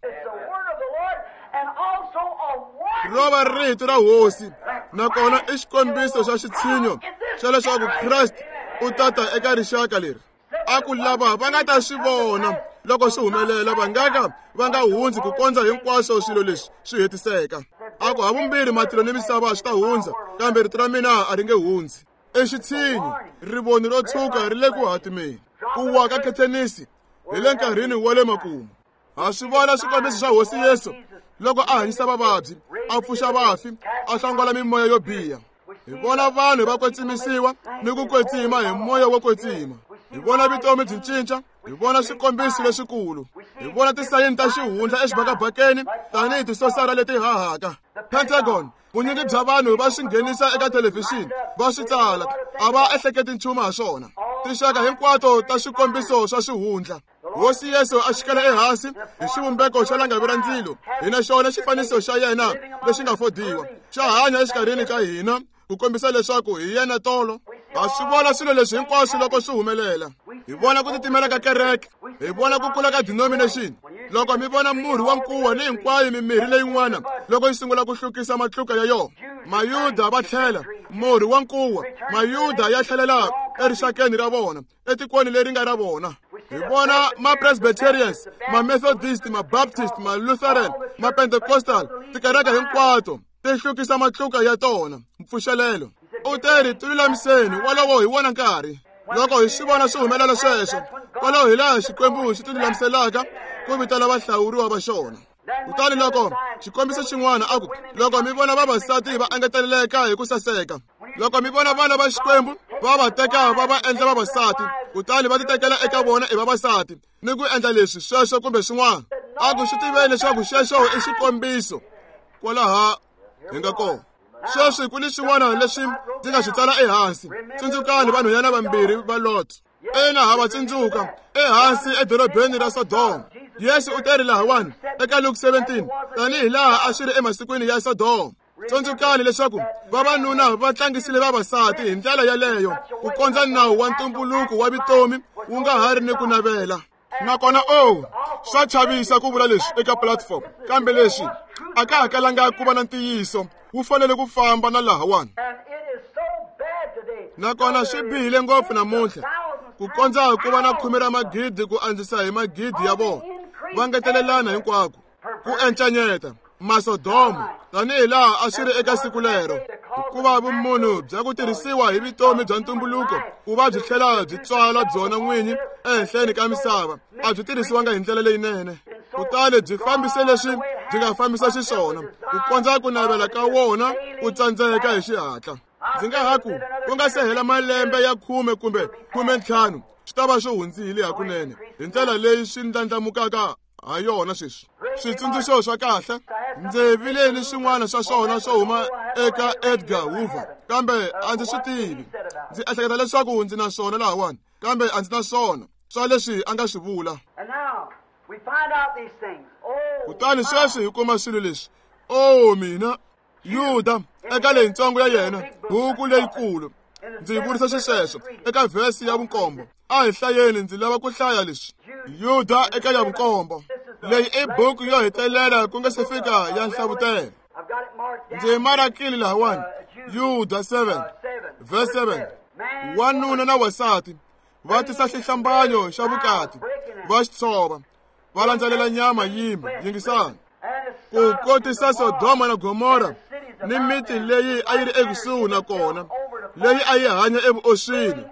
Ro va rito ra hosi, nakona i xikombiso xa xitshinyo xa leswaku Kreste u tata eka rixaka leri. A ku lava va nga ta swi vona loko swi humelela, va nga ka va nga hundzi ku kondza hinkwaswo swilo leswi swi hetiseka. A ku havumbirhi matilo ni misava swi ta hundza, kambe rito ra mina a ri nge hundzi. I xitshinyo, rivoni ro tshuka ri le ku hatimeni. Ku wa ka khethenisi hi le nkarhini wa le makumu. Ha swi vona swikombiso swa Hosi Yesu loko a hanyisa vavabyi, a pfuxa vafi, a hlongola mimoya yo biha. Hi vona vanhu va kwetsimisiwa ni ku kwetsima hi moya wo kwetsima. Hi vona vutomi byi cinca, hi vona swikombiso leswikulu, hi vona tisayini ta xihundla exibakabakeni tanihi tisosara leti hahaka. Pentagon, vunyingi bya vanhu va swi nghenisa eka thelevhixini, va swi tsala, a va ehleketi nchumu ha swona. Tinxaka hinkwato ta swikombiso swa xihundla. Hosi Yesu a xikela ehansi hi xivumbeko xa langavi ra ndzilo. Hina xona xifaniso xa yena lexi nga fodiwa xa hanya exikarhini ka hina ku kombisa leswaku hi yena tolo. Ha swi vona swilo leswi hinkwaswo loko swi humelela. Hi vona ku titimela ka kereke, hi vona ku kula ka denomination. Loko mi vona murhi wa nkuwa ni hinkwayo mimirhi leyin'wana loko yi sungula ku hlukisa matluka ya yona, Mayuda va tlhela murhi wa nkuwa, Mayuda ya tlhelela erixakeni ra vona, etikweni leri nga ra vona. Hi vona ma-Presbyterians, ma-Methodist, ma-Baptist, ma-Lutheran, ma-Pentecostal, tikereke hinkwato ti hlukisa matluka ya tona. Mpfuxelelo u te ri tilulamiseni, wolowo hi wona nkarhi. Loko hi swi vona swi humelela sweswo, kwalaho hi laha Xikwembu xi tilulamiselaka ku vitana vahlawuriwa va xona. Kutani loko xikombiso xin'wana a ku, loko mi vona vavasati va engeteleleka hi ku saseka, loko mi vona vana va Xikwembu va va teka va va endla vavasati, kutani va titekela eka vona i vavasati ni ku endla leswi sweswo kumbe swin'wana, a ku swi tiveni leswaku xexo i xikombiso kwalaha hi nga kona. Sweswi ku ni swin'wana leswi ndzi nga swi tsala ehansi. Tsundzukani vanhwanyana vambirhi va Lot. Ina, ha va tsundzuka ehansi edorobeni ra Sodoma. Yesu u teri lahawani eka Luke 17, tanihi laha a swi ri emasikwini ya Sodoma. Tsundzukani leswaku vavanuna va tlangisile vavasati hi ndlela yaleyo ku kondza nawu wa ntumbuluko wa vutomi wu nga ha ri ni ku navela. Nakona o swa chavisa ku vula leswi eka platform, kambe leswi a ka ha kalanga ku va na ntiyiso, wu fanele ku famba na lahawani. Nakona swi bihile ngopfu namuntlha ku kondza ku va na khume ra magidi ku andzisa hi magidi ya vona, va ngetelelana hinkwako ku encanyeta Masodoma tanihi laha a swi ri eka siku lero, hikuva vumunhu bya ku tirhisiwa hi vutomi bya ntumbuluko ku va byi tlhela byi tswala byona n'winyi ehenhleni ka misava a byi tirhisiwanga hi ndlela leyinene. Kutani byi fambise leswi byi nga fambisa xiswona ku kondza ku navela ka wona ku tsandzeka hi xihatla. Ndzi nga ha ku ku nga se hela malembe ya 10 kumbe 15 swi ta va swi hundzile hakunene hi ndlela leyi swi ndlandlamukaka ha yona sweswi. Switsundzuxo swa kahle ndzi vile ni swin'wana swa swona swo huma eka Edgar Hoover, kambe a ndzi swi tivi. Ndzi ehleketa leswaku ndzi na swona lahawani, kambe a ndzi na swona swa leswi a nga swi vula. Kutani sweswi hi kuma swilo leswi. O mina, Yuda eka leyintsongo ya yena buku leyikulu, ndzi vurisa xisweswo eka vhesi ya 7. A hi hlayeni, ndzi lava ku hlaya leswi. Yuda eka ya 7. Leyi i buku yo hetelela ku nga se fika ya Nhlavutelo. Ndzi marakile lahawani, Yuda 7 verse 7. Wanuna na wansati va tisa xihlambanyo xa vukati, va xi tshova, va landzelela nyama yimbe. Yingisani. Ku kotisa Sodoma na Gomora ni miti leyi a yi ri ekusuhi na kona, leyi a yi hanya evuoswini,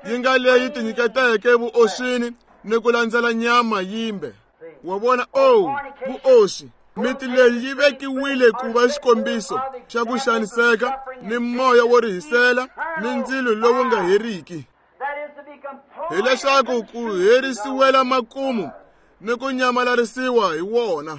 yi nga leyi tinyiketeke vuoswini ni ku landzela nyama yimbe. Wa vona, oh, vuoswi. Miti leyi yi vekiwile ku va xikombiso xa ku xaniseka ni moya wo rihisela ni ndzilo lowu nga heriki, hileswaku ku herisiwela makumu ni ku nyamalarisiwa hi wona.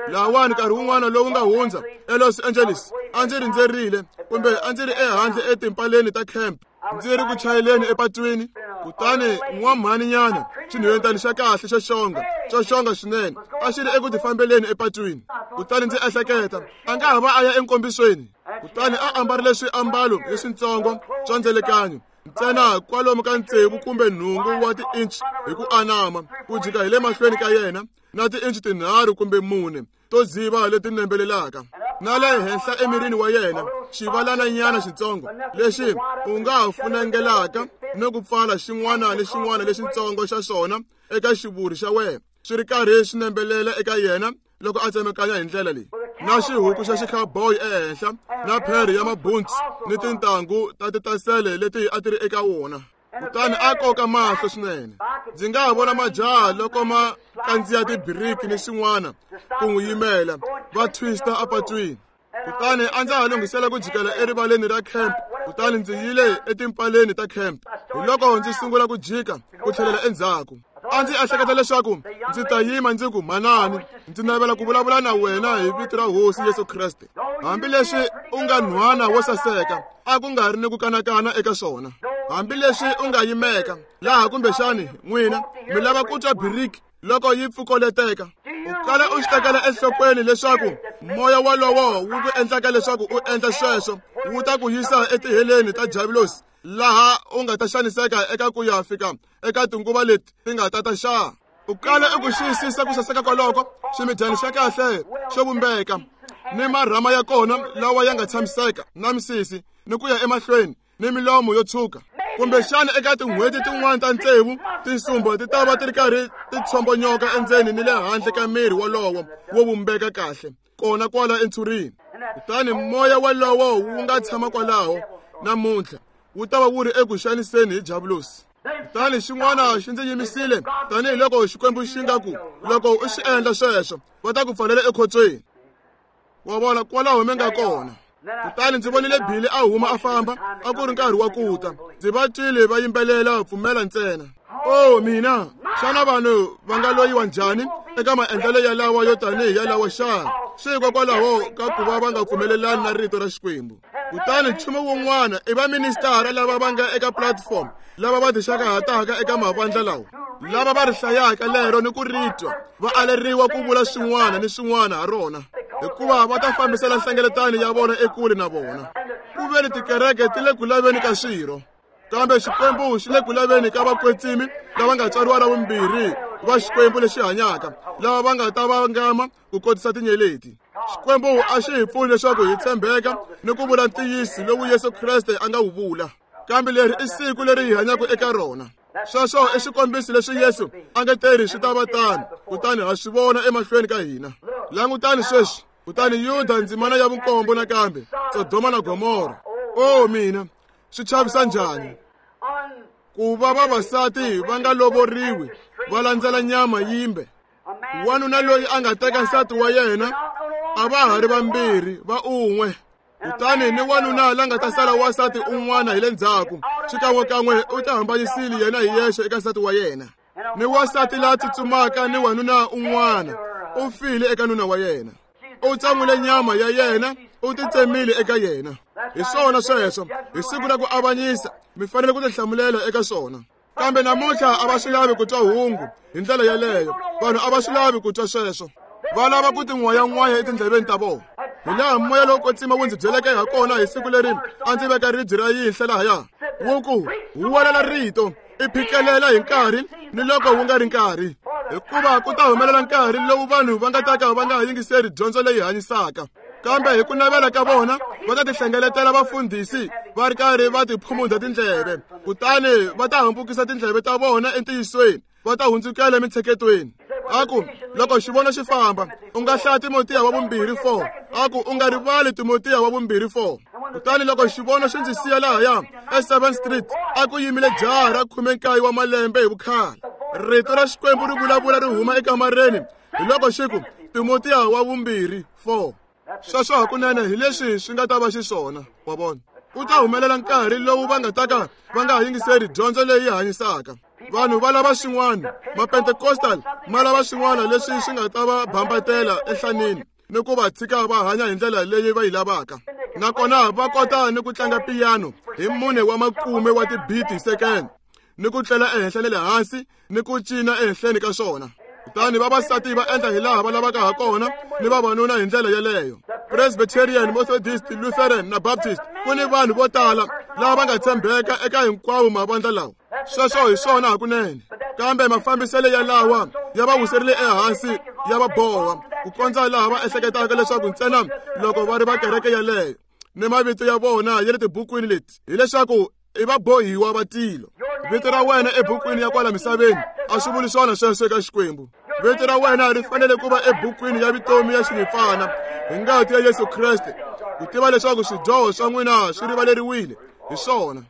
Lahawani nkarhi wun'wana lowu nga hundza eLos Angeles, a ndzi rindzerile kumbe a ndzi ri ehandle etimpaleni ta camp, ndzi ri ku chayeleni epatwini, kutani n'wamhaninyana xinhwentani xa kahle xo xonga, xo xonga swinene, a xi ri eku tifambeleni epatwini. Kutani ndzi ehleketa, a nga ha va a ya enkombisweni. Kutani a ambarile swiambalo leswitsongo swa ndzelekanyo, ntsena kwalomu ka 6 kumbe 8 wa ti-inch hi ku anama, ku jika hi le mahlweni ka yena, na ti-inch 3 kumbe 4 to dziva leti nembelelaka, na le henhla emirini wa yena xivalananyana xitsongo lexi u nga ha funengelaka ni ku pfala xin'wana ni xin'wana lexitsongo xa xona eka xivuri xa wena, swi ri karhi swi nembelela eka yena loko a tsemekanya hi ndlela leyi, na xihuku xa xicowboy ehenhla, na phere ya mabuntsi ni tintangu ta titasele leti a ti ri eka wona. Kutani a koka mahlo swinene. Ndzi nga ha vona majaha loko ma kandziya tibiriki ni swin'wana ku n'wi yimela, va twista apatwini. Kutani a ndza ha lunghisela ku jikela erivaleni ra camp, kutani ndzi yile etimpaleni ta camp. Hi loko ndzi sungula ku jika ku tlhelela endzhaku. A ndzi ehleketa leswaku ndzi ta yima ndzi ku, manani, ndzi navela ku vulavula na wena hi vito ra Hosi Yesu Kreste. Hambileswi u nga nhwana wo saseka, a ku nga ri ni ku kanakana eka swona. Hambileswi u nga yimeka laha, kumbexani n'wina mi lava ku twa biriki loko yi pfukoleteka, u kala u xi tekela enhlokweni leswaku moya wolowo wu ku endlaka leswaku u endla sweswo wu ta ku yisa etiheleni ta Diabulosi, laha u nga ta xaniseka eka ku ya fika eka tinguva leti ti nga ta ta xa. U kala u ku xiyisisa ku saseka kwaloko, ximidyani xa kahle xo vumbeka, ni marhama ya kona lawa ya nga tshamiseka, na misisi, ni ku ya emahlweni, ni milomo yo tshuka. Kumbexana eka tin'hweti tin'wana ta 6, tinsumba ti ta va ti ri karhi ti tshombonyoka endzeni ni le handle ka miri wolowo wo vumbeka kahle, kona kwala entshurini. Kutani moya wolowo wu nga tshama kwalaho namuntlha, wu ta va wu ri eku xaniseni hi Diabulosi. Kutani xin'wana xi ndzi yimisile, tanihiloko Xikwembu xi nga ku, loko u xi endla sweswo, va ta ku pfalela ekhotsweni. Wa vona kwalaho mi nga kona. Kutani ndzi vonile Billy a huma a famba, a ku ri nkarhi wa ku ta. Ndzi va twile va yimbelela pfumela ntsena. Oh mina, xana vanhu va nga loyiwa njhani eka maendlelo yalawa yo tanihi yalawa xana? Swi hikokwalaho ka ku va va nga pfumelelani na rito ra Xikwembu. Kutani nchumu wun'wana i vaministara lava va nga eka platform, lava va tixakahataka eka mavandla lawa, lava va ri hlayaka lero ni ku ri twa, va aleriwa ku vula swin'wana ni swin'wana ha rona, hikuva va ta fambisela nhlengeletano ya vona ekule na vona. Ku ve ni tikereke ti le ku laveni ka swirho, kambe Xikwembu xi le ku laveni ka vakwetsimi lava nga tswariwa ra vumbirhi va Xikwembu lexi hanyaka, lava va nga ta vangama ku kotisa tinyeleti. Xikwembu a xi hi pfuni leswaku hi tshembeka ni ku vula ntiyiso lowu Yesu Kreste a nga wu vula, kambe leri i siku leri hi hanyaka eka rona. Sweswo i xikombiso leswi Yesu a nga teri swi ta va tano, kutani ha swi vona emahlweni ka hina. Langutani sweswi. Kutani Yuda ndzimana ya 7 nakambe, Sodoma na Gomora. Oh mina, swi chavisa njhani ku va vavasati va nga lovoriwi va landzela nyama yimbe. Wanuna loyi a nga teka nsati wa yena a va ha ri vambirhi va un'we. Kutani ni wanuna la nga ta sala wansati un'wana hi le ndzhaku, xikan'wekan'we u ta hambanyisile yena hi yexe eka nsati wa yena. Ni wansati la tsutsumaka ni wanuna un'wana u file eka nuna wa yena. U tsan'wile nyama ya yena, u titsemile eka yena. Hi swona sweswo, hi siku ra ku avanyisa mi fanele ku tihlamulela eka swona. Kambe namuntlha a va swi lavi ku twa hungu hi ndlela yeleyo. Vanhu a va swi lavi ku twa sweswo, va lava ku tin'wayan'waya etindleveni ta vona. Hi laha moya lowo kwetsima wu ndzi byeleke ha kona hi siku leri a ndzi veka ribye ra yinhla lahaya, wu ku, huwelela rito, i phikelela hi nkarhi ni loko wu nga ri nkarhi. Hikuva ku ta humelela nkarhi lowu vanhu va nga ta ka va nga yingiseri dyondzo leyi hanyisaka, kambe hi ku navela ka vona va ta tihlengeletela vafundhisi va ri karhi va tiphumunda tindleve, kutani va ta hambukisa tindleve ta vona entiyisweni, va ta hundzukela emitsheketweni. A ku loko xivono xi famba, u nga hlaya Timotiya wa vumbirhi 4. A ku u nga rivali Timotiya wa vumbirhi 4. Kutani loko xivono xi ndzi siya lahaya e7 Street, a ku yimile jaha ra 19 wa malembe hi vukhale. Rito ra Xikwembu ri vulavula ri huma ekamareni, hi loko xi ku Timotiya wa vumbirhi 4. Sweswo hakunene hi leswi swi nga ta va xiswona, wa vona. Ku ta humelela nkarhi lowu va nga ta ka va nga yingiseri dyondzo leyi hanyisaka. Vanhu va lava swin'wana, Mapentecostal ma lava swin'wana leswi swi nga ta va bambatela enhlaneni ni ku va tshika va hanya hi ndlela leyi va yi lavaka. Nakona va kota ni ku tlanga piyano hi 4 wa makume wa tibiti hi sekende, ni ku tlela ehenhla ni le hansi ni ku cina ehenhleni ka swona. Kutani vavasati va endla hi laha va lavaka ha kona, ni vavanuna hi ndlela yeleyo. Presbyterian, Methodist, Lutheran na Baptist, ku ni vanhu vo tala lava va nga tshembeka eka hinkwawo mavandla lawa. Sweswo hi swona hakunene, kambe mafambiselo ya lawa ya va wiserile ehansi, ya va boha ku kondza laha va ehleketaka leswaku ntsena loko va ri va kereke yeleyo ni mavito ya vona ya le tibukwini leti, hileswaku i vabohiwa va tilo. Vito ra wena ebukwini ya kwala misaveni a swi vuli swona sweswo eka Xikwembu. Vito ra wena ri fanele ku va ebukwini ya vutomi ya xinyimpfana hi ngati ya Yesu Kreste, ku tiva leswaku swidyoho swa n'wina swi rivaleriwile hi swona.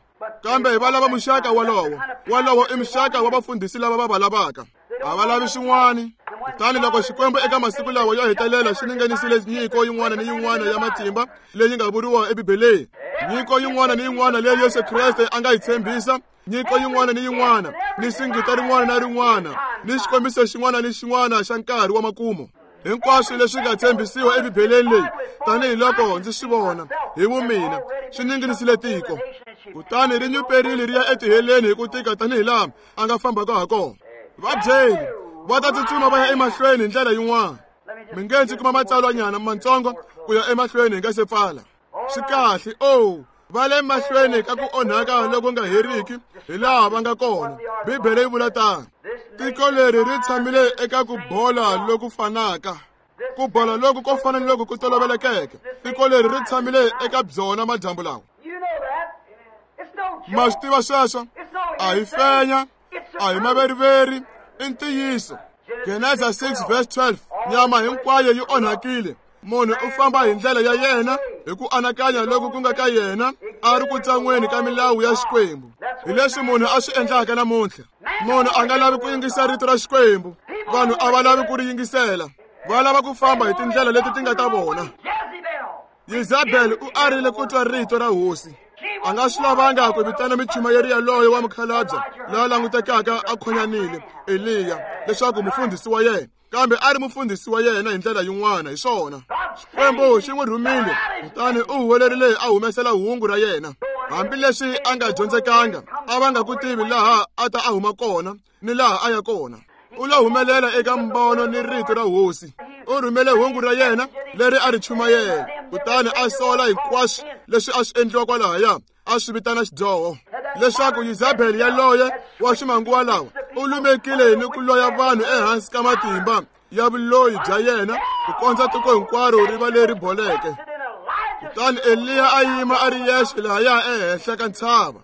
Kambe va lava muxaka wolowo. Wolowo i muxaka wa vafundhisi lava va va lavaka. A va lavi swin'wana. Kutani loko Xikwembu eka masiku lawa yo hetelela xi ninganisile nyiko yin'wana ni yin'wana ya matimba leyi nga vuriwa eBibeleni, nyiko yin'wana ni yin'wana leyi Yesu Kreste a nga yi tshembisa, nyiko yin'wana ni yin'wana, ni singita rin'wana na rin'wana, ni xikombiso xin'wana ni xin'wana xa nkarhi wa makumu, hinkwaswo leswi nga tshembisiwa eBibeleni leyi, tanihiloko ndzi swi vona hi vumina, swi ninginisile tiko. Kutani ri nyuperile ri ya etiheleni hi ku tika tanihilaha a nga fambaka ha kona. Va byeli va ta tsutsuma va ya emahlweni hi ndlela yin'wana. Mi nge ndzi kuma matsalwanyana matsongo ku ya emahlweni hi nga se pfala. Swi kahle, oh, va le mahlweni ka ku onhaka loku nga heriki hi laha va nga kona. Bibele yi vula tano. Tiko leri ri tshamile eka ku bola loku fanaka, ku bola loku ko fana ni loku ku tolovelekeke. Tiko leri ri tshamile eka byona madyambu lawa. Ma swi tiva sweswo? A hi fenya, a hi maveriveri, i ntiyiso. Genesa 6 verse 12, nyama hinkwayo yi onhakile. Munhu u famba hi ndlela ya yena hi ku anakanya loku ku nga ka yena, a ri ku tsan'weni ka milawu ya Xikwembu. Hi leswi munhu a swi endlaka namuntlha. Munhu a nga lavi ku yingisa rito ra Xikwembu. Vanhu a va lavi ku ri yingisela. Va lava ku famba hi tindlela leti ti nga ta vona. Yezabel u arile ku twa rito ra hosi. A nga swi lavanga ku vitana michumayeri yaloyo wa mukhalabye loyi a langutekaka a khonyanile, Eliya, leswaku mufundhisi wa yena, kambe a ri mufundhisi wa yena hi ndlela yin'wana. Hi swona, Xikwembu xi n'wi rhumile, kutani u huwelerile a humesela hungu ra yena. Hambileswi a nga dyondzekanga, a va nga ku tivi laha a ta a huma kona ni laha a ya kona. U lo humelela eka mbono ni rito ra hosi. U rhumele hungu ra yena leri a ri chumayela, kutani a sola hinkwaswo leswi a swi endliwa kwalahaya, a swi vitana xidyoho, leswaku Yezabel yaloye wa ximanguva lawa u lumekile ni ku loya vanhu ehansi ka matimba ya vuloyi bya yena ku kondza tiko hinkwaro ri va leri boleke. Kutani Eliya a yima a ri yexe lahaya ehenhla ka ntshava.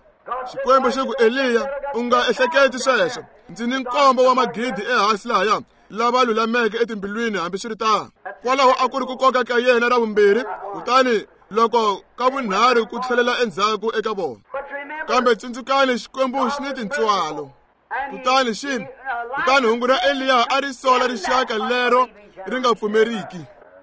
Xikwembu xi ku, Eliya, u nga ehleketi sweswo. Ndzi ni nkombo wa magidi ehansi lahaya lava lulameke etimbilwini hambiswiritano. Kwalaho a ku ri ku koka ka yena ra vumbirhi, kutani loko ka vunharhu ku tlhelela endzhaku eka vona. Kambe tsundzukani, Xikwembu xi ni tintswalo. Kutani xi kutani hungu ra Eliya a ri sola rixaka lero ri nga pfumeriki.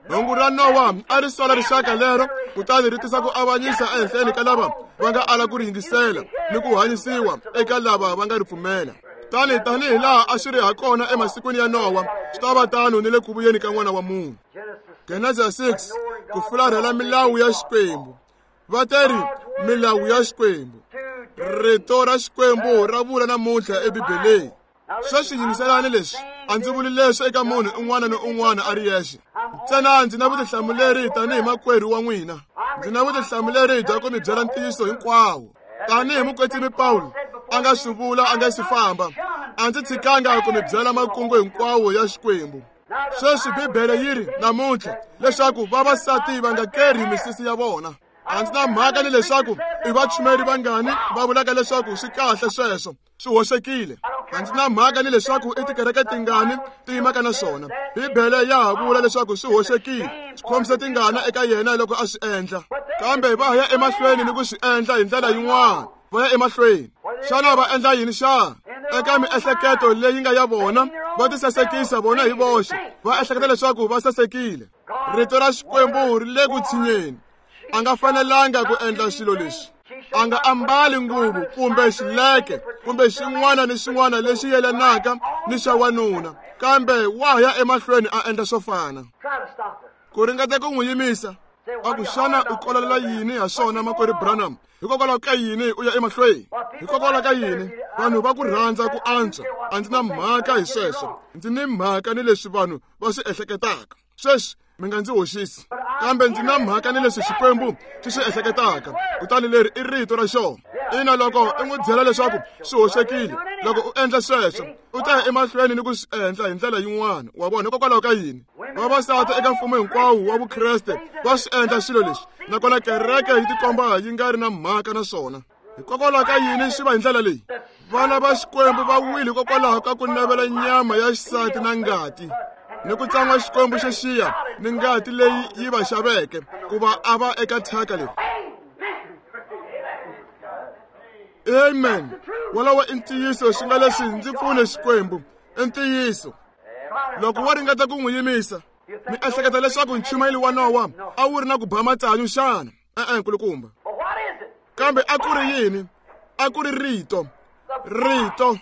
Hungu ra Nowa a ri sola rixaka lero, kutani ri tisa ku avanyisa ehenhleni ka lava va nga ala ku ri yingisela ni ku hanyisiwa eka lava va nga ri pfumela. Tani tanihi laha a swi ri ha kona emasikwini ya Nowa, swi ta va tano ni le ku vuyeni ka N'wana wa Munhu. Genesa 6, ku fularhela milawu ya Xikwembu. Va teri milawu ya Xikwembu. Rito ra Xikwembu ra vula namuntlha eBibeleni. Sweswi yingiselani leswi, a ndzi vuli leswi eka munhu un'wana ni un'wana a ri yexe. Ntsena ndzi na vutihlamuleri tanihi makwerhu wa n'wina. Ndzi na vutihlamuleri bya ku mi byela ntiyiso hinkwawo. Tanihi mukwetsimi Pawulo a nga swi vula a nga si famba, A ndzi tshikanga ku mi byela makungu hinkwawo ya Xikwembu. Sweswi Bibele yi ri namuntlha leswaku vavasati va nga kerhi misisi ya vona. A ndzi na mhaka ni leswaku i vachumeri vangani va vulaka leswaku swi kahle sweswo, swi hoxekile. A ndzi na mhaka ni leswaku i tikereke tingani ti yimaka na swona. Bibele ya ha vula leswaku swi hoxekile, swi khomise tingana eka yena loko a swi endla. Kambe va ya emahlweni ni ku swi endla hi ndlela yin'wana, va ya emahlweni. Xana va endla yini xana? Eka miehleketo leyi nga ya vona, va tisasekisa vona hi voxe, va ehleketa leswaku va sasekile. Rito ra Xikwembu ri le ku tshinyeni. A nga fanelanga ku endla swilo leswi. A nga ambali nguvu kumbe xileke kumbe xin'wana ni xin'wana lexi yelanaka ni xa wanuna, kambe wa ya emahlweni a endla swo fana. Ku ringeta ku n'wi yimisa, a ku xana u kololela yini ha swona makwerhu Branham? Hikokwalaho ka yini u ya emahlweni? Hikokwalaho ka yini vanhu va ku rhandza ku antswa? A ndzi na mhaka hi sweswo. Ndzi ni mhaka ni leswi vanhu va swi ehleketaka. Sweswi mi nga ndzi hoxisi, kambe ndzi na mhaka ni leswi Xikwembu xi swi ehleketaka. Kutani leri i rito ra xona. Ina, loko u n'wi byela leswaku swi hoxekile, loko u endla sweswo, u ta ya emahlweni ni ku swi endla hi ndlela yin'wana. Wa vona, hikokwalaho ka yini vavasati eka mfumo hinkwawo wa Vukreste va swi endla swilo leswi, nakona kereke yi tikomba yi nga ri na mhaka na swona? Hikokwalaho ka yini swi va hi ndlela leyi? Vana va Xikwembu va wile hikokwalaho ka ku navela nyama ya xisati na ngati, ni ku tsan'wa Xikwembu xo xiya ni ngati leyi yi va xaveke ku va a va eka thyaka leri. Amen. Wolowo i ntiyiso, swi nga leswi ndzi pfune Xikwembu. I ntiyiso. Loko wo ringeta ku n'wi yimisa, mi ehleketa leswaku nchumayeli wa Nowa a wu ri na ku ba matsanyu xana? E-e, nkulukumba. Kambe a ku ri yini? A ku ri rito. Rito.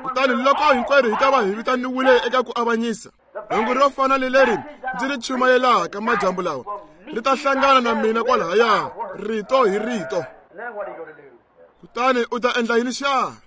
Kutani loko hinkwerhu hi ta va hi vitaniwile eka ku avanyisa, hungu ro fana ni leri ndzi ri chumayelaka madyambu lawa ri ta hlangana na mina kwalahaya, rito hi rito. Kutani u ta endla yini xana?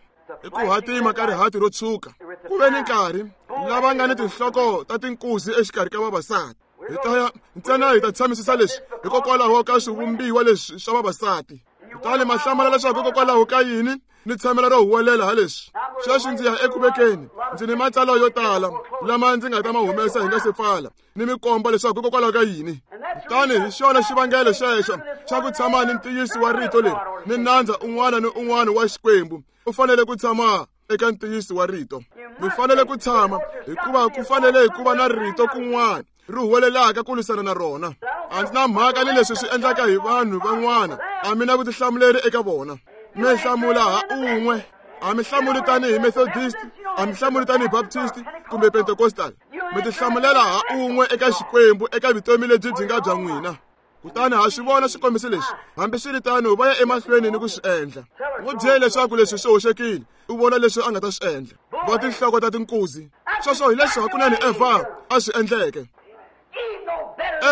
I ku hatima ka rihati ro tshuka. Ku ve ni nkarhi lava nga ni tinhloko ta tinkuzi exikarhi ka vavasati. Hi ta ya ntsena hi ta tshamisisa leswi hikokwalaho ka swivumbiwa leswi swa vavasati. Kutani ma hlamala leswaku hikokwalaho ka yini ni tshamela ro huwelela ha leswi. Sweswi ndzi ya eku vekeni, ndzi ni matsalwa yo tala lama ndzi nga ta ma humesa hi nga se pfala, ni mi komba leswaku hikokwalaho ka yini. Kutani hi xona xivangelo xexo xa ku tshama ni ntiyiso wa rito leri, ni nandza un'wana ni un'wana wa Xikwembu u fanele ku tshama eka ntiyiso wa rito. Mi fanele ku tshama, hikuva ku fanele ku va na rito kun'wana ri huwelelaka ku lwisana na rona. A ndzi na mhaka ni leswi swi endlaka hi vanhu van'wana, a mi na vutihlamuleri eka vona. Mi hlamula ha un'we. A mi hlamuli tanihi Methodist, a mi hlamuli tanihi Baptist kumbe Pentecostal. Mi tihlamulela ha un'we eka Xikwembu eka vutomi lebyi byi nga bya n'wina. Kutani ha swi vona swikombiso leswi, hambiswiritano va ya emahlweni ni ku swi endla. N'wi byele leswaku leswi swi hoxekile, u vona leswi a nga ta swi endla. Va tinhloko ta tinkuzi. Sweswo hi leswi hakunene Evha a swi endleke.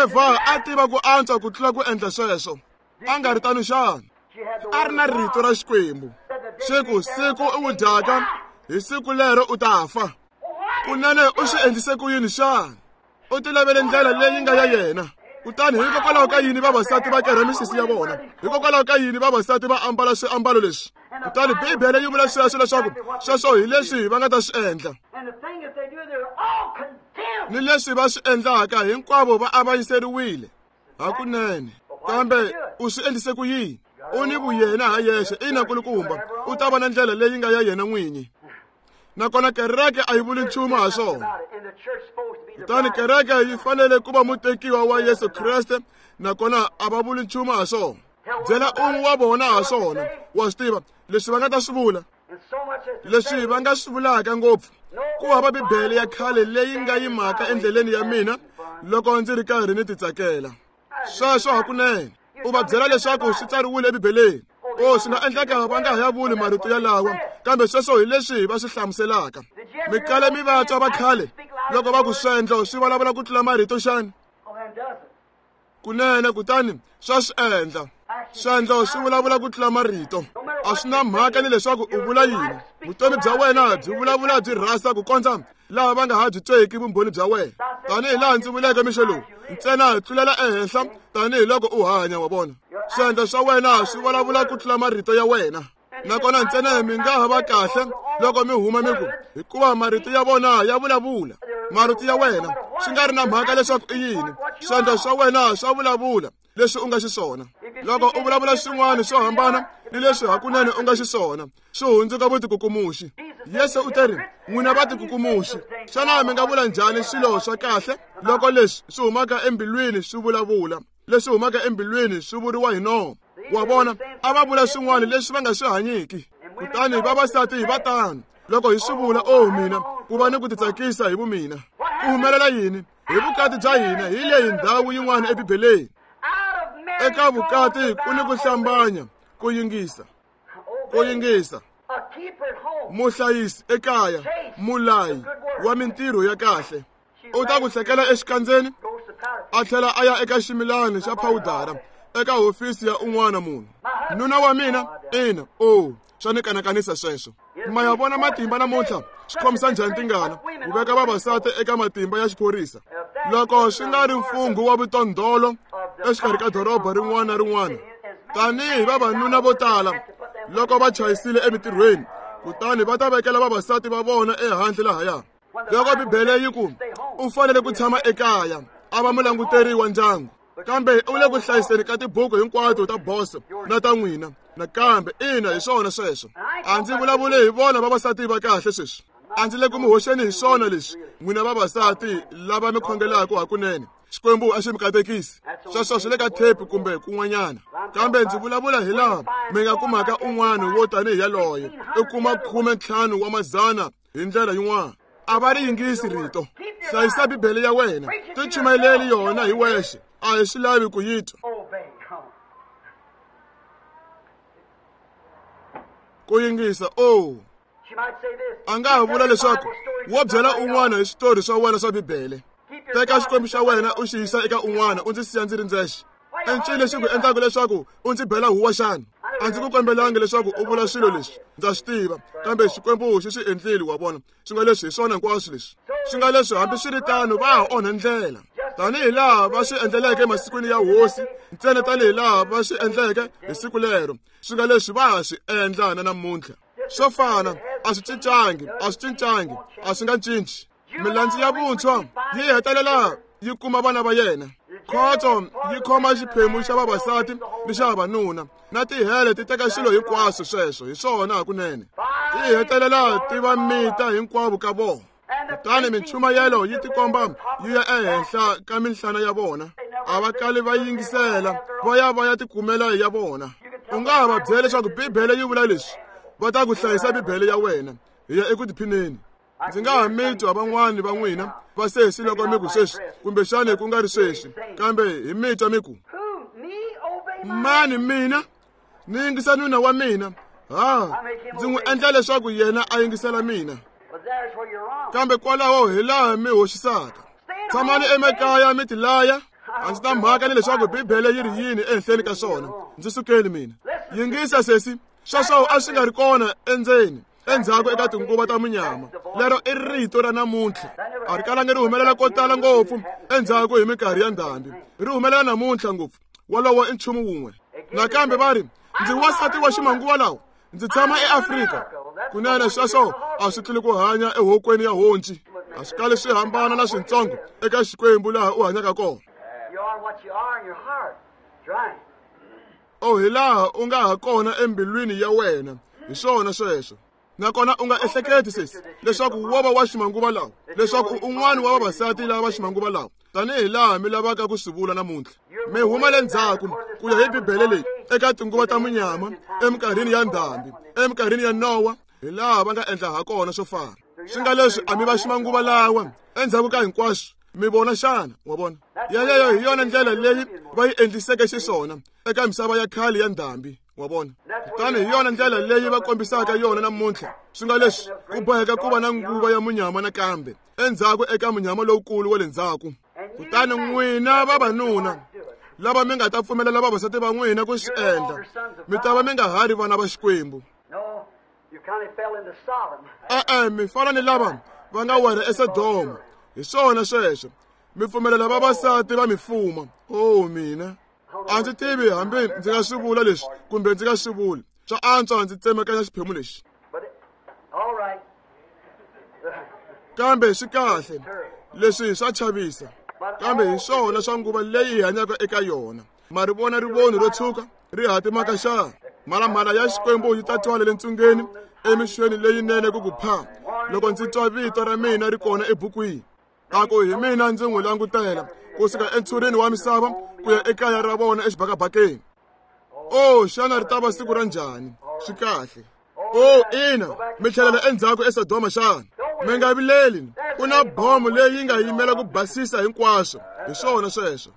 Evha a tiva ku antswa ku tlula ku endla sweswo. A nga ri tano xana? A ri na rito ra Xikwembu. Xi ku siku u wu dyaka, hi siku lero u ta fa. Kunene u swi endlise ku yini xana? U tilavele ndlela leyi nga ya yena. Kutani hikokwalaho ka yini vavasati va kerha misisi ya vona? Hikokwalaho ka yini vavasati va ambala swiambalo leswi? Kutani Bibele yi vula sweswo leswaku sweswo hi leswi va nga ta swi endla. Ni leswi va swi endlaka, hinkwavo va avanyiseriwile. Hakunene. Kambe u swi endlise ku yini? U ni vuyena ha yexe. Ina, nkulukumba, u ta va na ndlela leyi nga ya yena n'winyi. Nakona kereke a yi vuli nchumu ha swona. Kutani kereke yi fanele ku va mutekiwa wa Yesu Kreste, nakona a va vuli nchumu ha swona. Byela un'we wa vona ha swona, wa swi tiva leswi va nga ta swi vula. Leswi va nga swi vulaka ngopfu ku hava Bibele ya khale leyi nga yimaka endleleni ya mina loko ndzi ri karhi ni titsakela. Sweswo hakunene u va byela leswaku swi tsariwile eBibeleni. O, swi nga endleka va nga ha ya vuli marito yalawa, kambe sweswo hi leswi va swi hlamuselaka. Mi kale mi va twa va khale loko va ku swendlo swi vulavula ku tlula marito xana? Kunene, kutani swa swi endla. Swendlo swi vulavula ku tlula marito. A swi na mhaka ni leswaku u vula yini. Vutomi bya wena byi vulavula byi rhasa ku kondza laha va nga ha byi tweki vumbhoni bya wena. Tanihi laha ndzi vuleke mixo lowu, ntsena tlulela ehenhla tanihiloko u hanya, wa vona. Swendlo swa wena swi vulavula ku tlula marito ya wena. Nakona ntsena mi nga ha va kahle Loko mi huma mi ku, hikuva marito ya vona ya vulavula. Marito ya wena swi nga ri na mhaka leswaku i yini, swandla swa wena swa vulavula leswi u nga xiswona. Loko u vulavula swin'wana swo hambana ni leswi hakunene u nga xiswona, swi hundzuka vutikukumuxi. Yesu u teri, n'wina vatikukumuxi, xana mi nga vula njhani swilo swa kahle loko leswi swi humaka embilwini swi vulavula? Leswi humaka embilwini swi vuriwa hi nomo. Wa vona, a va vula swin'wana leswi va nga swi hanyiki. Kutani vavasati va tano. Loko hi swi vula, oh mina, ku va ni ku titsakisa hi vumina. Ku humelela yini? Hi vukati bya hina hi leyi ndhawu yin'wana eBibeleni. Eka vukati ku ni ku hlambanya, ku yingisa. Ku yingisa. Muhlayisi ekaya, mulayi wa mintirho ya kahle. U ta ku hlekela exikandzeni, a tlhela a ya eka ximilani xa phawudara eka hofisi ya un'wana munhu. Nuna wa mina, ina, oh, swa ni kanakanisa sweswo. Ma ya vona matimba namuntlha swi khomisa njhani tingana ku veka vavasati eka matimba ya xiphorisa. Loko swi nga ri mfungho wa vutondolo exikarhi ka doroba rin'wana na rin'wana, tanihi vavanuna vo tala loko va chayisile emitirhweni, kutani va ta vekela vavasati va vona ehandle lahaya. Loko Bibele yi ku u fanele ku tshama ekaya, a va mulanguteri wa ndyangu, kambe u le ku hlayiseni ka tibuku hinkwato ta boso na ta n'wina. Nakambe ina, hi swona sweswo. A ndzi vulavuli hi vona vavasati va kahle sweswi. A ndzi le ku mi hoxeni hi swona leswi, n'wina vavasati lava mi khongelaka hakunene. Xikwembu a xi mi katekisi. Sweswo swi le ka thepi kumbe kun'wanyana. Kambe ndzi vulavula hi laha mi nga kumaka un'wana wo tanihi yaloye, u kuma 15 wa mazana hi ndlela yin'wana. A va ri yingisi rito. Hlayisa Bibele ya wena, tichumayeleli yona hi wexe. A hi swi lavi ku yi twa. Ku yingisa, oh. A nga ha vula leswaku wo byela un'wana hi switori swa wena swa Bibele. Teka Xikwembu xa wena u xi yisa eka un'wana, u ndzi siya ndzi ri ndzexe. I ncini lexi ku endlaka leswaku u ndzi bela huwa xana? A ndzi ku kombelangi leswaku u vula swilo leswi, ndza swi tiva, kambe Xikwembu xi swi endlile, wa vona. Swi nga leswi hi swona hinkwaswo leswi. Swi nga leswi hambi swi ri tano va ha onha ndlela. Tanihi laha va swi endleleke emasikwini ya hosi, ntsena tanihi laha va swi endleke hi siku lero, swi nga leswi va ha swi endla na namuntlha. Swo fana, a swi cincangi, a swi cincangi, a swi nga cinci. Milandzu ya vuntshwa yi hetelela yi kuma vana va yena. Khotso yi khoma xiphemu xa vavasati ni xa vavanuna, na tihele ti teka swilo hinkwaswo sweswo hi swona hakunene. Ti hetelela ti va mita hinkwavo ka vona. Kutani minchumayelo yi tikomba yi ya ehenhla ka minhlana ya vona. A va kali va yingisela, va ya va ya tikumela ya vona. U nga ha va byela leswaku Bibele yi vula leswi, va ta ku hlayisa Bibele ya wena, hi ya eku tiphineni. Ndzi nga ha mi twa van'wani va n'wina va sesi loko mi ku sweswi, kumbexani ku nga ri sweswi, kambe hi mi twa mi ku, mani mina ni yingisa nuna wa mina, ha ndzi n'wi endla leswaku yena a yingisela mina. Kambe kwalaho hi laha mi hoxisaka. Tshamani emakaya mi tilaya. A ndzi na mhaka ni leswaku Bibele yi ri yini ehenhleni ka swona. Ndzi sukeni mina. Yingisa sesi, sweswo a swi nga ri kona endzeni endzhaku eka tinguva ta munyama. Lero i rito ra namuntlha. A ri kalangi ri humelela ko tala ngopfu endzhaku hi minkarhi ya ndhambi. Ri humelela namuntlha ngopfu. Wolowo i nchumu wun'we. Nakambe va ri, ndzi wansati wa ximanguva lawa, ndzi tshama eAfrika. Kunene sweswo a swi tluli ku hanya ehokweni ya honci. A swi kali swi hambana na swintsongo eka Xikwembu laha u hanyaka kona. Oh, hi laha u nga ha kona embilwini ya wena. Hi swona sweswo. Nakona u nga ehleketi sesi leswaku wo va wa ximanguva lawa, leswaku u un'wana wa vavasati lava va ximanguva lawa, tanihi laha mi lavaka ku swi vula namuntlha. Mi huma le ndzhaku ku ya hi Bibele leyi eka tinguva ta munyama, eminkarhini ya ndhambi, eminkarhini ya Nowa, hi laha va nga endla ha kona swo fana. Swi nga leswi a mi va ximanguva lawa endzhaku ka hinkwaswo. Mi vona xana? Wa vona? Yeleyo hi yona ndlela leyi va yi endliseke xiswona eka misava ya khale ya ndhambi. Wa vona? Kutani hi yona ndlela leyi va kombisaka yona namuntlha. Swi nga leswi ku boheka ku va na nguva ya munyama nakambe endzhaku eka munyama lowukulu wa le ndzhaku. Kutani n'wina vavanuna lava mi nga ta pfumelela vavasati va n'wina ku swi endla, mi ta va mi nga ha ri vana va Xikwembu. E-e, mi fana ni lava va nga wela eSodoma. Hi swona sweswo. Mi pfumelela vavasati va mi fuma. Oh, mina. A ndzi tivi hambi ndzi nga swi vula leswi kumbe ndzi nga swi vuli. Swa antswa ndzi tsemakanya xiphemu lexi. Kambe swi kahle, leswi swa chavisa, kambe hi swona swa nguva leyi hi hanyaka eka yona. Ma ri vona rivoni ro tshuka ri hatimaka xana? Mhalamhala ya Xikwembu yi ta twala le ntsungeni emixweni leyinene ku ku pha, loko ndzi twa vito ra mina ri kona ebukwini. A ku hi mina ndzi n'wi langutela kusuka entshurini wa misava ku ya ekaya ra vona exibakabakeni. O, xana ri ta va siku ra njhani? Swi kahle. O, ina, mi tlhelela endzhaku eSodoma xana? Mi nga vileli, ku na bomo leyi nga yimela ku basisa hinkwaswo. Hi swona sweswo.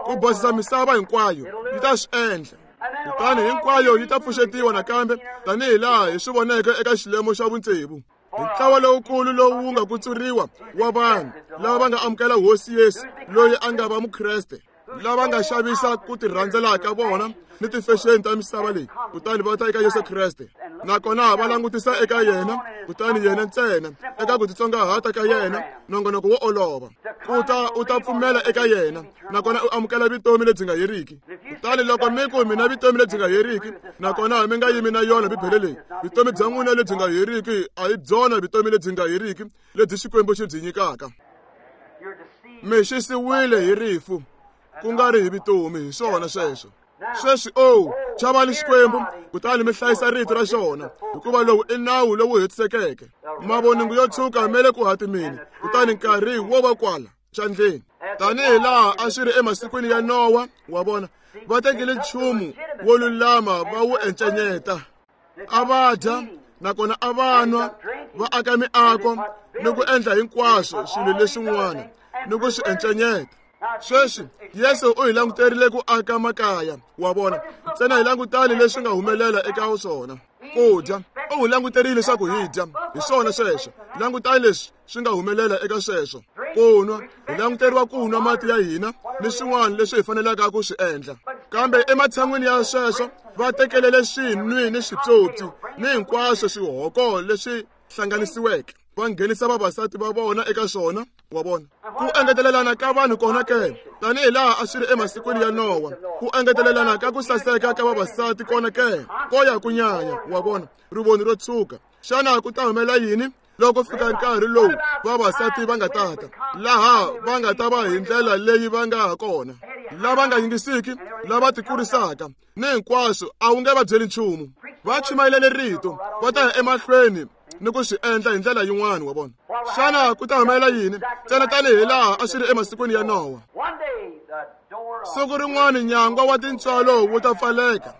Ku basisa misava hinkwayo yi ta swi endla. Kutani hinkwayo yi ta pfuxetiwa nakambe tanihi laha hi swi voneke eka xilemo xa vutsevu. Hi ntlawa lowukulu lowu wu nga kutsuriwa wa vanhu lava va nga amukela Hosi Yesu loyi a nga va Mukreste, lava nga xavisa ku tirhandzela ka vona ni tifexeni ta misava leyi, kutani va ta eka Yesu Kreste, nakona va langutisa eka yena, kutani yena ntsena eka ku titsongahata ka yena, nongonoko wo olova, ku ta u ta pfumela eka yena, nakona u amukela vutomi lebyi nga heriki. Kutani loko mi ku mina vutomi lebyi nga heriki, nakona mi nga yimi na yona Bibele leyi, vutomi bya n'wina lebyi nga heriki a hi byona vutomi lebyi nga heriki lebyi Xikwembu xi byi nyikaka. Mi xisiwile hi rifu, ku nga ri hi vutomi. Hi swona sweswo. Sweswi, o, chavani Xikwembu, kutani mi hlayisa rito ra xona, hikuva lowu i nawu lowu hetisekeke. Mavoningo yo tshuka ma le ku hatimeni, kutani nkarhi wo va kwala xandleni. Tanihi laha a swi ri emasikwini ya Nowa, wa vona, va tekile nchumu wo lulama va wu encenyeta. A va dya, nakona a va nwa, va aka miako ni ku endla hinkwaswo swilo leswin'wana ni ku swi encenyeta. Sweswi Yesu u hi languterile ku aka makaya, wa vona, ntsena hi langutani leswi nga humelela eka swona. Ku dya, u hi languterile leswaku hi dya, hi swona sweswo. Langutani leswi swi nga humelela eka sweswo. Ku nwa, hi languteriwa ku nwa mati ya hina ni swin'wana leswi hi fanelaka ku swi endla. Kambe ematshan'wini ya sweswo va tekelele swinwi ni switsotsi ni hinkwaswo swihoko leswi hlanganisiweke, va nghenisa vavasati va vona eka swona, wa vona. Ku engetelelana ka vanhu kona ke, tanihi laha a swi ri emasikwini ya Nowa, ku engetelelana ka ku saseka ka vavasati kona ke, ko ya ku nyanya, wa vona, rivoni ro tshuka. Xana ku ta humelela yini loko fika nkarhi lowu vavasati va nga tata, laha va nga ta va hi ndlela leyi va nga ha kona, lava nga yingisiki, lava tikurisaka ni hinkwaswo, a wu nge va byeli nchumu. Va chumayelele rito, va ta ya emahlweni ni ku swi endla hi ndlela yin'wana, wa vona. Xana ku ta humelela yini? Ntsena tanihi laha a swi ri emasikwini ya Nowa. Siku rin'wana nyangwa wa tintswalo wu ta pfaleka,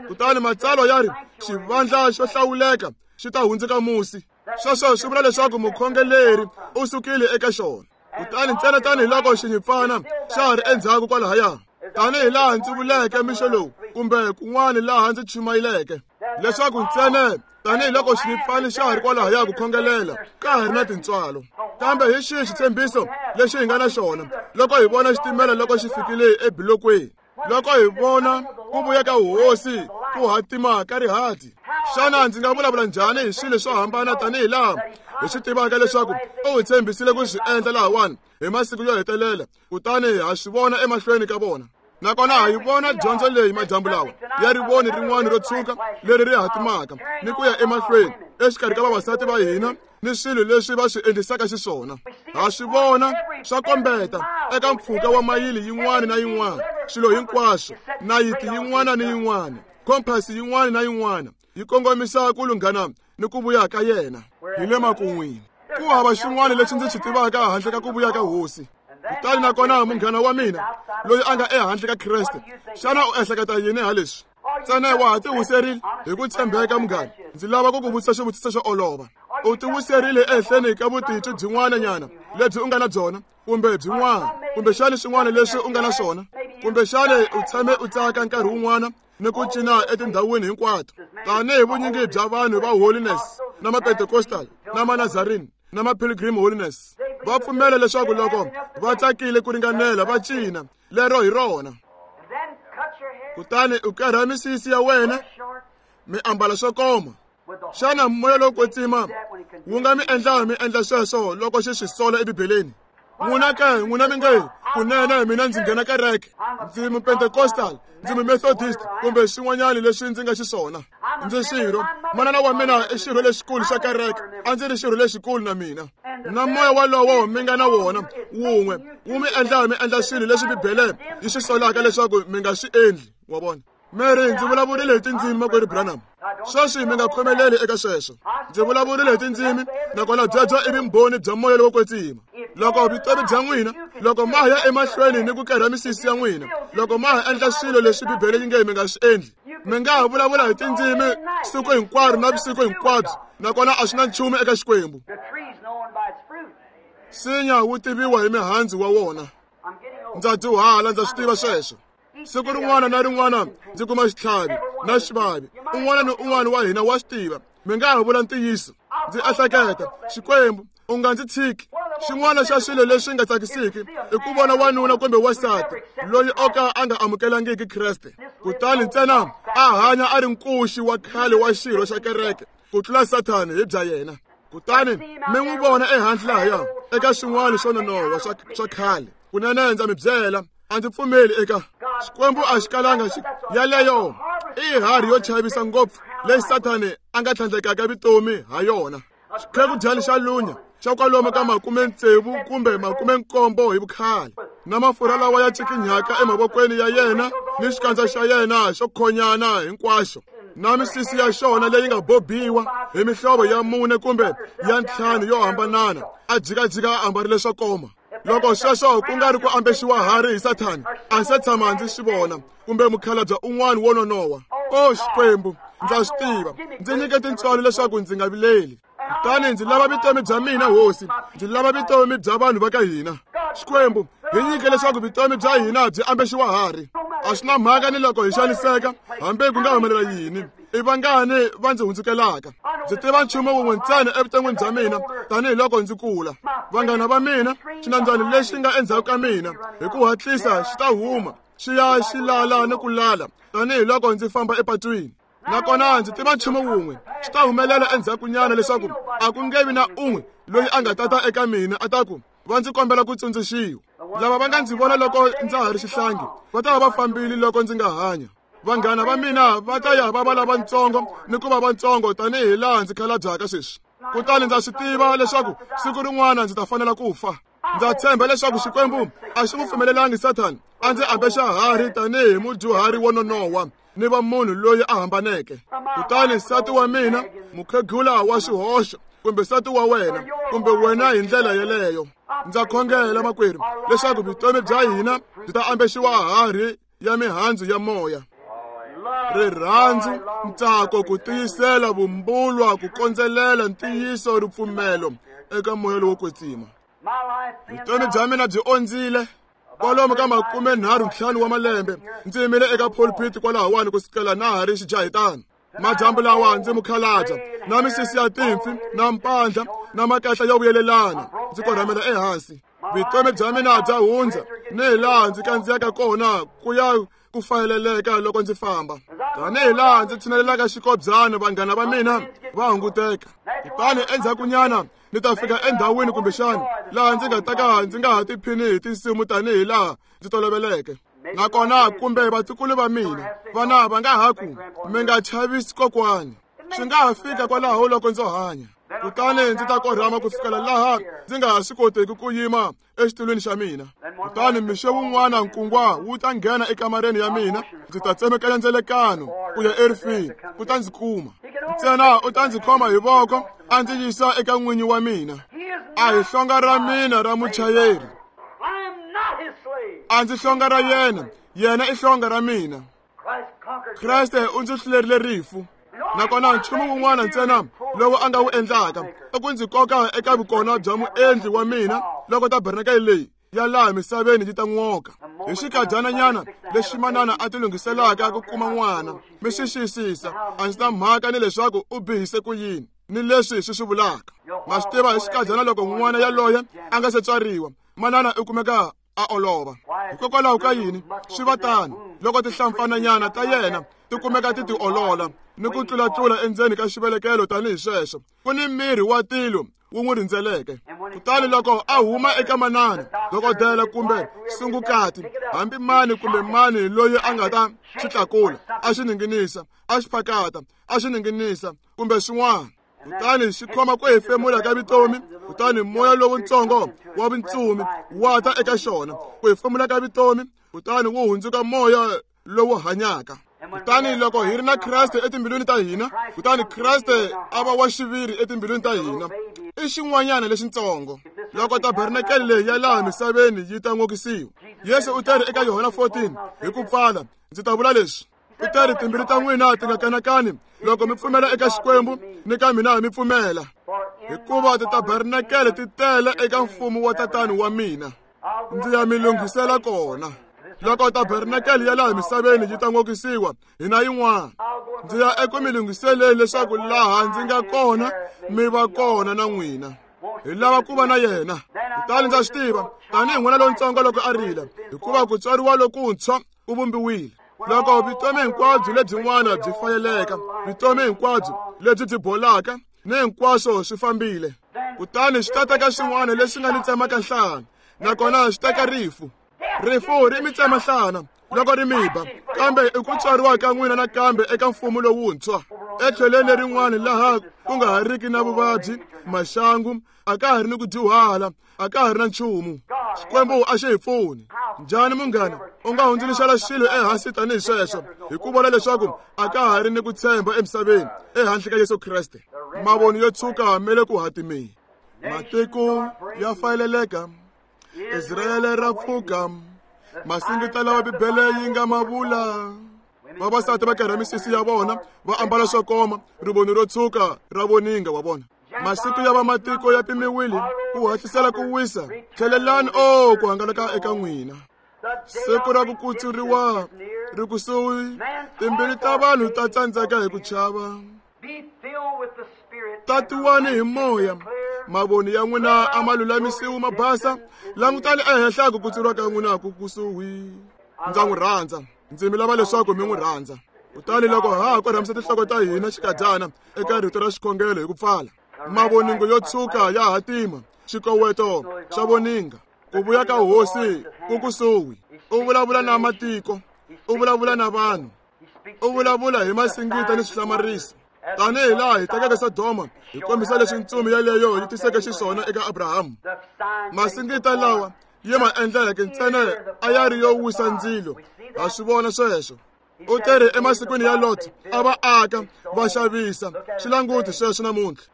kutani matsalwa ya ri xivandla xo hlawuleka xi ta hundzuka musi. Sweswo swi vula leswaku mukhongeleri u sukile eka xona. Kutani ntsena tanihiloko xinyimpfana xa ha ri endzhaku kwalahaya, tanihi laha ndzi vuleke mixo lowu kumbe kun'wana laha ndzi chumayeleke, leswaku ntsena tanihiloko xinyimpfana xa ha ri kwalahaya ku khongelela, ka ha ri na tintswalo. Kambe hi xihi xitshembiso lexi hi nga na xona loko hi vona xitimela loko xi fikile ebilokweni, loko hi vona ku vuya ka hosi ku hatima ka rihati? Xana ndzi nga vulavula njhani hi swilo swo hambana tanihi laha hi swi tivaka leswaku u hi tshembisile ku swi endla lahawani hi masiku yo hetelela, kutani ha swi vona emahlweni ka vona? Nakona ha yi vona dyondzo leyi madyambu lawa ya rivoni rin'wana ro tshuka leri ri hatimaka ni ku ya emahlweni exikarhi ka vavasati va hina ni swilo leswi va swi endlisaka xiswona. Ha swi vona swa kombeta eka mpfhuka wa mayili yin'wana na yin'wana, swilo hinkwaswo, nayiti yin'wana ni yin'wana, kompasi yin'wana na yin'wana yi kongomisa ku lunghana ni ku vuya ka yena. Hi le makun'wini, ku hava xin'wana lexi ndzi xi tivaka handle ka ku vuya ka Hosi. Kutani nakona munghana wa mina loyi a nga ehandle ka Kreste, xana u ehleketa yini ha leswi? Ntsena wa ha tiwiserile hi ku tshembeka, munghana. Ndzi lava ku ku vutisa xivutiso xo olova. U tiwiserile ehenhleni ka vutitwi byin'wana nyana lebyi u nga na byona, kumbe byin'wana, kumbexani swin'wana leswi u nga na swona, kumbexani u tshame u tsaka nkarhi wun'wana ni ku cina etindhawini hinkwato, tanihi vunyingi bya vanhu va Holiness na ma-Pentecostal na ma-Nazarene na ma-Pilgrim Holiness. Va pfumela leswaku loko va tsakile ku ringanela va cina, lero hi rona. Kutani u kerha misisi ya wena, mi ambala swo koma. Xana moya lowo kwetsima wu nga mi endla mi endla sweswo loko xi swi sola eBibeleni? N'wina ke, n'wina mi nge, kunene mina ndzi nghena kereke, ndzi mu-Pentecostal, ndzi mu-Methodist, kumbe swin'wanyana leswi ndzi nga xiswona. Ndzi xirho, manana wa mina i xirho lexikulu xa kereke, a ndzi ri xirho lexikulu na mina. Na moya walowo mi nga na wona wun'we wu mi endla mi endla swilo leswi Bibele yi swi solaka leswaku mi nga swi endli, wa vona. Mi ri ndzi vulavurile hi tindzimi, makwerhu Branham. Sweswi mi nga khomeleli eka sweswo. Ndzi vulavurile hi tindzimi, nakona byebyo i vumbhoni bya moya lowo kwetsima. Loko vutomi bya n'wina, loko ma ya emahlweni ni ku kerha misisi ya n'wina, loko ma ha endla swilo leswi Bibele yi nge mi nga swi endli, mi nga ha vulavula hi tindzimi siku hinkwaro na vusiku hinkwabyo, nakona a swi na nchumu eka Xikwembu. Nsinya wu tiviwa hi mihandzu wa wona. Ndza dyuhala, ndza swi tiva sweswo. Siku rin'wana na rin'wana ndzi kuma xitlhavi na xivavi. Un'wana ni un'wana wa hina wa swi tiva. Mi nga ha vula ntiyiso. Ndzi ehleketa, Xikwembu, u nga ndzi tshiki. Xin'wana xa swilo leswi nga tsakisiki i ku vona wanuna kumbe wansati loyi o ka a nga amukelangiki Kreste, kutani ntsena a hanya a ri nkuxi wa khale wa xirho xa kereke ku tlula Sathani hi bya yena. Kutani mi n'wi vona ehandle lahaya eka swin'wana swo nonoha swa khale. Kunene ndza mi byela, a ndzi pfumeli eka Xikwembu a xi kalanga xi yaleyo i harhi yo chavisa ngopfu leyi Sathani a nga tlhandlekaka vutomi ha yona. Xikhekudyani xa lunya xa kwalomu ka 60 kumbe 70 hi vukhale, na mafurha lawa ya cikinyaka emavokweni ya yena ni xikandza xa yena xo khonyana hinkwaxo, na misisi ya xona leyi nga bobiwa hi mihlovo ya 4 kumbe ya 5 yo hambanana, a jikajika a ambarile swo koma. Loko sweswo ku nga ri ku ambexiwa harhi hi Sathani, a se tshama ndzi swi vona, kumbe mukhalabye un'wana wo nonoha. O Xikwembu, ndza swi tiva, ndzi nyike tintswalo leswaku ndzi nga vileli. Kutani ndzi lava vutomi bya mina, Hosi, ndzi lava vutomi bya vanhu va ka hina. Xikwembu, hi nyike leswaku vutomi bya hina byi ambexiwa harhi. A swi na mhaka ni loko hi xaniseka, hambi ku nga humelela yini. I vangani va ndzi hundzukelaka. Ndzi tiva nchumu wun'we ntsena evuton'wini bya mina tanihiloko ndzi kula. Vanghana va mina, xinambyana lexi nga endzhaku ka mina, hi ku hatlisa xi ta huma, xi ya xi lala ni ku lala tanihiloko ndzi famba epatwini. Nakona ndzi tiva nchumu wun'we, xi ta humelela endzhakunyana leswaku a ku nge vi na un'we loyi a nga tata eka mina a ta ku va ndzi kombela ku tsundzuxiwa. Lava va nga ndzi vona loko ndza ha ri xihlangi va ta va va fambile loko ndzi nga hanya. Vanghana va mina va ta ya va va lavatsongo ni ku va vatsongo tanihi laha ndzi khalabyaka sweswi. Kutani ndza swi tiva leswaku siku rin'wana ndzi ta fanela ku fa. Ndza tshemba leswaku Xikwembu a xi n'wi pfumelelangi Sathani a ndzi ambexa harhi tanihi mudyuhari wo nonoha ni va munhu loyi a hambaneke. Kutani nsati wa mina, mukhegula wa xihoxo, kumbe nsati wa wena, kumbe wena hi ndlela yeleyo. Ndza khongela, makwerhu, leswaku vutomi bya hina byi ta ambexiwa harhi ya mihandzu ya moya. Rirhandzu, ntsako, ku tiyisela, vumbulwa, ku kondzelela, ntiyiso, ripfumelo eka moya lowo kwetsima. Vutomi bya mina byi ondzile. Kwalomu ka 35 wa malembe ndzi yimile eka pulpit kwalahawani ku sukela na ha ri xijahitana. Madyambu lawa ndzi mukhalabya, na misisi ya timpfi, na mpandla, na makahla yo vuyelelana, ndzi korhamela ehansi. Vutomi bya mina bya hundza ni hi laha ndzi kandziyaka kona ku ya ku fayeleleka loko ndzi famba. Tanihi laha ndzi tshinelelaka xikobyana, vanghana va mina va hunguteka. Kutani endzhakunyana ni ta fika endhawini kumbexana laha ndzi nga ta ka ndzi nga ha tiphini hi tinsimu tanihi laha ndzi toloveleke. Nakona kumbe vatukulu va mina vana va nga ha ku mi nga chavisi kokwani. Swi nga ha fika kwalaho loko ndzo hanya. Kutani ndzi ta korhama ku fikela laha ndzi nga ha swi koteki ku yima exitulwini xa mina. Kutani mixo wun'wana nkungwa wu ta nghena ekamareni ya mina, ndzi ta tsemekanya ndzelekano ku ya erifini, ku ta ndzi kuma. Ntsena u ta ndzi khoma hi voko a ndzi yisa eka n'winyi wa mina. A hi hlonga ra mina ra muchayeri. A ndzi hlonga ra yena, yena i hlonga ra mina. Kreste u ndzi hlulerile rifu. Nakona nchumu wun'wana ntsena lowu a nga wu endlaka i ku ndzi koka eka vukona bya muendli wa mina loko tabernakele leyi ya laha misaveni yi ta n'woka. Hi xikadyananyana lexi manana a tilunghiselaka ku kuma n'wana, mi xi xiyisisa, a ndzi na mhaka ni leswaku u bihise ku yini ni leswi swi swi vulaka. Ma swi tiva hi xikadyana loko n'wana yaloye a nga se tswariwa, manana u kumeka a olova. Hikokwalaho ka yini swi va tano loko tihlampfananyana ta yena ti kumeka ti tiolola ni ku tlulatlula endzeni ka xivelekelo tanihi sweswo? Ku ni miri wa tilo wu n'wi rindzeleke. Kutani loko a huma eka manana, dokodela kumbe sungukati, hambi mani kumbe mani loyi a nga ta xi tlakula, a xi ninginisa, a xi phakata, a xi ninginisa kumbe swin'wana. Kutani xi khoma ku hefemula ka vutomi, kutani moya lowutsongo wa vintsumi wa ta eka xona, ku hefemula ka vutomi, kutani wu hundzuka moya lowu hanyaka. Kutani loko hi ri na Kreste etimbilwini ta hina, kutani Kreste a va wa xiviri etimbilwini ta hina, i xin'wanyana lexitsongo. Loko tabernakele leyi ya laha misaveni yi ta n'okisiwa, Yesu u teri eka Yohana 14 hi ku pfala, ndzi ta vula leswi. U teri timbilu ta n'wina ti nga kanakani loko mi pfumela eka Xikwembu ni ka mina mi pfumela, hikuva titabernakele ti tele eka mfumo wa Tatani wa mina, ndzi ya mi lunghisela kona. Loko tabernakele ya laha misaveni yi ta n'okisiwa, hina yin'wana ndzi ya eku mi lunghiseleni leswaku laha ndzi nga kona mi va kona na n'wina. Hi lava ku va na yena. Kutani ndza swi tiva tanihi n'wana lontsongo loko a rila, hikuva ku tswariwa lokuntshwa ku vumbiwile. Loko vutomi hinkwabyo lebyin'wana byi fayeleka, vutomi hinkwabyo lebyi byi bolaka ni hinkwaswo swi fambile, kutani swi ta teka xin'wana lexi nga ni tsemaka nhlana, nakona swi teka rifu. Rifu ri mi tsema nhlana loko ri mi ba, kambe i ku tswariwa ka n'wina nakambe eka mfumo lowuntshwa, etlhelweni lerin'wana laha ku nga ha riki na vuvabyi, maxangu, a ka ha ri ni ku dyuhala, a ka ha ri na nchumu. Xikwembu a xi hi pfuni. Njhani munghana u nga hundzuluxela xilo ehansi tanihi sweswo hi ku vona leswaku a ka ha ri ni ku tshemba emisaveni ehandle ka Yesu Kreste? Mavoni yo tshuka ma le ku hatimeni, matiko ya fayeleleka, Israele ra pfuka, masingita lawa Bibele yi nga ma vula. Vavasati va karha misisi ya vona, va ambala swo koma, rivoni ro tshuka ra voninga wa vona. Masiku ya vamatiko ya pimiwile ku hatlisela ku wisa. Tlhelelani o ku hangalaka eka n'wina. Siku ra ku kutsuriwa ri kusuhi, timbilu ta vanhu ta tsandzeka hi ku chava. Tatiwani hi moya, mavoni ya n'wina a ma lulamisiwi ma basa, langutani ehenhla ku kutsuriwa ka n'wina ku kusuhi. Ndza n'wi rhandza, ndzi mi lava leswaku mi n'wi rhandza. Kutani loko ha ha korhamisa tinhloko ta hina xikadyana eka rito ra xikhongelo hi ku pfala, mavoningo yo tshuka ya hatima, xikoweto xa voninga, ku vuya ka hosi ku kusuhi. U vulavula na matiko, u vulavula na vanhu, u vulavula hi masingita ni swihlamariso, tanihi laha hi tekeke Sodoma hi kombisa leswi ntsumi yaleyo yi tiseke xiswona eka Abrahamu. Masingita lawa yi ma endleke ntsena a ya ri yo wisa ndzilo, ha swi vona sweswo. U teri emasikwini ya Lot, a va aka, va xavisa, swi languti sweswo namuntlha.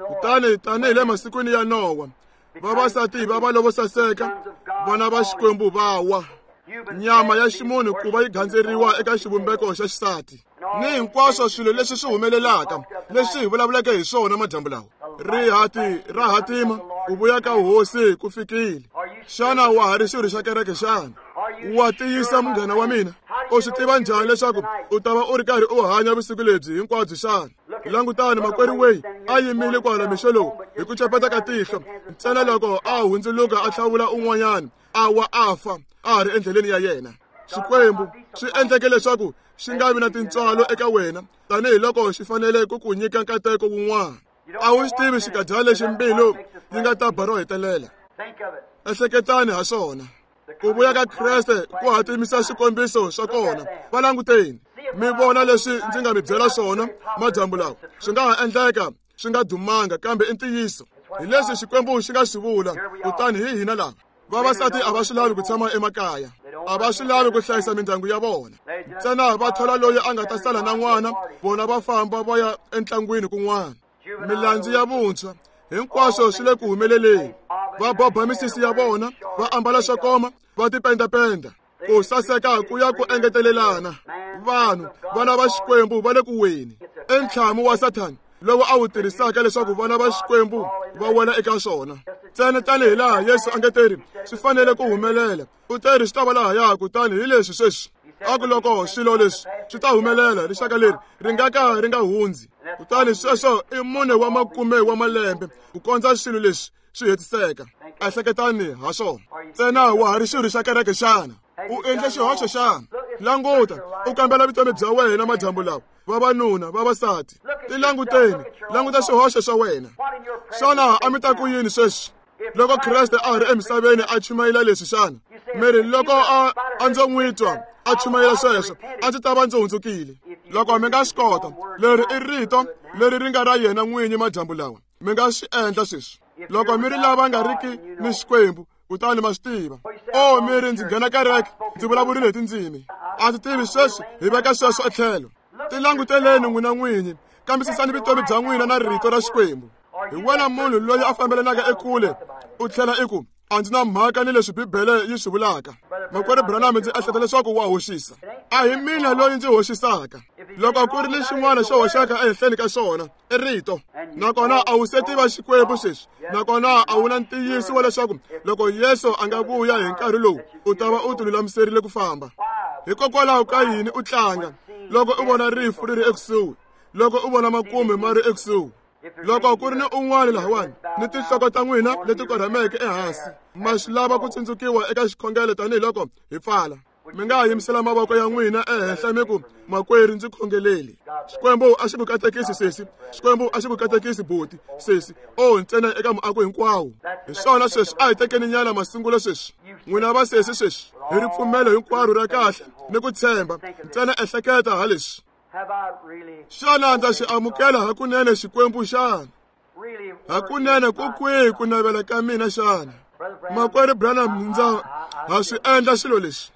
Kutani tanihi le masikwini ya Nowa, vavasati va va lovo saseka, vana va Xikwembu va wa. Nyama ya ximunhu ku va yi gandzeriwa eka xivumbeko xa xisati, ni hinkwaswo swilo leswi swi humelelaka leswi hi vulavuleke hi swona madyambu lawa. Rihati ra hatima, ku vuya ka hosi ku fikile. Xana wa ha ri xirho xa kereke xana? Wa tiyisa munghana wa mina? U swi tiva njhani leswaku u ta va u ri karhi u hanya vusiku lebyi hinkwabyo xana? Langutani makwerhu weyi a yimile kwala mixo lowu hi ku chapeta ka tihlo, ntsena loko a hundzuluka a hlawula un'wanyana, a wa a fa a ha ri endleleni ya yena. Xikwembu swi endleke leswaku xi nga vi na tintswalo eka wena tanihiloko xi fanele ku ku nyika nkateko wun'wana. A wu xi tivi xikadyana lexi mbilu yi nga ta ba ro hetelela. Ehleketani ha swona. Ku vuya ka Kreste ku hatimisa swikombiso swa kona. Va languteni, mi vona leswi ndzi nga mi byela swona madyambu lawa. Swi nga ha endleka swi nga dumanga, kambe i ntiyiso. Hi leswi Xikwembu xi nga swi vula, kutani hi hina lava. Vavasati a va swi lavi ku tshama emakaya, a va swi lavi ku hlayisa mindyangu ya vona, ntsena va thola loyi a nga ta sala na n'wana, vona va famba va ya entlangwini kun'wana. Milandzu ya vuntshwa hinkwaswo swi le ku humeleleni. Va boba misisi ya vona, va ambala swo koma, va tipendapenda, ku saseka ku ya ku engetelelana. Vanhu vana va Xikwembu va le ku weni. I ntlhamu wa Sathana lowu a wu tirhisaka leswaku vana va Xikwembu va wela eka swona. Ntsena tanihi laha Yesu a nge teri swi fanele ku humelela, u teri swi ta va lahaya, kutani hi leswi sweswi. A ku loko swilo leswi swi ta humelela, rixaka leri ri nga ka ri nga hundzi. Kutani sweswo i 4 wa makume wa malembe ku kondza swilo leswi swi hetiseka. Ehleketani ha swona. Ntsena wa ha ri xirho xa kereke xana? U endle xihoxo xana? Languta, u kambela vutomi bya wena madyambu lawa, vavanuna, vavasati. Tilanguteni, languta swihoxo swa wena. Xana a mi ta ku yini sweswi loko Kreste a ha ri emisaveni a chumayela leswi xana? Mi ri loko a ndzo n'wi twa a chumayela sweswo, a ndzi ta va ndzi hundzukile. Loko mi nga swi kota, leri i rito leri ri nga ra yena n'winyi madyambu lawa. Mi nga swi endla sweswi. Loko mi ri lava nga riki ni Xikwembu, kutani ma swi tiva. O, mi ri ndzi nghena kereke, ndzi vulavurile hi tindzimi. A ndzi tivi sweswi, hi veka sweswo etlhelo. Tilanguteleni n'wina n'winyi, kambisisani vutomi bya n'wina na rito ra Xikwembu. Hi wena munhu loyi a fambelanaka ekule, u tlhela i ku, a ndzi na mhaka ni leswi Bibele yi swi vulaka. Makwerhu Branham, ndzi ehleketa leswaku wa hoxisa. A hi mina loyi ndzi hoxisaka. Loko ku ri ni xin'wana xo hoxeka ehenhleni ka xona, i rito. Nakona a wu se tiva Xikwembu sweswi. Nakona a wu na ntiyiso wa leswaku loko Yesu a nga vuya hi nkarhi lowu, u ta va u tilulamiserile ku famba. Hikokwalaho ka yini u tlanga loko u vona rifu ri ri ekusuhi, loko u vona makume ma ri ekusuhi? Loko ku ri ni un'wana lahawani ni tinhloko ta n'wina leti korhameke ehansi, ma swi lava ku tsundzukiwa eka xikhongelo tanihiloko hi pfala. Mi nga ha yimisela mavoko ya n'wina ehenhla mi ku, makwerhu, ndzi khongeleli. Xikwembu a xi ku katekisi sesi, Xikwembu a xi ku katekisi buti, sesi. O, ntsena eka muako hinkwawo. Hi swona sweswi, a hi tekeni nyana masungulo sweswi. N'wina vasesi sweswi, hi ripfumelo hinkwaro ra kahle ni ku tshemba, ntsena ehleketa ha leswi. Xana ndza xi amukela hakunene Xikwembu xana? Hakunene ku kwihi ku navela ka mina xana? Makwerhu Branham, ndza ha swi endla swilo leswi.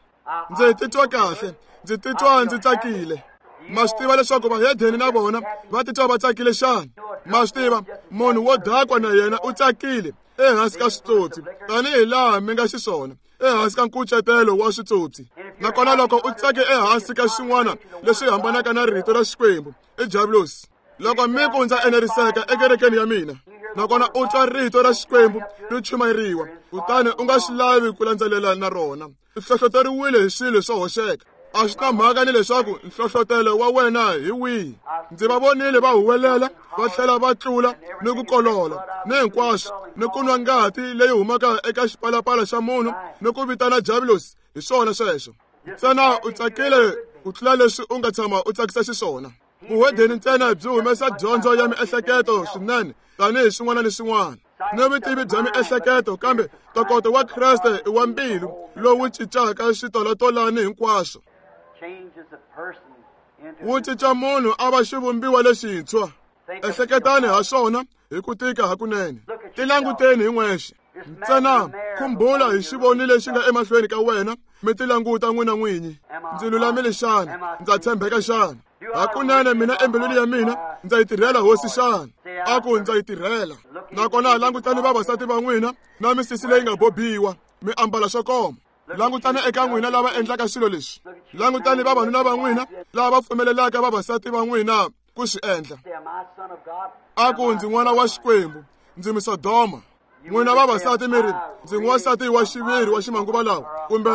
Ndzi titwa kahle, ndzi titwa ndzi tsakile. Ma swi tiva leswaku vahedeni na vona va titwa va tsakile xana? Ma swi tiva, munhu wo dakwa na yena u tsakile ehansi ka switsotsi, tanihi laha mi nga xiswona ehansi ka nkucetelo wa switsotsi. Nakona loko u tsake ehansi ka xin'wana leswi hambanaka na rito ra Xikwembu, i diabulosi. Loko mi ku ndza eneriseka ekerekeni ya mina, nakona u twa rito ra Xikwembu ri chumayeriwa, kutani u nga swi lavi ku landzelela na rona, u hlohloteriwile hi swilo swo hoxeka. A swi na mhaka ni leswaku nhlohlotelo wa wena hi wihi. Ndzi va vonile va huwelela, va tlhela va tlula ni ku kolola ni hinkwaswo, ni ku nwa ngati leyi humaka eka xipalapala xa munhu ni ku vitana diabulosi. Hi swona sweswo. Ntsena u tsakile ku tlula leswi u nga tshama u tsakisa xiswona. Vuhedeni ntsena byi humesa dyondzo ya miehleketo swinene tanihi swin'wana ni swin'wana ni vutivi bya miehleketo, kambe ntokoto wa Kreste i wa mbilu lowu cincaka switolatolani hinkwaswo. Wu cinca munhu a va xivumbiwa lexintshwa. Ehleketani ha swona hi ku tika hakunene. Tilanguteni hi n'wexe. Ntsena khumbula hi xivoni lexi nga emahlweni ka wena, mi tilanguta n'wina n'winyi. Ndzi lulamile xana? Ndza tshembeka xana? Hakunene mina embilwini ya mina ndza yi tirhela Hosi xana? A ku ndza yi tirhela. Nakona langutani vavasati va n'wina na misisi leyi nga bobiwa, mi ambala swo koma. Langutani eka n'wina lava endlaka swilo leswi. Langutani vavanuna va n'wina lava va pfumelelaka vavasati va n'wina ku swi endla. A ku ndzi n'wana wa Xikwembu, ndzi Misodoma. N'wina vavasati mi ri, ndzi n'wansati wa xiviri wa ximanguva lawa, kumbe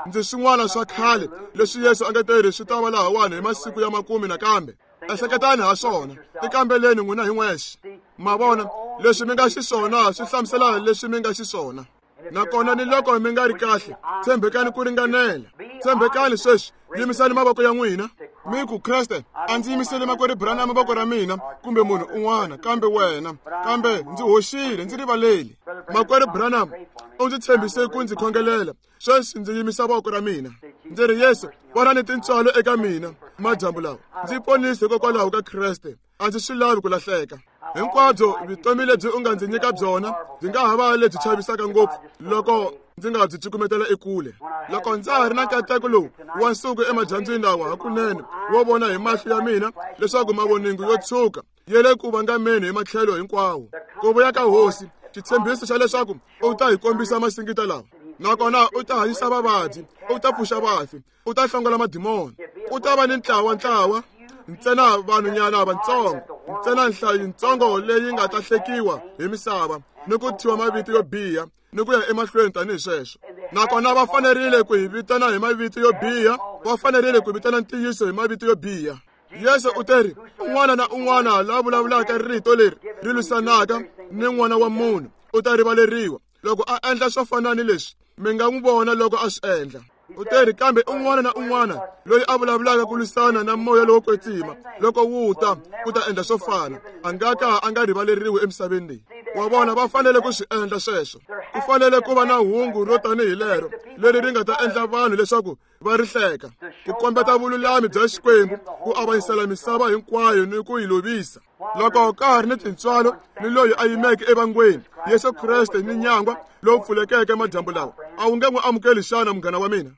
ndzi swin'wana swa khale leswi Yesu a nga teri swi ta va lahawani hi masiku ya makume nakambe. Ehleketani ha swona, tikambeleni n'wina hi n'wexe. Ma vona, leswi mi nga xiswona swi hlamusela leswi mi nga xiswona. Nakona ni loko mi nga ri kahle, tshembekani ku ringanela. Tshembekani sweswi, yimisani mavoko ya n'wina. Mi ku, Kreste, a ndzi yimiseli makwerhu Branham voko ra mina kumbe munhu un'wana kambe wena, kambe ndzi hoxile, ndzi rivaleli. Makwerhu Branham, u ndzi tshembise ku ndzi khongelela. Sweswi ndzi yimisa voko ra mina. Ndzi ri, Yesu, vona ni tintswalo eka mina madyambu lawa. Ndzi ponise hikokwalaho ka Kreste. A ndzi swi lavi ku lahleka. Hinkwabyo vutomi lebyi u nga ndzi nyika byona byi nga ha va lebyi chavisaka ngopfu loko ndzi nga byi cukumetela ekule. Loko ndza ha ri na nkateko lowu wa nsuku emadyambyini lawa hakunene wo vona hi mahlo ya mina leswaku mavoningo yo tshuka ya le ku vangameni hi matlhelo hinkwawo. Ku vuya ka Hosi, xitshembiso xa leswaku u ta hi kombisa masingita lawa, nakona u ta hanyisa vavabyi, u ta pfuxa vafi, u ta hlongola madimoni. Ku ta va ni ntlawa-ntlawa, ntsena vanhunyana vatsongo, ntsena nhlayo yitsongo leyi nga ta hlekiwa hi misava ni ku thyiwa mavito yo biha ni ku ya emahlweni tanihi sweswo. Nakona va fanerile ku hi vitana hi mavito yo biha, va fanerile ku vitana ntiyiso hi mavito yo biha. Yesu u teri, un'wana na un'wana la vulavulaka rito leri ri lwisanaka ni N'wana wa Munhu u ta rivaleriwa. Loko a endla swo fana ni leswi, mi nga n'wi vona loko a swi endla. U teri kambe un'wana na un'wana loyi a vulavulaka ku lwisana na moya lowo kwetsima loko wu ta ku ta endla swo fana, a nga ka a nga rivaleriwi emisaveni leyi. Wa vona, va fanele ku swi endla sweswo. Ku fanele ku va na hungu ro tanihi lero leri ri nga ta endla vanhu leswaku va ri hleka, ku kombeta vululami bya Xikwembu, ku avanyisela misava hinkwayo ni ku yi lovisa. Loko ka ha ri ni tintswalo ni loyi a yimeke evangweni, Yesu Kreste ni nyangwa lowu pfulekeke madyambu lawa, a wu nge n'wi amukeli xana, munghana wa mina?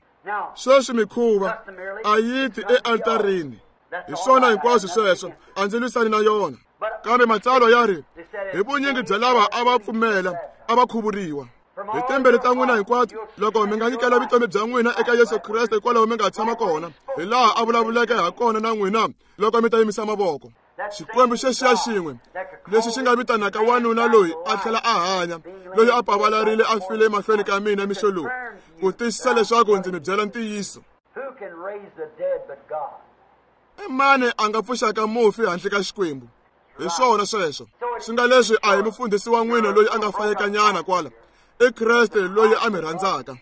Sweswi mikhuva a yi ti ealtarini. Hi swona hinkwaswo sweswo, a ndzi lwisani na yona. Kambe matsalwa ya ri, hi vunyingi bya lava a va pfumela a va khuvuriwa. Hi timbirhi ta n'wina hinkwato, loko mi nga nyikela vutomi bya n'wina eka Yesu Kreste hikwalaho mi nga tshama kona, hi laha a vulavuleke ha kona na n'wina loko mi ta yimisa mavoko. Xikwembu xexiya xin'we lexi xi nga vitanaka wanuna loyi a tlhela a hanya, loyi a pavalarile a file emahlweni ka mina mixo lowu, ku tiyisisa leswaku ndzi mi byela ntiyiso. I mani a nga pfuxaka mufi handle ka Xikwembu? Hi swona sweswo. Swi nga leswi a hi mufundhisi wa n'wina loyi a nga fayekanyana kwala, i Kreste loyi a mi rhandzaka.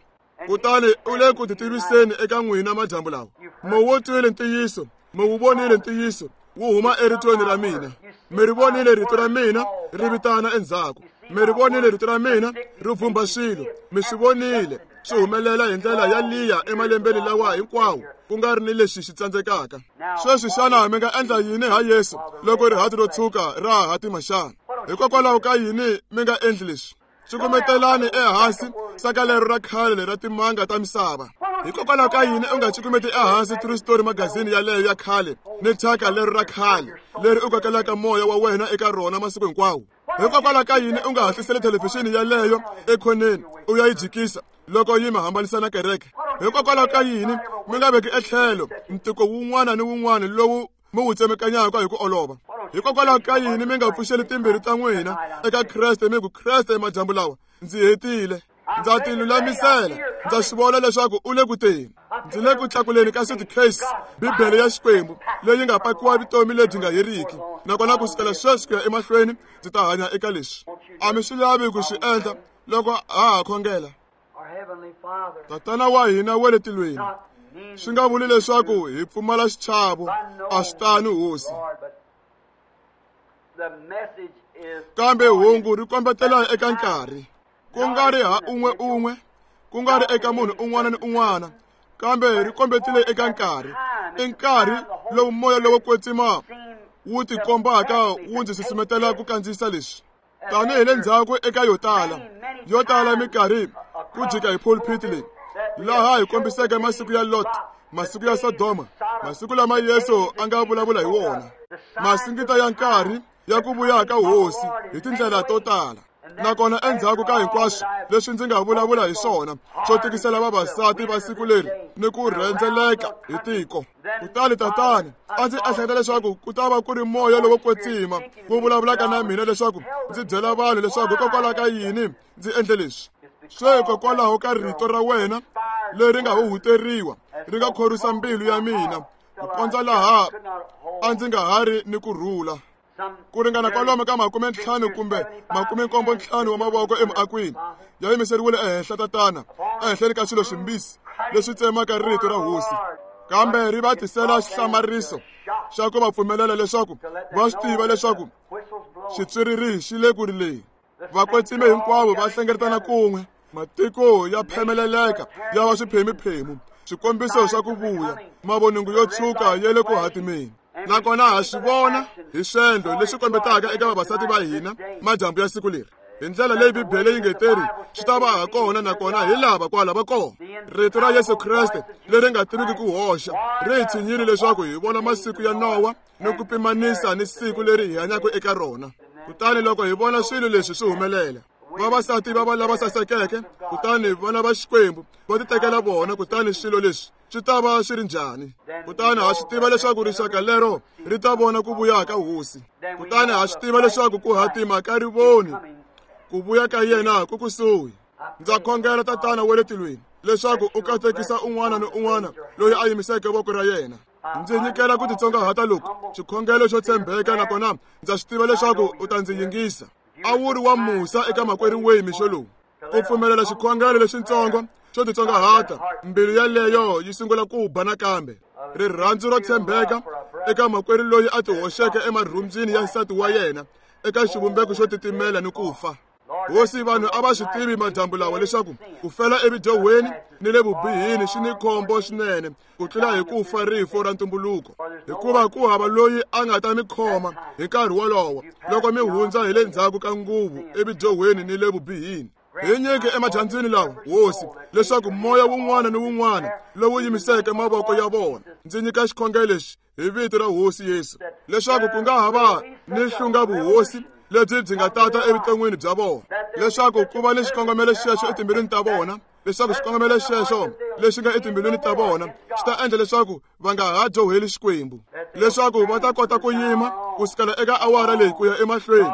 Kutani u le ku titiviseni eka n'wina madyambu lawa. Mi wu twile ntiyiso, mi wu vonile ntiyiso, wu huma eritweni ra mina. Mi ri vonile rito ra mina ri vitana endzhaku. Mi ri vonile rito ra mina ri vhumba swilo. Mi swi vonile swi humelela hi ndlela ya liya emalembeni lawa hinkwawo, ku nga ri ni lexi xi tsandzekaka. Sweswi xana mi nga endla yini ha Yesu loko rihati ro tshuka ra ha hatima xana? Hikokwalaho ka yini mi nga endli leswi? Cukumetelani ehansi saka lero ra khale ra timanga ta misava. Hikokwalaho ka yini u nga cukumeti ehansi True Story magazini yaleyo ya khale ni thyaka lero ra khale leri u kokelaka moya wa wena eka rona masiku hinkwawo? Hikokwalaho ka yini u nga hatliseli thelevhixini yaleyo ekhoneni u ya yi jikisa loko yi mi hambanisa na kereke? Hikokwalaho ka yini mi nga veki etlhelo ntiko wun'wana ni wun'wana lowu mi wu tsemekanyaka hi ku olova? Hikokwalaho ka yini mi nga pfuxeli timbirhi ta n'wina eka Kreste mi ku, Kreste, madyambu lawa ndzi hetile, ndza tilulamisela, ndza swi vona leswaku u le ku teni. Ndzi le ku tlakuleni ka suitcase, Bibele ya Xikwembu leyi nga pakiwa vutomi lebyi nga heriki, nakona ku sukela sweswi ku ya emahlweni ndzi ta hanya eka leswi. A mi swi lavi ku swi endla loko ha ha khongela? Tatana wa hina wa le tilweni, swi nga vuli leswaku hi pfumala xichavo, a swi tano Hosi. Kambe hungu ri kombetela eka nkarhi, ku nga ri ha un'we un'we, ku nga ri eka munhu un'wana ni un'wana, kambe ri kombetile eka nkarhi. I nkarhi lowu moya lowo kwetsima wu tikombaka wu ndzi susumetela ku kandziyisa leswi. Tanihi le ndzhaku eka yo tala, yo tala minkarhi ku jika hi pulpit leyi, laha hi kombiseke masiku ya Lot, masiku ya Sodoma, masiku lama Yesu a nga vulavula hi wona, masingita ya nkarhi ya ku vuya ka Hosi hi tindlela to tala. Nakona endzhaku ka hinkwaswo leswi ndzi nga vulavula hi swona swo tikisela vavasati va siku leri ni ku rhendzeleka hi tiko. Kutani Tatana, a ndzi ehleketa leswaku ku ta va ku ri moya lowo kwetsima wu vulavulaka na mina leswaku ndzi byela vanhu leswaku hikokwalaho ka yini ndzi endle leswi. Swe hikokwalaho ka rito ra wena leri nga huhuteriwa ri nga khorwisa mbilu ya mina ku kondza laha a ndzi nga ha ri ni ku rhula. Ku ringana kwalomu ka 50 kumbe 75 wa mavoko emuakweni ya yimiseriwile ehenhla Tatana, ehenhleni ka swilo swimbisi leswi tsemaka rito ra Hosi, kambe ri va tisela xihlamariso xa ku va pfumelela leswaku va swi tiva leswaku xitswiriri xi le ku rileni. Vakwetsimi hinkwavo va hlengeletana kun'we, matiko ya phemeleleka ya va swiphemiphemu, swikombiso swa ku vuya, mavoningo yo tshuka ya le ku hatimeni. Nakona ha swi vona hi swendlo leswi kombetaka eka vavasati va hina madyambu ya siku leri, hi ndlela leyi Bibele yi nge teri swi ta va ha kona, nakona hi lava kwala va kona. Rito ra Yesu Kreste leri nga tiviki ku hoxa ri hi tshinyile leswaku hi vona masiku ya Nowa ni ku pimanisa ni siku leri hi hanyaka eka rona. Kutani loko hi vona swilo leswi swi humelela, vavasati va va lava sasekeke, kutani vana va Xikwembu va titekela vona, kutani swilo leswi swi ta va swi ri njhani? Kutani ha swi tiva leswaku rixaka lero ri ta vona ku vuya ka Hosi. Kutani ha swi tiva leswaku ku hatima ka rivoni, ku vuya ka yena ku kusuhi. Ndza khongela Tatana wa le tilweni leswaku u katekisa un'wana ni un'wana loyi a yimiseke voko ra yena. Ndzi nyikela ku titsongahata loku, xikhongelo xo tshembeka, nakona ndza swi tiva leswaku u ta ndzi yingisa. A wu ri wa musa eka makwerhu Wayne mixo lowu, ku pfumelela xikhongelo lexitsongo xo titsongahata, mbilu yaleyo yi sungula ku ba nakambe. Rirhandzu ro tshembeka eka makwerhu loyi a tihoxeke emarhumbyini ya nsati wa yena eka xivumbeko xo titimela ni ku fa. Hosi, vanhu a va swi tivi madyambu lawa leswaku ku fela evudyohweni ni le vubihini swi ni khombo swinene ku tlula hi ku fa rifu ra ntumbuluko, hikuva ku hava loyi a nga ta mi khoma hi nkarhi wolowo loko mi hundza hi le ndzhaku ka nguvu evudyohweni ni le vubihini. Hi nyike emadyambyini lawa, Hosi, leswaku moya wun'wana ni wun'wana lowu yimiseke mavoko ya vona, ndzi nyika xikhongelo lexi hi vito ra Hosi Yesu, leswaku ku nga ha va ni hlunga vuhosi lebyi byi nga tata evuton'wini bya vona, leswaku ku va ni xikongomelo xexo etimbilwini ta vona, leswaku xikongomelo xexo lexi nga etimbilwini ta vona xi ta endla leswaku va nga ha dyoheli Xikwembu, leswaku va ta kota ku yima ku sukela eka awara leyi ku ya emahlweni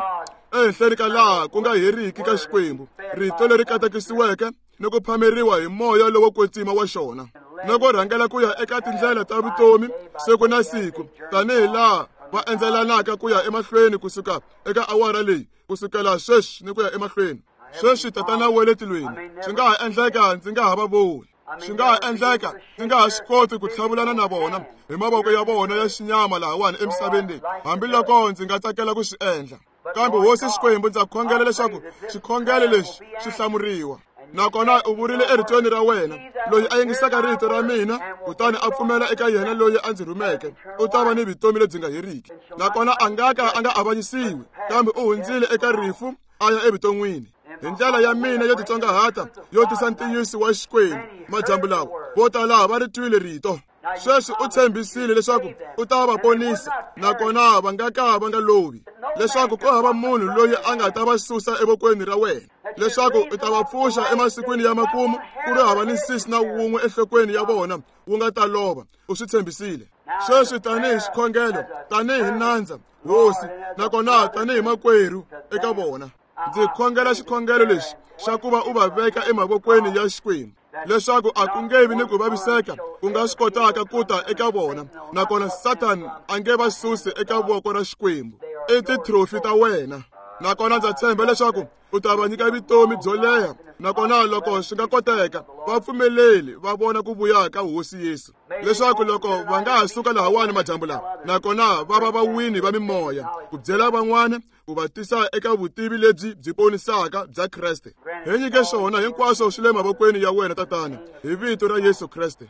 ehenhleni ka laha ku nga heriki ka Xikwembu, rito leri katekisiweke ni ku phameriwa hi moya lowo kwetsima wa xona, ni ku rhangela ku ya eka tindlela ta vutomi siku na siku, tanihi laha va endzelanaka ku ya emahlweni kusuka eka awara leyi, kusukela sweswi ni ku ya emahlweni. Sweswi, Tatana wa le tilweni, swi nga ha endleka ndzi nga ha va voni, swi nga ha endleka ndzi nga ha swi koti ku tlhavulana na vona hi mavoko ya vona ya xinyama lahawani emisaveni leyi, hambiloko ndzi nga tsakela ku swi endla. Kambe Hosi Xikwembu, ndza khongela leswaku xikhongelo lexi xi hlamuriwa. Nakona u vurile eritweni ra wena, loyi a yingisaka rito ra mina kutani a pfumela eka yena loyi a ndzi rhumeke, u ta va ni vutomi lebyi nga heriki, nakona a nga ka a nga avanyisiwi, kambe u hundzile eka rifu a ya evuton'wini. Hi ndlela ya mina yo titsongahata yo tisa ntiyiso wa Xikwembu madyambu lawa, vo tala va ri twile rito. Sweswi u tshembisile leswaku u ta va ponisa, nakona va nga ka va nga lovi, leswaku ku hava munhu loyi a nga ta va susa evokweni ra wena, leswaku u ta va pfuxa emasikwini ya makumu, ku ri hava ni nsisi na wun'we enhlokweni ya vona wu nga ta lova. U swi tshembisile. Sweswi tanihi xikhongelo, tanihi nandza, Hosi, nakona tanihi makwerhu eka vona, ndzi khongela xikhongelo lexi xa ku va u va veka emavokweni ya Xikwembu, leswaku a ku nge vi ni ku vaviseka ku nga swi kotaka ku ta eka vona, nakona Satan a nge va susi eka voko ra Xikwembu. I titrofi ta wena, nakona ndza tshemba leswaku u ta va nyika vutomi byo leha, nakona loko swi nga koteka, va pfumeleli va vona ku vuya ka Hosi Yesu, leswaku loko va nga ha suka lahawani madyambu lawa, nakona va va vawini va mimoya, ku byela van'wana, ku va tisa eka vutivi lebyi byi ponisaka bya Kreste. Hi nyike swona hinkwaswo swi le mavokweni ya wena, Tatana, hi vito ra Yesu Kreste.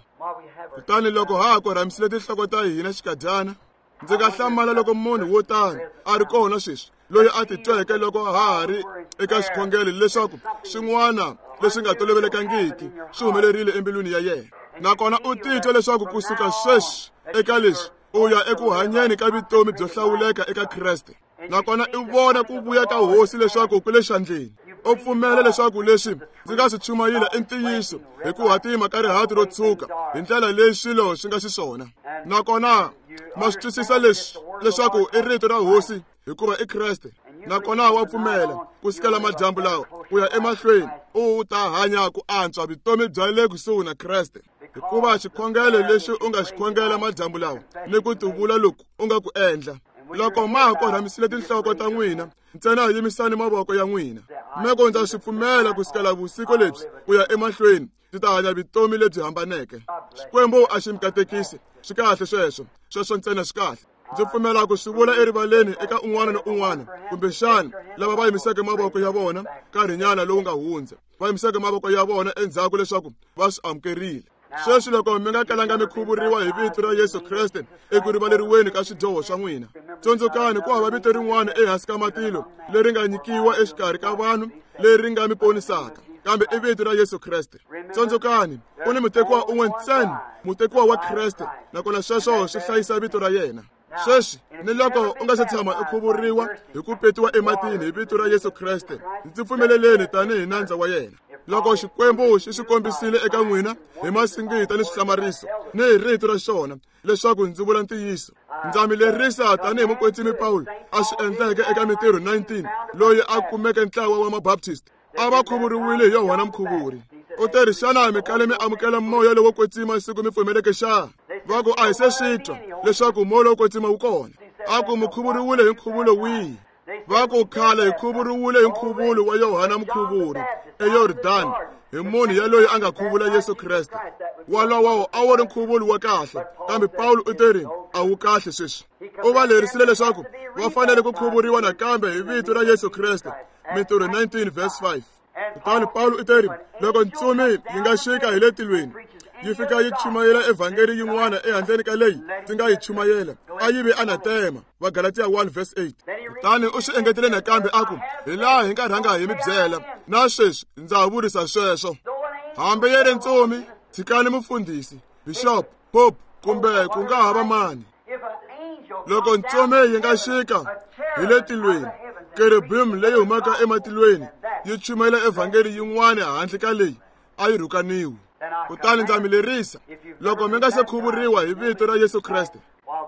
Kutani loko ha ha korhamisile tinhloko ta hina xikadyana, ndzi nga hlamala loko munhu wo tano a ri kona sweswi loyi a titweke loko ha ha ri eka xikhongelo leswaku swin'wana leswi nga tolovelekangiki swi humelerile embilwini ya yena, nakona u titwa leswaku kusuka sweswi eka leswi u ya eku hanyeni ka vutomi byo hlawuleka eka Kreste, nakona i vona ku vuya ka Hosi leswaku ku le xandleni. U pfumela leswaku leswi ndzi nga swi chumayila i ntiyiso hi ku hatima ka rihati ro tshuka hi ndlela leyi swilo swi nga xiswona, nakona ma swi twisisa leswi leswaku i rito ra Hosi hikuva i Kreste, nakona wa pfumela ku sukela madyambu lawa ku ya emahlweni u ta hanya ku antswa vutomi bya le kusuhi na Kreste, hikuva xikhongelo lexi u nga xikhongela madyambu lawa ni ku tivula loku u nga ku endla. Loko ma ha korhamisile tinhloko ta n'wina, ntsena yimisani mavoko ya n'wina, mi ku, ndza swi pfumela ku sukela vusiku lebyi ku ya emahlweni ndzi ta hanya vutomi lebyi hambaneke. Xikwembu a xi mi katekisi. Swi kahle sweswo, sweswo ntsena swi kahle. Ndzi pfumela ku swi vula erivaleni eka un'wana ni un'wana, kumbexana lava va yimiseke mavoko ya vona nkarhinyana lowu nga hundza, va yimiseke mavoko ya vona endzhaku leswaku va swi amukerile. Sweswi loko mi nga kalanga mi khuvuriwa hi vito ra Yesu Kreste eku rivaleriweni ka swidyoho swa n'wina, tsundzukani ku hava vito rin'wana ehansi ka matilo leri nga nyikiwa exikarhi ka vanhu leri nga mi ponisaka, kambe i vito ra Yesu Kreste. Tsundzukani, ku ni mutekiwa un'we ntsena, mutekiwa wa Kreste, nakona sweswo swi hlayisa vito ra yena. Sweswi ni loko u nga se tshama u khuvuriwa hi ku petiwa ematini hi vito ra Yesu Kreste, ndzi pfumeleleni tanihi nandza wa yena. Loko Xikwembu xi swi kombisile eka n'wina hi masingita ni swihlamariso ni hi rito ra xona leswaku ndzi vula ntiyiso, ndza mi lerisa tanihi mukwetsimi Pawulo a swi endleke eka Mintirho 19, loyi a kumeke ntlawa wa Mabaptist a va khuvuriwile hi Yohana Mukhuvuri. U te ri, xana mi kale mi amukela moya lowo kwetsima siku mi pfumeleke xa? Va ku, a hi se swi twa leswaku moya lowo kwetsima wu kona. A ku, mi khuvuriwile hi nkhuvulo wihi? Va ku, khale hi khuvuriwile hi nkhuvulo wa Yohana Mukhuvuri eYordani. hi munhu yaloyi a nga khuvula Yesu Kreste. Walowo a wu ri nkhuvulo wa kahle, kambe Pawulo u teri a wu kahle sweswi. U va lerisile leswaku va fanele ku khuvuriwa nakambe hi vito ra Yesu Kreste. Mintirho 19 verse 5. Kutani Pawulo u teri loko ntsumi yi nga xika hi le tilweni yi fika yi chumayela evhangeli yin'wana ehandleni ka leyi ndzi nga yi chumayela, a yi ve anatema. Vagalatiya 1 verse 8. Kutani u swi engetele nakambe a ku, hi laha hi nga rhanga hi mi byela, na sweswi ndza ha vurisa sweswo. Hambi yi ri ntsumi, tshikani mufundhisi, bishop, pope kumbe ku nga ha va mani. Loko ntsumi yi nga xika hi le tilweni, kerubim leyi humaka ematilweni yi chumayela evhangeli yin'wana handle ka leyi a yi rhukaniwi. Kutani ndza mi lerisa, loko mi nga se khuvuriwa hi vito ra Yesu Kreste,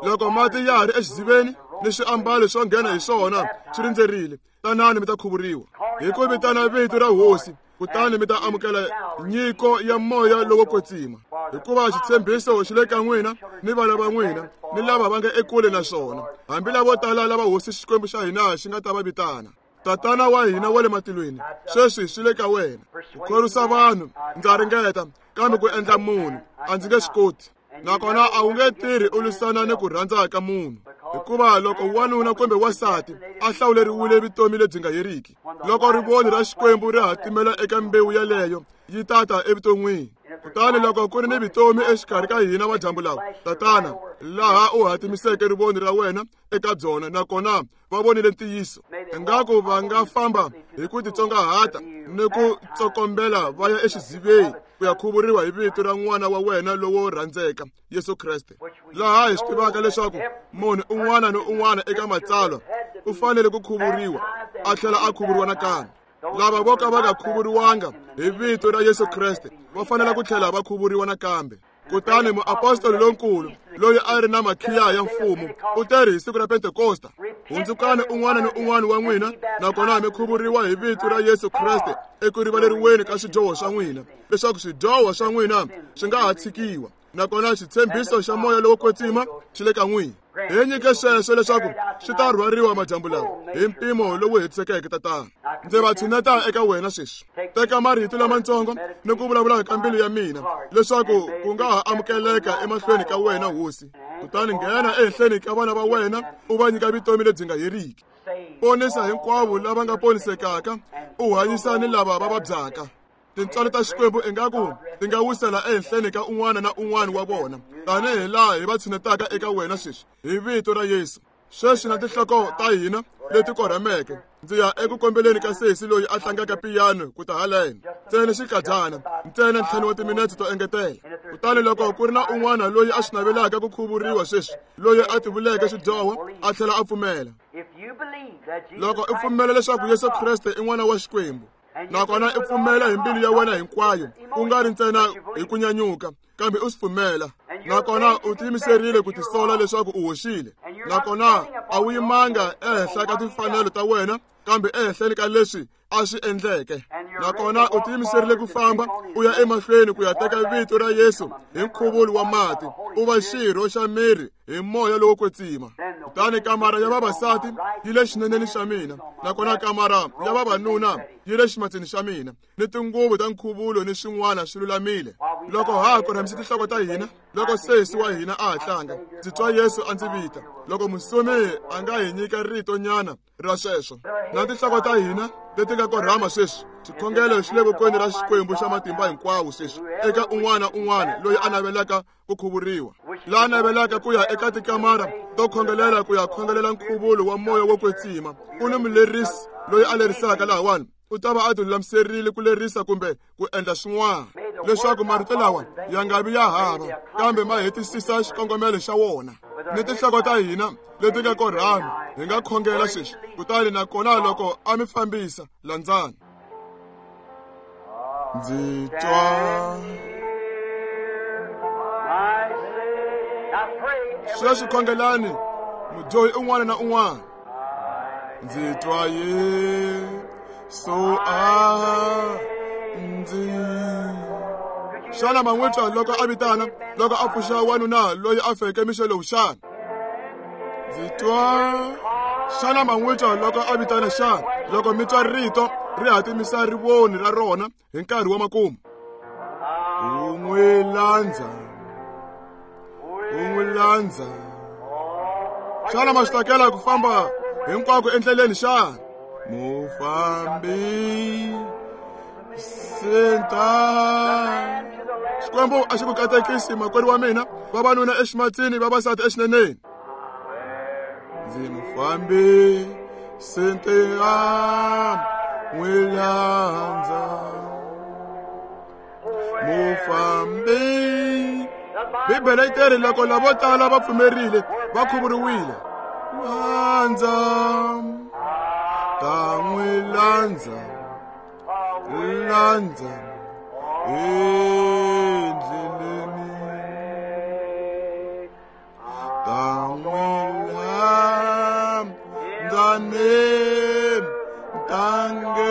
loko mati ya ha ri exiziveni ni swiambalo swo nghena hi swona swi rindzerile, tanani mi ta khuvuriwa hi ku vitana vito ra Hosi, kutani mi ta amukela nyiko ya moya lowo kwetsima. Hikuva xitshembiso xi le ka n'wina ni vana va n'wina ni lava va nga ekule na swona, hambi lavo tala lava Hosi Xikwembu xa hina xi nga ta va vitana. Tatana wa hina wa le matilweni, sweswi swi le ka wena ku khorwisa vanhu. Ndza ringeta, kambe ku endla munhu a ndzi nge swi koti. Nakona a wu nge tirhi u lwisana ni ku rhandza ka munhu, hikuva loko wanuna kumbe wansati a hlawuleriwile vutomi lebyi nga heriki, loko rivoni ra Xikwembu ri hatimela eka mbewu yaleyo, yi tata evuton'wini. Kutani loko ku ri ni vutomi exikarhi ka hina madyambu lawa, Tatana, laha u hatimiseke rivoni ra wena eka byona, nakona va vonile ntiyiso, ingaku va nga famba hi ku titsongahata ni ku tsokombela va ya exiziveni ku ya khuvuriwa hi vito ra n'wana wa wena lowo rhandzeka, Yesu Kreste. Laha hi swi tivaka leswaku munhu un'wana ni un'wana eka matsalwa u fanele ku khuvuriwa, a tlhela a khuvuriwa nakambe. Lava vo ka va nga khuvuriwanga hi vito ra Yesu Kreste va fanele ku tlhela va khuvuriwa nakambe. Kutani muapostoli lonkulu loyi a ri na makhiya ya mfumo u teri hi siku ra Pentekosta, hundzukani un'wana ni un'wana wa n'wina, nakona mi khuvuriwa hi vito ra Yesu Kreste eku rivaleriweni ka swidyoho swa n'wina, leswaku swidyoho swa n'wina swi nga ha tshikiwa, nakona xitshembiso xa moya lowo kwetsima xi le ka n'wina. Hi nyike sweswo leswaku swi ta rhwariwa madyambu lawa hi mpimo lowu hetisekeke. Tatana, ndzi va tshineta eka wena sweswi. Teka marito lamatsongo ni ku vulavula ka mbilu ya mina, leswaku ku nga ha amukeleka emahlweni ka wena, Hosi. Kutani nghena ehenhleni ka vana va wena, u va nyika vutomi lebyi nga heriki. Ponisa hinkwavo lava nga ponisekaka, u hanyisa ni lava va vabyaka. Tintswalo ta Xikwembu ingaku ti nga wisela ehenhleni ka un'wana na un'wana wa vona, tanihi laha hi va tshinetaka eka wena sweswi hi vito ra Yesu. Sweswi na tinhloko ta hina leti korhameke, ndzi ya eku kombeleni ka sesi loyi a tlangaka piyano ku ta haleno, ntsena xikadyana, ntsena 5 wa timinetse to engetela. Kutani loko ku ri na un'wana loyi a swi navelaka ku khuvuriwa sweswi, loyi a tivuleke swidyoho a tlhela a pfumela, loko u pfumela leswaku Yesu Kreste i n'wana wa Xikwembu, nakona u pfumela hi mbilu ya wena hinkwayo, ku nga ri ntsena hi ku nyanyuka, kambe u swi pfumela, nakona u tiyimiserile ku tisola leswaku u hoxile, nakona a wu yimanga ehenhla ka timfanelo ta wena, kambe ehenhleni ka leswi a swi endleke, nakona u tiyimiserile ku famba u ya emahlweni ku ya teka vito ra Yesu hi nkhuvulo wa mati, u va xirho xa miri hi moya lowo kwetsima. Kutani kamara ya vavasati yi le xineneni xa mina, nakona kamara ya vavanuna yi le ximatsini xa mina, ni tinguvu ta nkhuvulo ni swin'wana swi lulamile. Loko ha korhamise tinhloko ta hina, loko sesi wa hina a ha tlanga, ndzi twa Yesu a ndzi vita. Loko musumi a nga hi nyika rito nyana ra sweswo, na tinhloko ta hina leti nga korhama sweswi, xikhongelo xi le vokweni ra Xikwembu xa matimba hinkwawo sweswi eka un'wana un'wana loyi a navelaka ku khuvuriwa, la navelaka ku ya eka tikamara to khongelela ku ya khongelela nkhuvulo wa moya wo kwetsima. U ni mulerisi loyi a lerisaka lahawani, u ta va a tilulamiserile ku lerisa kumbe ku endla swin'wana, leswaku marito lawa ya nga vi ya hava, kambe ma hetisisa xikongomelo xa wona. Ni tinhloko ta hina leti nga korhama, hi nga khongela sweswi. Kutani nakona loko a mi fambisa, landzani. Ndzi twa sweswi, khongelani mudyohi un'wana na un'wana. Ndzi twa Yesu a ndzi. Xana ma n'wi twa loko a vitana, loko a pfuxa wanuna loyi a feke mixo lowu xana? Ndzi twa. Xana ma n'wi twa loko a vitana xana? Loko mi twa rito ri hatimisa rivoni ra rona hi nkarhi wa makumu. U n'wi landza, u n'wi landza. Xana ma swi tsakela ku famba hinkwako endleleni xana? Mufambi senta. Xikwembu a xi ku katekisi makwerhu wa mina, vavanuna eximatsini, vavasati exineneni. Ndzi mufambi sente a n'wi landza. Mufambi. Bibele yi teri loko lavo tala va pfumerile va khuvuriwile. Landza, ta n'wi landza, landza endleleni. Ta n'wi landza ntangeni, ta n'wi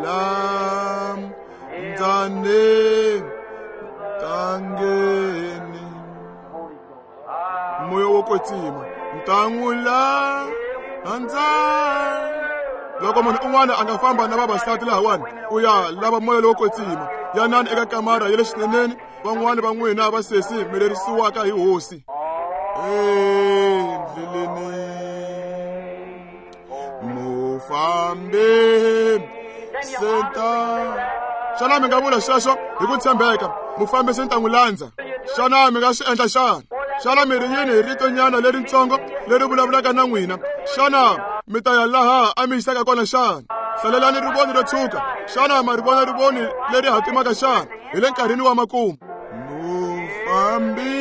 landza ntangeni. Moya wo kwetsima ta n'wi landza. Loko munhu un'wana a nga famba na vavasati lahawani u ya lava moya lowo kwetsima, yanani eka kamara ya le xineneni, van'wani va n'wina va sesi mi lerisiwaka hi hosi. Endleleni mufambi senta. Xana mi nga vula sweswo hi ku tshembeka? Mufambisi ni ta n'wi landza. Xana mi nga swi endla xana? Xana mi ri yini hi ritonyana leritsongo leri vulavulaka na n'wina? Xana mi ta ya laha a mi yisaka kona xana? Hlalelani rivoni ro tshuka. Xana ma ri vona rivoni leri hatimaka xana? Hi le nkarhini wa makumu. Mufambi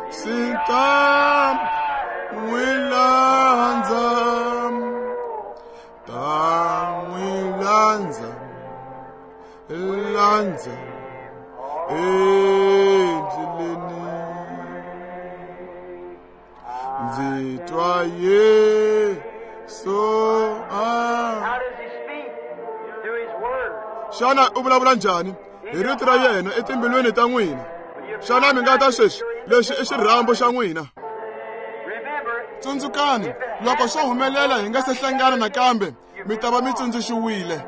sita n'wi landza, ta n'wi landza, landza endleleni. Ndzi twa Yesu a. Xana u vulavula njhani? Hi rito ra yena etimbilwini ta n'wina. Xana mi nga ta sweswi? Lexi i xirhambo xa n'wina. Tsundzukani, loko swo humelela hi nga se hlangana nakambe, mi ta va mi tsundzuxiwile.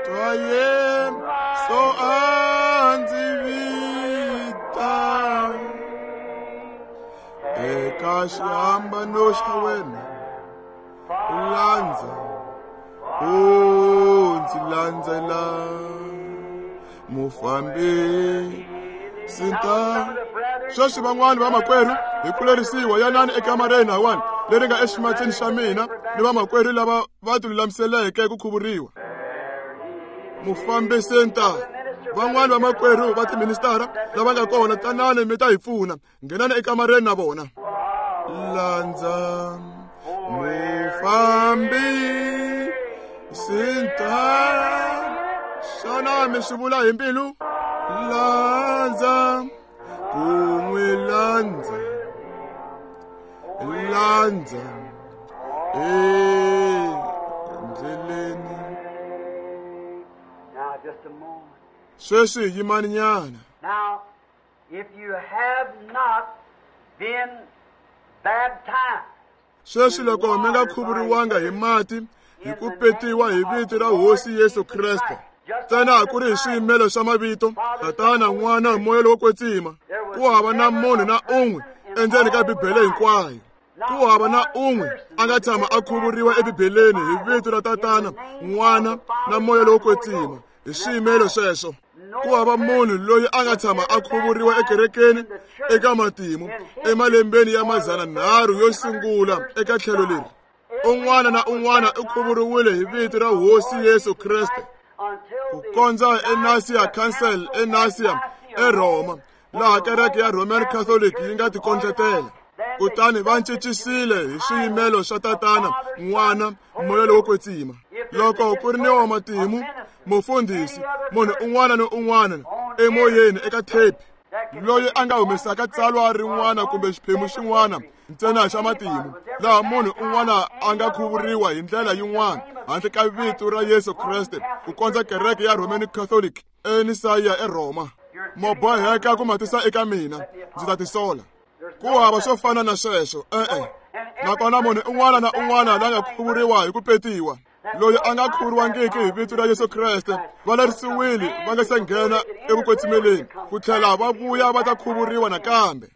Twa Yesu a ndzi vita eka xihambano xa wena, landza, u ndzi landzela. Mufambi sinta. Sweswi van'wani vamakwerhu hi ku lerisiwa yanani ekamareni hawani leri nga eximatsini xa mina ni vamakwerhu lava va tilulamiseleke ku khuvuriwa. Mufambisi nta. Van'wani vamakwerhu va tiministara lava nga kona, tanani mi ta hi pfuna. Nghenani ekamareni na vona. Landza mufambi sinta. Xana mi swi vula hi mbilu? Landza, ku n'wi landza, landza endleleni. Sweswi yimani nyana. Now, if you have not been baptized, Sweswi loko mi nga khuvuriwanga hi mati hi ku petiwa hi vito ra Hosi Yesu Kreste, ntsena ku ri hi swiyimelo swa mavito Tatana, N'wana, Moya lowo kwetsima, ku hava na munhu na un'we endzeni ka Bibele hinkwayo. Ku hava na un'we a nga tshama a khuvuriwa eBibeleni hi vito ra Tatana, N'wana na Moya lowo kwetsima hi swiyimelo sweswo. Ku hava munhu loyi a nga tshama a khuvuriwa ekerekeni eka matimu emalembeni ya 300 yo sungula eka tlhelo leri. Un'wana na un'wana u khuvuriwile hi vito ra Hosi Yesu Kreste ku kondza eNasia Council eNasia eRoma, laha kereke ya Roman Catholic yi nga tikondletela. Kutani va cincisile hi swiyimelo swa Tatana, N'wana, Moya lowo kwetsima. Loko ku ri ni wa matimu, mufundhisi, munhu un'wana ni un'wana emoyeni eka tape loyi a nga humesaka tsalwa rin'wana kumbe xiphemu xin'wana ntsena xa matimu laha munhu un'wana a nga khuvuriwa hi ndlela yin'wana handle ka vito ra Yesu Kreste ku kondza kereke ya Roman Catholic eNisaya eRoma. Mo boheka ku matisa eka mina, ndzi ta tisola. Ku hava swo fana na sweswo, e-e. Nakona munhu un'wana na un'wana la nga khuvuriwa hi ku petiwa, loyi a nga khuvuriwangiki hi vito ra Yesu Kreste, va lerisiwile va nga se nghena evukwetsimeleni ku tlhela va vuya va ta khuvuriwa nakambe.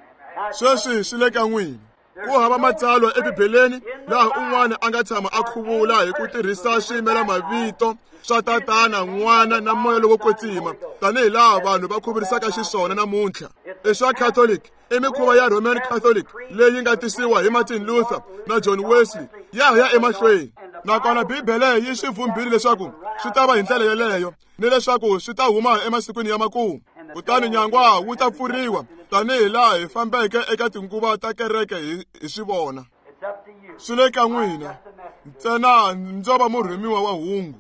Sweswi swi le ka n'wina. Ku hava matsalwa eBibeleni laha un'wana a nga tshama a khuvula hi ku tirhisa swiyimelamavito swa Tatana, N'wana na Moya lowo Kwetsima, tanihi laha vanhu va khuvurisaka xiswona namuntlha. I swa Catholic, i mikhuva ya Roman Catholic leyi nga tisiwa hi Martin Luther na John Wesley ya ha ya emahlweni. Nakona Bibele yi swi vhumbile leswaku swi ta va hi ndlela yeleyo, ni leswaku swi ta huma emasikwini ya makumu. Kutani nyangwa wu ta pfuriwa tanihi laha hi fambeke eka tinguva ta kereke hi swi vona. Swi le ka n'wina ntsena, ndzo va murhumiwa wa hungu.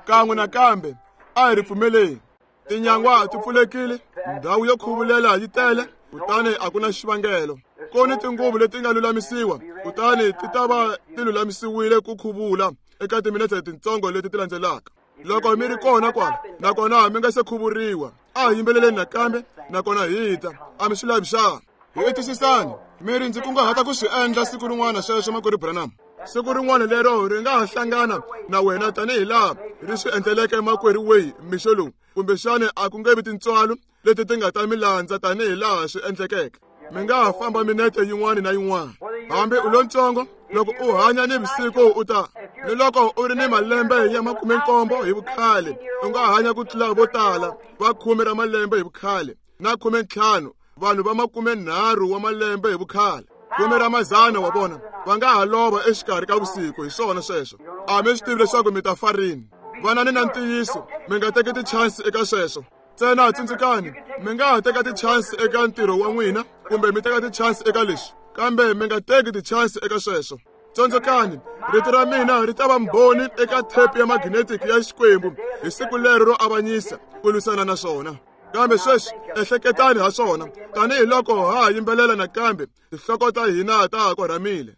Kan'we nakambe a hi ri pfumeleni. Tinyangwa ti pfulekile, ndhawu yo khuvulela yi tele, kutani a ku na xivangelo. Ku ni tinguvu leti nga lulamisiwa, kutani ti ta va ti lulamisiwile ku khuvula eka timinete letintsongo leti ti landzelaka. Loko mi ri kona kwala, nakona mi nga se khuvuriwa, a hi yimbeleleni nakambe, nakona hi ta. A mi swi lavi xana? Hi twisisani, mi ri ndzi kunguhata ku swi endla siku rin'wana sweswo, makwerhu Branham. Siku rin'wana lero ri nga ha hlangana na wena tanihi laha ri swi endleleke makwerhu Way mixo lowu, kumbexana a ku nge vi tintswalo leti ti nga ta mi landza tanihi laha swi endlekeke. Mi nga ha famba minete yin'wana na yin'wana. Hambi u lontsongo, loko u hanya ni vusiku u ta, ni loko u ri ni malembe ya 17 hi vukhale, u nga hanya ku tlula vo tala va 10 ra malembe hi vukhale na 15, vanhu va 30 wa malembe hi vukhale, 10 ra mazana wa vona va nga ha lova exikarhi ka vusiku. Hi swona sweswo. A mi swi tivi leswaku mi ta fa rini. Vanani na ntiyiso, mi nga teki tichansi eka sweswo. Ntsena tsundzukani, mi nga ha teka tichansi eka ntirho wa n'wina, kumbe mi teka tichansi eka leswi, kambe mi nga teki tichansi eka sweswo. Tsundzukani, rito ra mina ri ta va mbhoni eka thepi ya magnetic ya Xikwembu hi siku lero ro avanyisa ku lwisana na swona. Kambe sweswi ehleketani ha swona, tanihi loko ha ha yimbelela nakambe, tinhloko ta hina ta ha korhamile.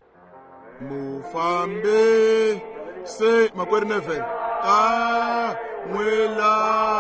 Mufambi se makwerhu Neville ta n'wi landza.